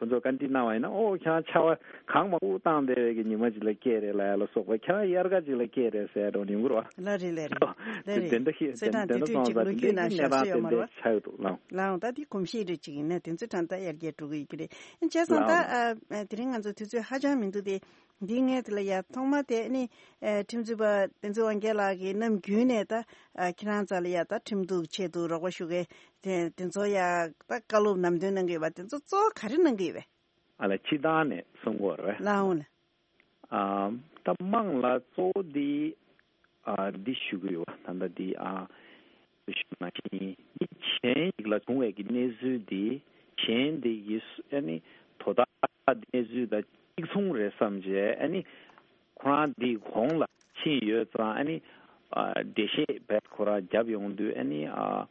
ཁོ་ཚོ་བཀའ་འདྲི་གནང་བ་ཡིན་ན། ཨོ་ཁྱེད་རང་ཆར་པ་གངས་མང་པོ་བཏང་བསྡད་པའི་གི་ཉི་མ་ཅིག་ལ་སྐྱེས་རེད་ལབ་ཡ་ལ་སོགས་པ། ཁྱེད་རང་དབྱར་ཁ་ཅིག་ལ་སྐྱེས་རེད་ཟེར་ཡ་འདྲ་ཡོང་གི་རེད་བ། ལགས་རེད་ལགས་རེད། ལགས་རེད། དེ་འདྲ་ཞིག་ཚེས་གྲངས་དེ་དེ་དུས་ཚོད་ཅིག་ལོ་རྒྱུས་ནང་བཞག་ས་ཡོད་མ་རེད་བ། ཆགས་འདུག་ལགས། ལགས་འོང་། ད་དེ་གོམས་གཤིས་རེ་ཅིག་ཡིན་ན་དེ་ཚོ་གྲངས་ད་ཡར་རྒྱས་འགྲོ་གི་ཡོད་ཀྱི་རེད། བྱས་ཙང་ད་ལགས། ཨ་དེ་རིང་ང་ཚོ་དུས་ཚོད་ཧ་ཅང་མི་འདུག་སྟེ། འདི་ངས་དེ་ལ་ཡ་ཐོག་མ་དེ་ནི་ཨ་ཁྲིམས་རྩོད་པ་བསྟན་འཛིན་དབང་རྒྱལ་ལགས་ཀྱིས་ནམ་རྒྱུན་ནས་ད་ཨ་ཁྱེད་རང་རྩ་ལ་ཡ་ད་ཁྲིམས་གཏུག་ཆེད་དུ་རོགས་པ་ཞུ་མཁན་དེ་དེ་ཚོ་ཡ་ད་བཀའ་སློབ་ནམ་དོན་གནང་གི་ཡོད་པ་དེ་ཚོ་གཙོ་བོ་ག་རེ་གནང་གི་ཡོད་པས། ཨ་ལ་སྤྱི་བཏང་ནས་གསུང་དགོས་རེད་བས། ལགས་འོང་ལགས། ཨ་ད་དམངས་ལ་གཙོ་བོ་འདི་ཨ་འདི་ཞུ་གི་ཡོད་བ། ད་ལྟ་འདི་ཨ་ཞུ་ན་ཞིང་མི་གཞན་ཞིག་ལ་བྱུང་བའི་གི་གནས་ཚུལ་འདི་གཞན་འདི་གི་ཨ་ནི་དོ་བདག་གནས་ཚུལ་དང་གཅིག་མཚུངས་རེད་བསམ་བྱས། ཨ་ནི་ཁོ་རང་འདི་གོང་ལ་ཕྱིན་ཡོད་ཙང་ཨ་ནི་ཨ་འགྲེལ་བཤད་བས་ཁོ་རང་བརྒྱབ་ཡོང་དུས་ཨ་ནི་ཨ་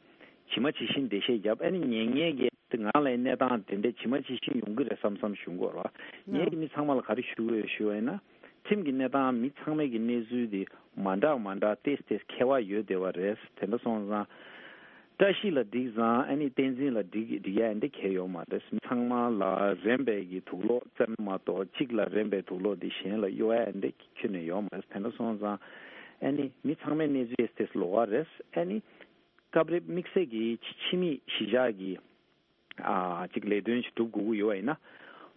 ཇི་མ་ཇི་བཞིན་འགྲེལ་བཤད་བརྒྱབ། ཨ་ནི་ཉན་མཁན་གྱི་ང་ལ་གནས་སྟངས་དེ་འདྲ་ཇི་མ་ཇི་བཞིན་ཡོང་གི་རེད་བསམ་བསམ་ཞུ་དགོས་རེད་བ། ངས་ཀྱི་མི་ཚང་མ་ལ་ག་རེ་ཞུ་དགོས་ཞུ་བ་ཡིན་ན། ཁྲིམས་ཀྱི་གནས་སྟངས་མི་ཚང་མའི་གི་གནས་ཚུལ་དེ་མ་འདྲ་མ་འདྲ་ཏེས་ཏེས་ཁྱད་པར་ཡོད་བསྡད་པ་རེད། དེ་འདྲ་སོང་ཙང་། བཀྲ་ཤིས་ལ་འགྲིག་ཙང་ཨ་ནི་བསྟན་འཛིན་ལ་འགྲིག་འགྲིག་ཡ་འདི་གལ་ཡོད་མ་རེད། མི་ཚང་མ་ལ་རན་པའི་གི་དུག་སློག་བཙེམ་མ་གཏོགས་གཅིག་ལ་རན་པའི་དུག་སློག་འདི་གཞན་ལ་གཡོ་ཡ་འདི་ཁྱོན་ནས་ཡོད་མ་རེད། དེ་འདྲ་སོང་ཙང་ཨ་ནི་མི་ཚང་མའི་གནས་ཚུལ་ཏེས་ཏེས་ལོགས་ཀ་རེད། ཨ་ནི་སྐབས་རེ་དམིགས་བསལ་གྱི་ཕྱི་མི་གཞིས་ཆགས་ཀྱི་ཨ་ཅིག་ལས་དོན་ཞིག་སྒྲུབ་དགོས་ཀྱི་ཡོད་པ་ཡིན་ན།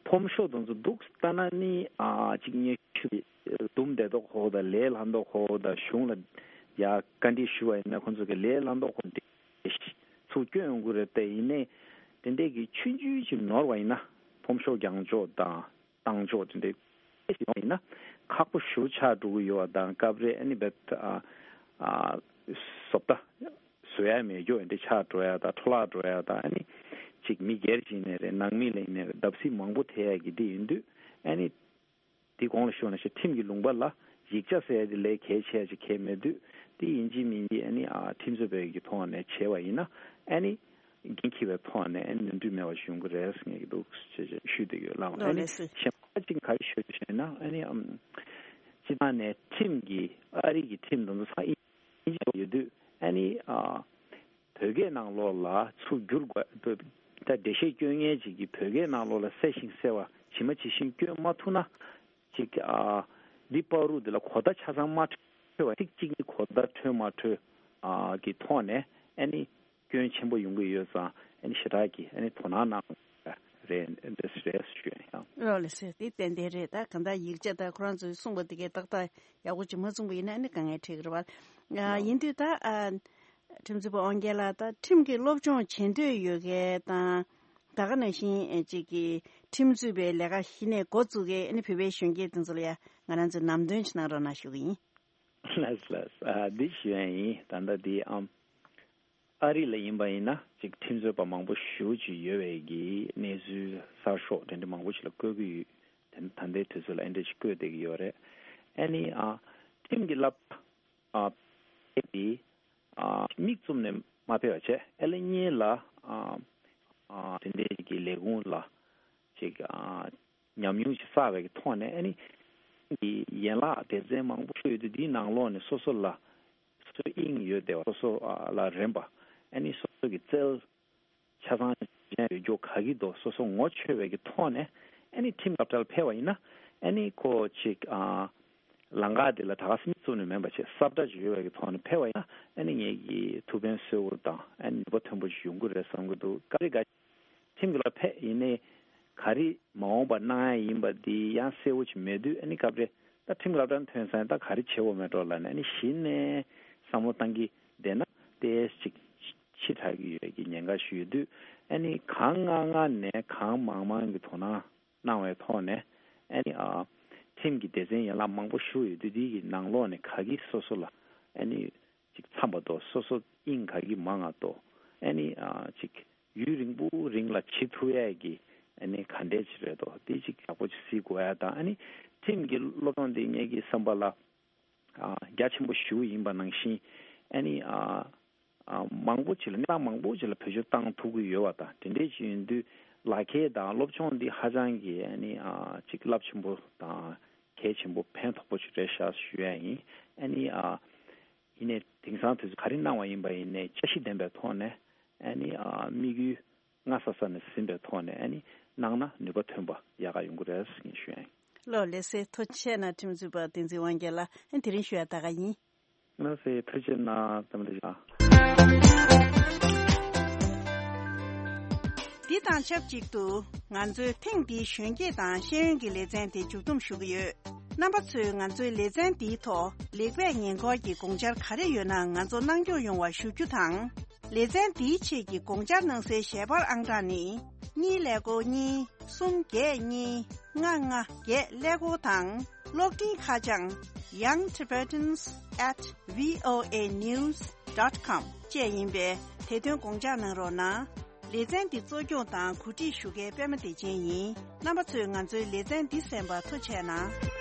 ཕོམ་ཤོག་དེ་ཚོ་འདུག་ལྟ་ན་ནི་ཨ་ཅིག་སྙན་ཞུ་འདུམ་བསྡད་མདོག་ཁ་པོ་དང་ལས་སླ་མདོག་ཁ་པོ་དང་གཞུང་ལ་ཡ་བཀའ་འདྲི་ཞུ་བ་ཡིན་ན་ཁོང་ཚོ་གི་ལས་སླ་མདོག་ཁ་པོ་འདི་ཚུར་སྐྱོན་ཡོང་གི་རེད། དེ་ཡིན་ནའི་དེ་འདྲས་ཀྱི་ཆུང་ཆུང་ཅིག་ནོར་བ་ཡིན་ན་ཕོམ་ཤོག་རྒྱག་ཕྱོགས་དང་བཏང་ཕྱོགས་དེ་འདྲས་ཞིག་ཡིན་ན་ཁག་པོ་ཞེ་པོ་ཆགས་འགྲོ་གི་ཡོད་པ་དང་། སྐབས་རེ་ཨ་ནི་བེད་ཨ་ཨ་བཟོ་ལྟ། བཟོ་ཡ་མེད་རྒྱུ་འདི་ཆགས་འགྲོ་ཡ་དང་འཕྲོ་བརླག་འགྲོ་ཡ་དང་། ཨ་ནི་གཅིག་མི་སྒེར་གྱི་ནས་རེད། ནང་མི་ལ་ཡིན་ནས་རེད། བརྡབ་གསིག་མང་པོ་ཐེབས་ཡ་གི་འདི་ཡིན་དུས། ཨ་ནི་འདི་གོང་ལ་ཞུས་ན་ཞེ་ཁྲིམས་ཀྱི་ལུང་པ་ལ་ཡིག་ཆ་ཟེར་ཡ་འདི་ལས་གལ་ཆེ་ཡ་ཅིག་གལ་མེད་དུས། དེ་ཡིན་གཅིག་མིན་གཅིག་ཨ་ནི་ཨ་ཁྲིམས་རྩོད་པའི་གི་ཐོག་ནས་བྱས་པ་ཡིན་ན་ཨ་ནི་འགན་འཁྱེར་བའི་ཐོག་ནས་ཨ་ནི་ནོར་འཁྲུལ་མེད་པ་ཞིག་ཡོང་གི་རེད་ཟེར་ངེས་ཀྱི་འདུག་ཅེས་ཞུས་བསྡད་ཡོད། ལགས་ཨ་ནི་ལགས་སོ། གཞན་པ་གཅིག་ག་རེ་ཞུ་ཞུས་ན་ཨ་ནི་ཨམ་སྤྱི་བཏང་ནས་ཁྲིམས་ཀྱི་ཨ་རི་གི་ཁྲིམས་དང་ཚང་ཡིན་གཅིག་ཡོད་དུས་ཨ་ནི་ཨ་བོད་སྐད་ནང་ལོགས་ལ་ཚུར་བསྒྱུར་དགོས། ད་འགྲེལ་བཤད་སྐྱོན་མཁན་ཅིག་གིས་བོད་སྐད་ནང་ལོགས་ལ་གསལ་ཞིང་གསལ་བ་ཇི་མ་ཇི་བཞིན་སྐྱོན་མ་ཐུབ་ན། ཅིག་ཨ་འདི་བར་དུ་འདི་ལ་གོ་བརྡ་ཆ་ཚང་མ་འཕྲོད་པ་ཚིག་གཅིག་གཉིས་གོ་བརྡ་འཕྲོད་མ་འཕྲོད་ཨ་གི་ཐོག་ནས་ཨ་ནི་སྐྱོན་ཆེན་པོ་ཡོང་གི་ཡོད་ཙང་ཨ་ནི་ཞེ་དྲག་གི་ཨ་ནི་དོ་སྣང་གནང་རེད་འདི་རེད་ཞུ་ཡ་ཡང་། ལགས་ལགས་སོ། དེ་ཏན་ཏན་རེད། ད་གང་ལྟར་ཡིག་ཆ་ད་ཁོ་རང་ཚོས་གསུངས་པ་དེ་གའི་ཏག་ཏག་ཡག་པོ་ཅིག་མ་གསུངས་པ་ཡིན་ན་ཨ་ནི་དཀའ་ངལ་འཕྲད་ཀྱི་རེད་བ། ཨ་ཡིན་དུས་ད་ཨ་ཁྲིམས་རྩོད་པ་དབང་རྒྱལ་ལགས་ད་ཁྲིམས་ཀྱི་སློབ་སྦྱོང་བྱེད་འདོད་ཡོད་མཁན་དང་། ད་ག་ནང་བཞིན་ཨེ་ཅིག་གི་ཁྲིམས་རྩོད་པའི་ལས་ཀ་གཞི་ནས་འགོ་བཙུགས་མཁན་ཨ་ནི་བོད་པའི་གཞོན་སྐྱེས་དེ་ཚོ་ལ་ཡ་ང་རང་ཚོས་ལམ་སྟོན་ཅིག་གནང་རོགས་གནང་ཞུ་གི་ཡིན། ལགས་ལགས། ཨ་འདི་ཞུ་ཡ་ཡིན། ད་ལྟ་འདི་ཨམ་ཨ་རི་ལ་ཡིན་པ་ཡིན་ན་ཅིག་ཁྲིམས་རྩོད་པ་མང་པོ་ཞེ་པོ་ཅིག་ཡོད་པའི་གི་གནས་ཚུལ་གསར་ཤོག་དེ་འདྲ་མང་པོ་ཞིག་ལ་བཀོད་ཀྱི་ཡོད། དེ་ད་ལྟའི་དུས་ཚོད་ལ་ཨེ་འདྲ་ཅིག་བཀོད་བསྡད་ཀྱི་ཡོད་རེད། ཨ་ནི་ཨ་ཁྲིམས་ཀྱི་བསླབ་ཨ་ཕེབས་ཏེ་ཨ་མིག་བཙུམ་ནས་མ་ཕེབས་པ་བྱས་ཨེ་ལེ་གཉིས་ལ་ཨ་ཨ་དེ་འདྲའི་གི་ལས་ཁུངས་ལ་ཅིག་ཨ་ཉམས་མྱོང་ཅིག་བསགས་པའི་གི་ཐོག་ནས་ཨ་ནི་གི་ཡན་ལག་སྡེ་ཚན་མང་པོ་ཞིག་ཡོད་དུས་འདིའི་ནང་ལོགས་ནས་སོ་སོ་ལ་སོ་སོའི་དབྱིངས་ཡོད་བསྡད་པ་སོ་སོ་ཨ་ལ་རན་པ་ཨ་ནི་སོ་སོ་གི་རྩལ་ཆ་ཚང་ཅན་ཡོད་རྒྱུ་ག་གི་འདུག་སོ་སོ་ངོ་ཆོད་པའི་གི་ཐོག་ནས་ཨ་ནི་ཁྲིམས་སློབ་གྲྭར་ཕེབས་པ་ཡིན་ན་ཨ་ནི་ཁོ་ཅིག་ཨ་ལམ་ཁ་དེ་ལ་ད་ག་སེ་མིག་བཙུམ་ནས་མེད་པ་བྱས་གསལ་བསྒྲགས་ཅིག་ཡོད་པའི་གི་ཐོག་ནས་ཕེབས་པ་ཡིན་ན་ཨ་ནི་ངེད་ཀྱི་ཐུགས་ཕན་གསོས་པོ་དང་ཨ་ནི་ནུས་པ་ཐོན་པོ་ཅིག་ཡོང་གི་རེད་བསམ་གི་འདུག་སྐབས་རེ་འགའ་ཁྲིམས་ཀྱི་ལ་ཕེབས་ཡིན་ནའི་ག་རེ་མ་འོངས་པ་གནང་ཡ་ཡིན་པ་འདི་ཡང་གསལ་པོ་ཅིག་མེད་དུས་ཨ་ནི་སྐབས་རེ་ད་ཁྲིམས་སློབ་གྲྭར་ཐོན་ཚར་ཡིན་ད་ག་རེ་བྱེད་དགོས་མེད་འགྲོ་ལབ་ནས་ཨ་ནི་གཞི་ནས་བསམ་བློ་བཏང་གི་བསྡད་ན་ཏོག་ཙམ་ཅིག་ཕྱི་དྲགས་ཀྱི་ཡོད་ཀྱི་ཉེན་ཁ་ཞིག་ཡོད་དུས་ཨ་ནི་གང་མང་མང་ནས་གང་མང་མང་གི་དོ་སྣང་གནང་བའི་ཐོག་ནས་ཨ་ནི་ཨ་ཁྲིམས་ཀྱི་སྡེ་ཚན་ཡན་ལག་མང་པོ་ཞིག་ཡོད་དུས་དེའི་གི་ནང་ལོགས་ནས་ག་གི་སོ་སོ་ལ་ཨ་ནི་ཅིག་འཚམ་པ་དོ་སོ་སོ་དབྱིངས་ག་གི་མང་ང་དོ་ཨ་ནི་ཨ་ཅིག་ཡུན་རིང་པོ་རིང་ལ་བྱེད་ཐུབ་ཡས་ཀྱི་ཨ་ནི་ག་འདྲས་ཅིག་རེད་དོ་དེ་ཅིག་ཡག་པོ་ཅིག་གཟིགས་དགོས་ཡ་དང་ཨ་ནི་ཁྲིམས་ཀྱི་སློབ་སྦྱོང་དེ་ངེད་ཀྱི་བསམ་པ་ལ་ཨ་རྒྱ་ཆེན་པོ་ཞེ་པོ་ཡིན་པ་ནང་བཞིན་ཨ་ནི་ཨ་ཨ་མང་པོ་ཅིག་ལ་གནས་སྟངས་མང་པོ་ཅིག་ལ་བེད་སྤྱོད་བཏང་ཐུབ་ཀྱི་ཡོད་པ་དང་དེ་འདྲས་ཅིག་ཡིན་དུས་ལག་ཁྱེར་དང་སློབ་སྦྱོང་འདི་ཧ་ཅང་གི་ཨ་ནི་ཨ་ཅིག་རླབས་ཆེན་པོ་དང་གལ་ཆེན་པོ་ཕན་ཐོགས་པོ་ཅིག་རེད་ཤག་ཞུ་ཡ་ཡིན། ཨ་ནི་ཨ་ཡིན་ནའི་དེང་སང་དུས་ཚོད་ག་རེ་གནང་བ་ཡིན་པ་ཡིན་ནའི་འཆར་གཞི་ལྡན་པའི་ཐོག་ནས་ཨ་ནི་ཨ་དམིགས་ཡུལ་སྔ་ས་ས་ནས་ཟིན་པའི་ཐོག་ནས་ཨ་ནི་གནང་ན་ནུས་པ་ཐོན་པ་ཡག་ག་ཡོང་གི་རེད་ཟེར་ངས་ཞུ་ཡ་ཡིན། ལགས་ལགས་སེ་ཐུགས་རྗེ་ཆེ་གནང་། ཁྲིམས་རྩོད་པ་བསྟན་འཛིན་དབང་རྒྱལ་ལགས་ཨ་ནི་དེ་རིང་ཞུ་ཡ་ད་ག་ཡིན། ལགས་སེ་ཐུགས་རྗེ་གནང་། ཐུགས་རྗེ་གནང་། འདི་དང་ཆབས་ཅིག་ཏུ་ང་ཚོའི་ཐེངས་འདིའི་གཞོན་སྐྱེས་དང་ཤེས་ཡོན་གྱི་ལེ་ཚན་དེ་མཇུག་བསྡོམས་ཞུ་གི་ཡོད། རྣམ་པ་ཚོས་ང་ཚོའི་ལེ་ཚན་འདིའི་ཐོག་ལེགས་སྤེལ་ཉེ་འཁོར་གྱི་དགོངས་འཆར་ག་རེ་ཡོད་ན་ང་ཚོ་གནང་སྐྱོང་ཡོང་བ་ཞུ་རྒྱུ་དང་། ལེ་ཚན་འདིའི་ཆེད་ཀྱི་དགོངས་འཆར་གནང་སའི་ཞལ་པར་ཨང་གྲངས་ནི། གཉིས་ཀླད་ཀོར་གཉིས། གསུམ་བརྒྱད་གཉིས། ལྔ་ལྔ་བརྒྱད་ཀླད་ཀོར་དང་། གློག་འཕྲིན་ཁ་བྱང་young tibetans at voa news dot com བཅས་ཡིན་པས་དེ་དོན་དགོངས་འཇགས་གནང་རོགས་གནང་། ལེ་ཚན་འདི་གཙོ་སྐྱོང་དང་གོ་སྒྲིག་ཞུ་མཁན་པད་མ་བདེ་ཆེན་ཡིན། རྣམ་པ་ཚོས་ང་ཚོའི་ལེ་ཚན་འདི་གསན་པར་ཐུགས་རྗེ་གནང་།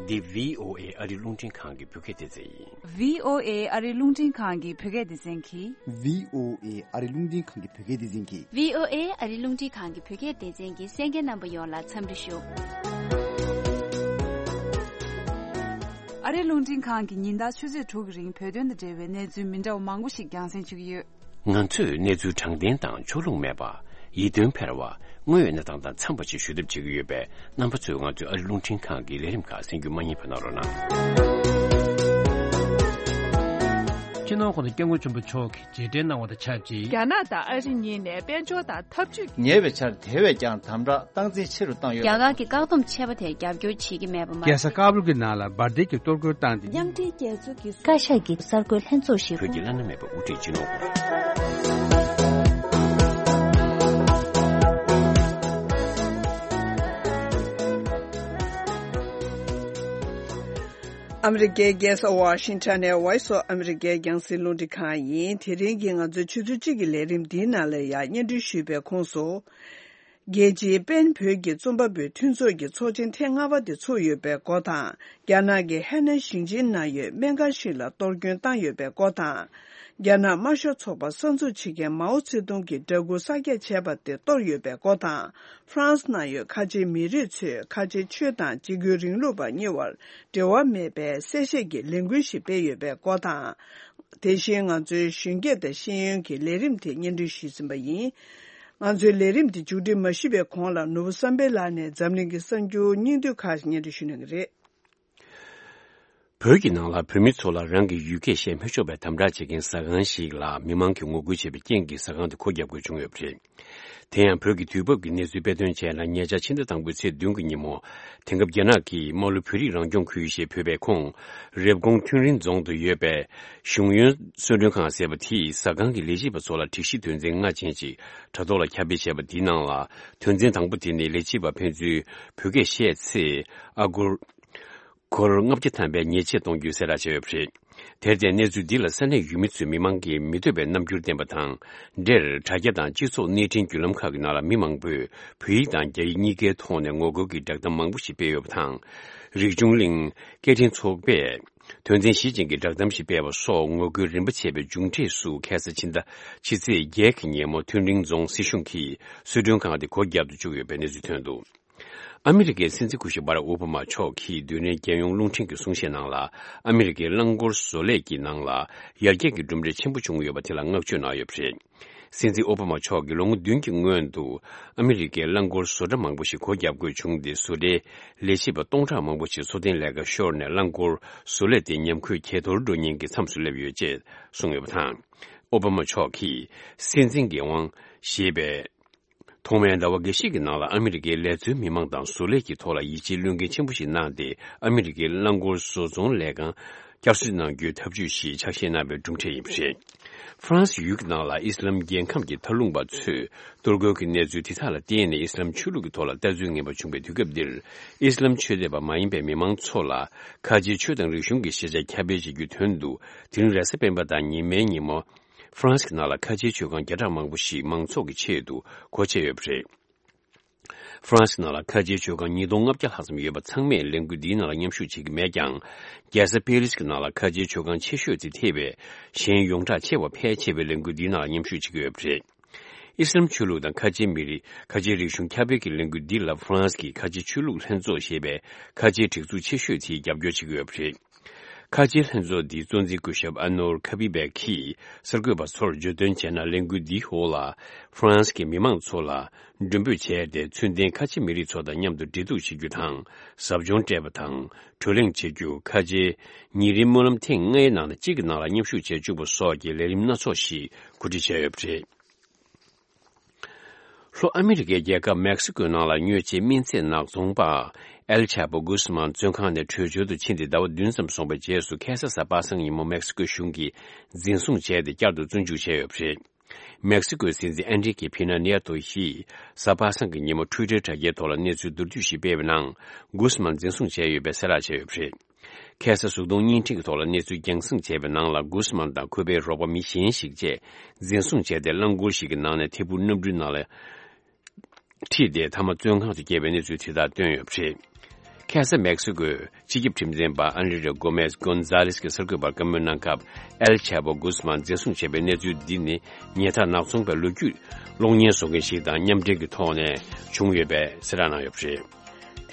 འདི་བྷི་ཨོ་ཨེ་ཨ་རི་རླུང་འཕྲིན་ཁང་གི་བོད་སྐད་སྡེ་ཚན་ཡིན། བྷི་ཨོ་ཨེ་ཨ་རི་རླུང་འཕྲིན་ཁང་གི་བོད་སྐད་སྡེ་ཚན་གྱིས། བྷི་ཨོ་ཨེ་ཨ་རི་རླུང་འཕྲིན་ཁང་གི་བོད་སྐད་སྡེ་ཚན་གྱིས། བྷི་ཨོ་ཨེ་ཨ་རི་རླུང་འཕྲིན་ཁང་གི་བོད་སྐད་སྡེ་ཚན་གྱི་གསན་མཁན་རྣམ་པ་ཡོངས་ལ་འཚམས་འདྲི་ཞུ། ཨ་རི་རླུང་འཕྲིན་ཁང་གིས་ཉིན་ལྟར་ཆུ་ཚོད་དྲུག་གི་རིང་བོད་དོན་དང་འབྲེལ་བའི་གནས་ཚུལ་མི་འདྲ་བ་མང་པོ་ཞིག་རྒྱང་སྲིང་ཞུ་གི་ཡོད། ང་ཚོས་གནས་ཚུལ་དྲང་བདེན་དང་ཕྱོགས་ལྷུང་མེད་པ། ཡིད་རྟོན་འཕེར་བ། དངོས་ཡོད་གནས་སྟངས་དང་འཚམས་པ་ཞིག་ཞུ་ཐབས་བྱེད་ཀྱི་ཡོད་པས། རྣམ་པ་ཚོས་ང་ཚོའི་ཨ་རི་རླུང་འཕྲིན་ཁང་གི་ལས་རིམ་ཁག་གསན་རྒྱུ་མ་བསྙེལ་བ་གནང་རོགས་གནང་། སྤྱི་ནོར་༸གོང་ས་༸སྐྱབས་མགོན་ཆེན་པོ་མཆོག་གིས་རྗེས་དྲན་གནང་བ་དང་ཆབས་ཅིག་རྒྱ་ནག་དང་ཨ་རི་གཉིས་ནས་དཔལ་འབྱོར་དང་འཐབ་ཇུས་ཉེ་བའི་ཆར་དེ་བས་ཀྱང་དམ་དྲག་སྟངས་འཛིན་ཆེ་རུ་བཏང་ཡོད། རྒྱ་གར་གྱི་བཀག་སྡོམ་ཆད་པ་དེར་རྒྱབ་སྐྱོར་བྱེད་ཀྱི་མེད་པ་མ། རྒྱལ་ས་ཀ་བུལ་གྱི་ནང་ལ་འབར་མདེལ་གྱི་གཏོར་རྒོལ་བཏང་སྟེ། མཉམ་འབྲེལ་རྒྱལ་ཚོགས་ཀྱི་བཀའ་ཤག་གི་གསར་འགོད་ལྷན་ཚོགས་ཤིག་བོད་ཀྱི་བླ་ན་མེད་པ་དབུ་ཁྲིད་སྤྱི་ནོར་ ཨ་མི་རི་ཀའི་རྒྱལ་ས་ཝ་ཤིང་ཊོན་ནས་Voice of America་རྒྱང་སྲིང་རླུང་འཕྲིན་ཁང་ཡིན། དེ་རིང་གི་ང་ཚོའི་ཆུ་ཚོད་གཅིག་གི་ལས་རིམ་འདིའི་ནང་ལ་ཡང་སྙན་སྒྲོན་ཞུས་པའི་ཁོངས་སུ། རྒྱལ་སྤྱིའི་པེན་བོད་ཀྱི་རྩོམ་པ་པོའི་མཐུན་ཚོགས་ཀྱི་ཚོགས་ཆེན་ཐེངས་ལྔ་པ་དེ་ཚུགས་ཡོད་པའི་སྐོར་དང་། རྒྱ་ནག་གི་ཧེ་ནན་ཞིང་ཆེན་ནང་ཡོད་སྨན་ཁང་ཞིག་ལ་གཏོར་སྐྱོན་བཏང་ཡོད་པའི་སྐོར་དང་། རྒྱ་ནག་དམར་ཤོག་ཚོགས་པ་གསར་འཛུགས་བྱེད་མཁན་མའོ་ཙེ་ཏུང་གི་འདྲ་སྐུ་གསར་རྒྱག་བྱས་པ་དེ་གཏོར་ཡོད་པའི་སྐོར་དང་། ཧྥ་རན་སི་ནང་ཡོད་ཁ་ཆེའི་མི་རིགས་ཚོས་ཁ་ཆེའི་ཆོས་དང་འཇིགས་སྐུལ་རིང་ལུགས་པ་གཉིས་བར་འབྲེལ་བ་མེད་པའི་གསལ་བཤད་ཀྱི་ལས་འགུལ་ཞིག་སྤེལ་ཡོད་པའི་སྐོར་དང་། དེ་བཞིན་ང་ཚོའི་གཞོན་སྐྱེས་དང་ཤེས་ཡོན་གྱི་ལས་རིམ་དེ་སྙན་སྒྲོན་ཞུས་ཟིན་པ་ཡིན། ང་ཚོའི་ལས་རིམ་འདི་མཇུག་སྒྲིལ་མ་ཞུས་པའི་གོང་ལ་ནོར་བུ་བསམ་འཕེལ་ལགས་ནས་འཛམ་གླིང་གི་གསར་འགྱུར་སྙིང་བསྡུས་ཁག་ཅིག་སྙན་སྒྲོན་ཞུ་གནང་གི་རེད། བོད་ཀྱི་ནང་ལ་བོད་མི་ཚོ་ལ་རང་གི་ཡུལ་སྐད་བཤད་མི་ཆོག་པའི་དམ་དྲག་བྱེད་མཁན་ཟ་ཁང་ཞིག་ལ་མི་མང་གིས་ངོ་རྒོལ་བྱས་པའི་རྐྱེན་གྱིས་ཟ་ཁང་དེ་སྒོ་བརྒྱབ་དགོས་བྱུང་ཡོད་པ་རེད། དེ་ཡང་བོད་ཀྱི་དུས་བབ་ཀྱི་གནས་ཚུལ་དཔེ་སྟོན་བྱས་ན། ཉེ་ཆར་ཕྱི་ཟླ་དང་པོའི་ཚེས་བདུན་གྱི་ཉིན་མོ། དེང་སྐབས་རྒྱ་ནག་གིས་དམག་ལུ་བོད་རིགས་རང་སྐྱོང་ཁུལ་ཞེས་འབོད་པའི་ཁོངས། རེབ་གོང་ཐུན་རིན་རྫོང་དུ་ཡོད་པའི་གཞུང་གཡོན་གསོལ་མགྲོན་ཁང་ཟེར་བ་དེའི་ཟ་ཁང་གི་ལས་བྱེད་པ་ཚོ་ལ་སྒྲིག་གཞི་དོན་ཚན་ལྔ་ཅན་ཅིག་དྲ་ཐོག་ལ་ཁྱབ་སྤེལ་བྱས་པ་དེའི་ནང་ལ། དོན་ཚན་དང་པོ་དེ་ནི་ལས་བྱེད་པ་ཕན་ཚུན་བོད་སྐད་བཤད་ཚེ་ཨ་སྒོར། སྒོར་ལྔ་བརྒྱ་ཐམ་པའི་ཉེས་ཆད་གཏོང་རྒྱུ་གསལ་བསྒྲགས་བྱས་ཡོད་པ་རེད། དེར་བརྟེན་གནས་ཚུལ་འདི་ལ་ས་གནས་ཡུལ་མི་ཚོས་མི་མང་གིས་མི་འདོད་པའི་རྣམ་འགྱུར་བསྟན་པ་དང་འབྲེལ། དྲ་རྒྱ་དང་སྤྱི་ཚོགས་གནས་འཕྲིན་བརྒྱུད་ལམ་ཁག་གི་ནང་ལ་མི་མང་པོས་བོད་ཡིག་དང་རྒྱ་ཡིག་གཉིས་ཀའི་ཐོག་ནས་ངོ་རྒོལ་གྱི་བསྒྲགས་གཏམ་མང་པོ་ཞིག་སྤེལ་ཡོད་པ་དང་། རིག་འབྱུང་གླིང་། སྐད་འཕྲིན་ཚོགས་པས་དོན་ཚན་བཞི་ཅན་གྱི་བསྒྲགས་གཏམ་ཞིག་སྤེལ་བ་སོགས་ངོ་རྒོལ་རིམ་པ་བྱས་པའི་མཇུག་འབྲས་སུ། ཁ་སང་ཕྱི་ཟླ་ཕྱི་ཚེས་བརྒྱད་ཀྱི་ཉིན་མོ་ཐུན་རིན་རྫོང་སྲིད་གཞུང་གིས་གསོལ་མགྲོན་ཁང་དེ་སྒོ་བརྒྱབ་ཏུ་བཅུག་ཡོད་པའི་གནས་ཚུལ་ཐོན་འདུག། ཨ་མི་རི་ཀའི་སྲིད་འཛིན་སྐུ་ཞབས་བྷ་རག་ཨོ་བྷ་མ་མཆོག་གིས་རྡུལ་ཕྲན་རྒྱལ་ཡོངས་རླུང་འཕྲིན་གྱི་གསུང་བཤད་ནང་ལ། ཨ་མི་རི་ཀའི་རླངས་འཁོར་བཟོ་ལས་ཀྱི་ནང་ལ་ཡར་རྒྱས་ཀྱི་གྲུབ་འབྲས་ཆེན་པོ་བྱུང་ཡོད་པ་དེ་ལ་བསྔགས་བརྗོད་གནང་ཡོད་པ་རེད། སྲིད་འཛིན་ཨོ་བྷ་མ་མཆོག་གིས་ལོ་ངོ་བདུན་གྱི་སྔོན་དུ་ཨ་མི་རི་ཀའི་རླངས་འཁོར་བཟོ་གྲྭ་མང་པོ་ཞིག་སྒོ་བརྒྱབ་དགོས་བྱུང་སྟེ། བཟོ་གྲྭའི་ལས་བྱེད་པ་སྟོང་ཕྲག་མང་པོ་ཞིག་འཚོ་རྟེན་ལས་ཀ་ཤོར་ནས་རླངས་འཁོར་བཟོ་ལས་དེ་ཉམས་རྒུད་ཇེ་མཐོར་འགྲོ་ཉེན་གྱི་མཚམས་སུ་སླེབས་ཡོད་ཅེས་གསུངས་ཡོད་པ་དང་། ཨོ་བྷ་མ་མཆོག་གིས་སྲིད་འཛིན་འགན་དབང་ཞེས་པའི། ཐོག་མའི་ཟླ་བ་འགའ་ཤས་ཀྱི་ནང་ལ་ཨ་མི་རི་ཀའི་ལས་བཟོའི་མི་མང་དང་བཟོ་ལས་ཀྱི་ཐོག་ལ་ཡིད་ཆེས་བློས་འགེལ་ཆེན་པོ་ཞིག་གནང་སྟེ། ཨ་མི་རི་ཀའི་རླངས་འཁོར་བཟོ་ཚོང་ལས་ཁང་བསྐྱར་གསོ་གནང་རྒྱུའི་ཐབས་ཇུས་ཤིག་ཆ་ཤས་གནང་བའི་གྲུབ་འབྲས་ཡིན་པ་རེད། ཧྥ་རན་སི་ཡུལ་གྱི་ནང་ལ་ཨི་སི་ལམ་རྒྱལ་ཁམས་ཀྱི་མཐའ་ལྷུང་པ་ཚོས་གཏོར་རྒོལ་གྱི་གནས་ཚུལ་དེ་དག་ལ་བརྟེན་ནས་ཨི་སི་ལམ་ཆོས་ལུགས་ཀྱི་ཐོག་ལ་ལྟ་ཚུལ་ངན་པ་བྱུང་བའི་དུས་སྐབས་འདིར། ཨི་སི་ལམ་ཆོས་དད་པ་མ་ཡིན་པའི་མི་མང་ཚོ་ལ་ཁ་ཆེའི་ཆོས་དང་རིག་གཞུང་གི་ཤེས་བྱ་ཁྱབ་སྤེལ་བྱེད་རྒྱུའི་དོན་དུ། དེ་རིང་རེས་གཟའ་སྤེན་པ་དང་ཉི་མའི་ཉིན་མོ། ཧྥ་རན་སི་གི་ནང་ལ་ཁ་ཆེའི་ཆོས་ཁང་བརྒྱ་ཕྲག་མང་པོ་ཞིག་མང་ཚོགས་ཀྱི་ཆེད་དུ་སྒོ་ཕྱེ་ཡོད་པ་རེད། ཧྥ་རན་སི་ནང་ལ་ཁ་ཆེའི་ཆོས་ཁང་ཉིས་སྟོང་ལྔ་བརྒྱ་ལྷག་ཙམ་ཡོད་པ་ཚང་མས་ལས་འགུལ་འདིའི་ནང་ལ་མཉམ་ཞུགས་བྱེད་ཀྱི་མེད་ཀྱང་། རྒྱལ་ས་པེ་རིས་ཀྱི་ནང་ལ་ཁ་ཆེའི་ཆོས་ཁང་ཆེ་ཤོས་དེ་ཐེ་བའི་གཞན་ཡོངས་གྲགས་ཆེ་བ་ཕལ་ཆེ་བས་ལས་འགུལ་འདིའི་ནང་ལ་མཉམ་ཞུགས་བྱེད་ཀྱི་ཡོད་པ་རེད། ཨི་སི་ལམ་ཆོས་ལུགས་དང་ཁ་ཆེའི་མི་རིགས། ཁ་ཆེའི་རིག་གཞུང་ཁྱབ་སྤེལ་གྱི་ལས་འགུལ་འདི་ལ་ཧྥ་རན་སི་གི་ཁ་ཆེའི་ཆོས་ལུགས་ལྷན་ཚོགས་ཞེས་པའི་ཁ་ཆེའི་སྒྲིག་འཛུགས་ཆེ་ཤོས་དེས་རྒྱབ་སྐྱོར་བྱེད་ཀྱི་ཡོད་པ་རེད། ཁ་ཆེའི་ལྷན་ཚོགས་འདིའི་གཙོ་འཛིན་སྐུ་ཞབས་ཨ་ནོར་ཁ་པི་བེག་གིས་གསར་འགོད་པ་ཚོར་བརྗོད་དོན་བྱས་ན། ལས་འགུལ་འདིའི་འོག་ལ་ཧྥ་རན་སི་གི་མི་མང་ཚོ་ལ་མགྲོན་འབོད་བྱས་ཏེ། ཚུལ་ལྡན་ཁ་ཆེ་མི་རིགས་ཚོ་དང་མཉམ་དུ་འབྲེལ་གཏུག་བྱེད་རྒྱུ་དང་། ཟབ་སྦྱོང་སྤྲད་པ་དང་། བགྲོ་གླེང་བྱེད་རྒྱུ། ཁ་ཆེའི་ཉིན་རེའི་སྨོན་ལམ་ཐེངས་ལྔའི་ནང་ནས་གཅིག་གི་ནང་ལ་མཉམ་ཞུགས་བྱེད་བཅུག་པ་སོགས་ཀྱི་ལས་རིམ་སྣ་ཚོགས་ཤིག་གོ་སྒྲིག་བྱས་ཡོད་པ་རེད། ལྷོ་ཨ་མི་རི་ཀའི་རྒྱལ་ཁབ་མེག་སི་ཀོའི་ནང་ལ་སྨྱོ་བྱེད་སྨན་རྫས་ནག་ཚོང་པ་ཨེལ་ཆ་པོ་གུས་མཱན་བཙོན་ཁང་ནས་བྲོས་བྱོལ་དུ་ཕྱིན་ཏེ་ཟླ་བ་བདུན་ཙམ་སོང་བའི་རྗེས་སུ། ཁ་སང་གཟའ་པ་སངས་ཉིན་མོ་མེག་སི་ཀོ་གཞུང་གིས་འཛིན་བཟུང་བྱས་ཏེ། བསྐྱར་དུ་བཙོན་འཇུག་བྱས་ཡོད་པ་རེད། མེག་སི་ཀོའི་སྲིད་འཛིན་ཨན་རི་ཀེ་ཕི་ན་ནེ་ཏོ་ཡིས་གཟའ་པ་སངས་ཀྱི་ཉིན་མོ་ཊུའི་ཊར་དྲ་རྒྱའི་ཐོག་ལ་གནས་ཚུལ་མདོར་བསྡུས་ཤིག་སྤེལ་བའི་ནང་། གུས་མཱན་འཛིན་བཟུང་བྱས་ཡོད་པའི་གསལ་བསྒྲགས་བྱས་ཡོད་པ་རེད། ཁ་སང་གཟུགས་མཐོང་བརྙན་འཕྲིན་གྱི་ཐོག་ལ་གནས་ཚུལ་རྒྱང་སྲིང་བྱས་པའི་ནང་ལ། གུས་མཱན་དང་ཁོ་པའི་རོགས་པ་མི་གཞན་ཞིག་བཅས་འཛིན་བཟུང་བྱས་ཏེ། རླངས་འཁོར་ཞིག་གི་ནང་ནས་ཐད་འཕུར་གནམ་གྲུའི་ནང་ལ་ཁྲིད་དེ། མཐའ་མ་བཙོན་ཁང་དུ་བསྐྱལ་བའི་གནས་ཚུལ་དེ་དག་བཏོན་ཡོད་པ་རེད། ཁ་སང་མེག་སི་ཀོའི་སྤྱི་ཁྱབ་ཁྲིམས་འཛིན་པ་ཨན་རི་རེ་གོ་མེས་གོན་ཛ་ལེས་ཀྱིས་གསར་འགོད་པར་བཀའ་མོལ་གནང་སྐབས། ཨེལ་ཆ་པོ་གུས་མཱན་འཛིན་བཟུང་བྱས་པའི་གནས་ཚུལ་འདི་ནི། ཉལ་ཐ་ནག་ཚོང་པའི་ལོ་རྒྱུས་གློག་བརྙན་བཟོ་མཁན་ཞིག་དང་མཉམ་འབྲེལ་གྱི་ཐོག་ནས་བྱུང་ཡོད་པའི་གསལ་བསྒྲགས་གནང་ཡོད་པ་རེད།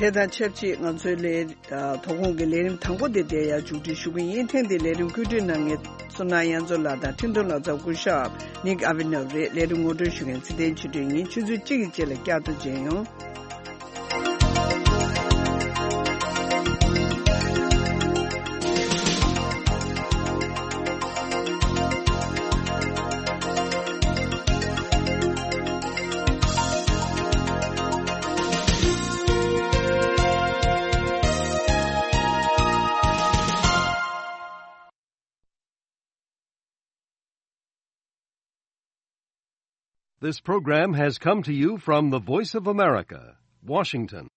དེ་དང་ཆབས་ཅིག་ང་ཚོའི་ལས། ཨ། དོ་དགོང་གི་ལས་རིམ་དང་པོ་དེ་འདིར་ཡང་མཇུག་སྒྲིལ་ཞུ་གི་ཡིན། ཐེངས་འདིའི་ལས་རིམ་བཀོད་སྒྲིག་གནང་མཁན་བསོད་ནམས་དབྱངས་མཚོ་ལགས་དང་འཕྲིན་གཏོང་ལག་རྩལ་སྐུ་ཞབས་ནིག་ཨ་བི་ནོབ་རེད། ལས་རིམ་ངོ་སྤྲོད་ཞུ་མཁན་ཚེ་བརྟན་ཆོས་སྒྲོན་ཡིན། ཆུ་ཚོད་གཅིག་གི་རྗེས་ལ་བསྐྱར་དུ་མཇལ་ཡོང་། This program has come to you from the Voice of America, Washington.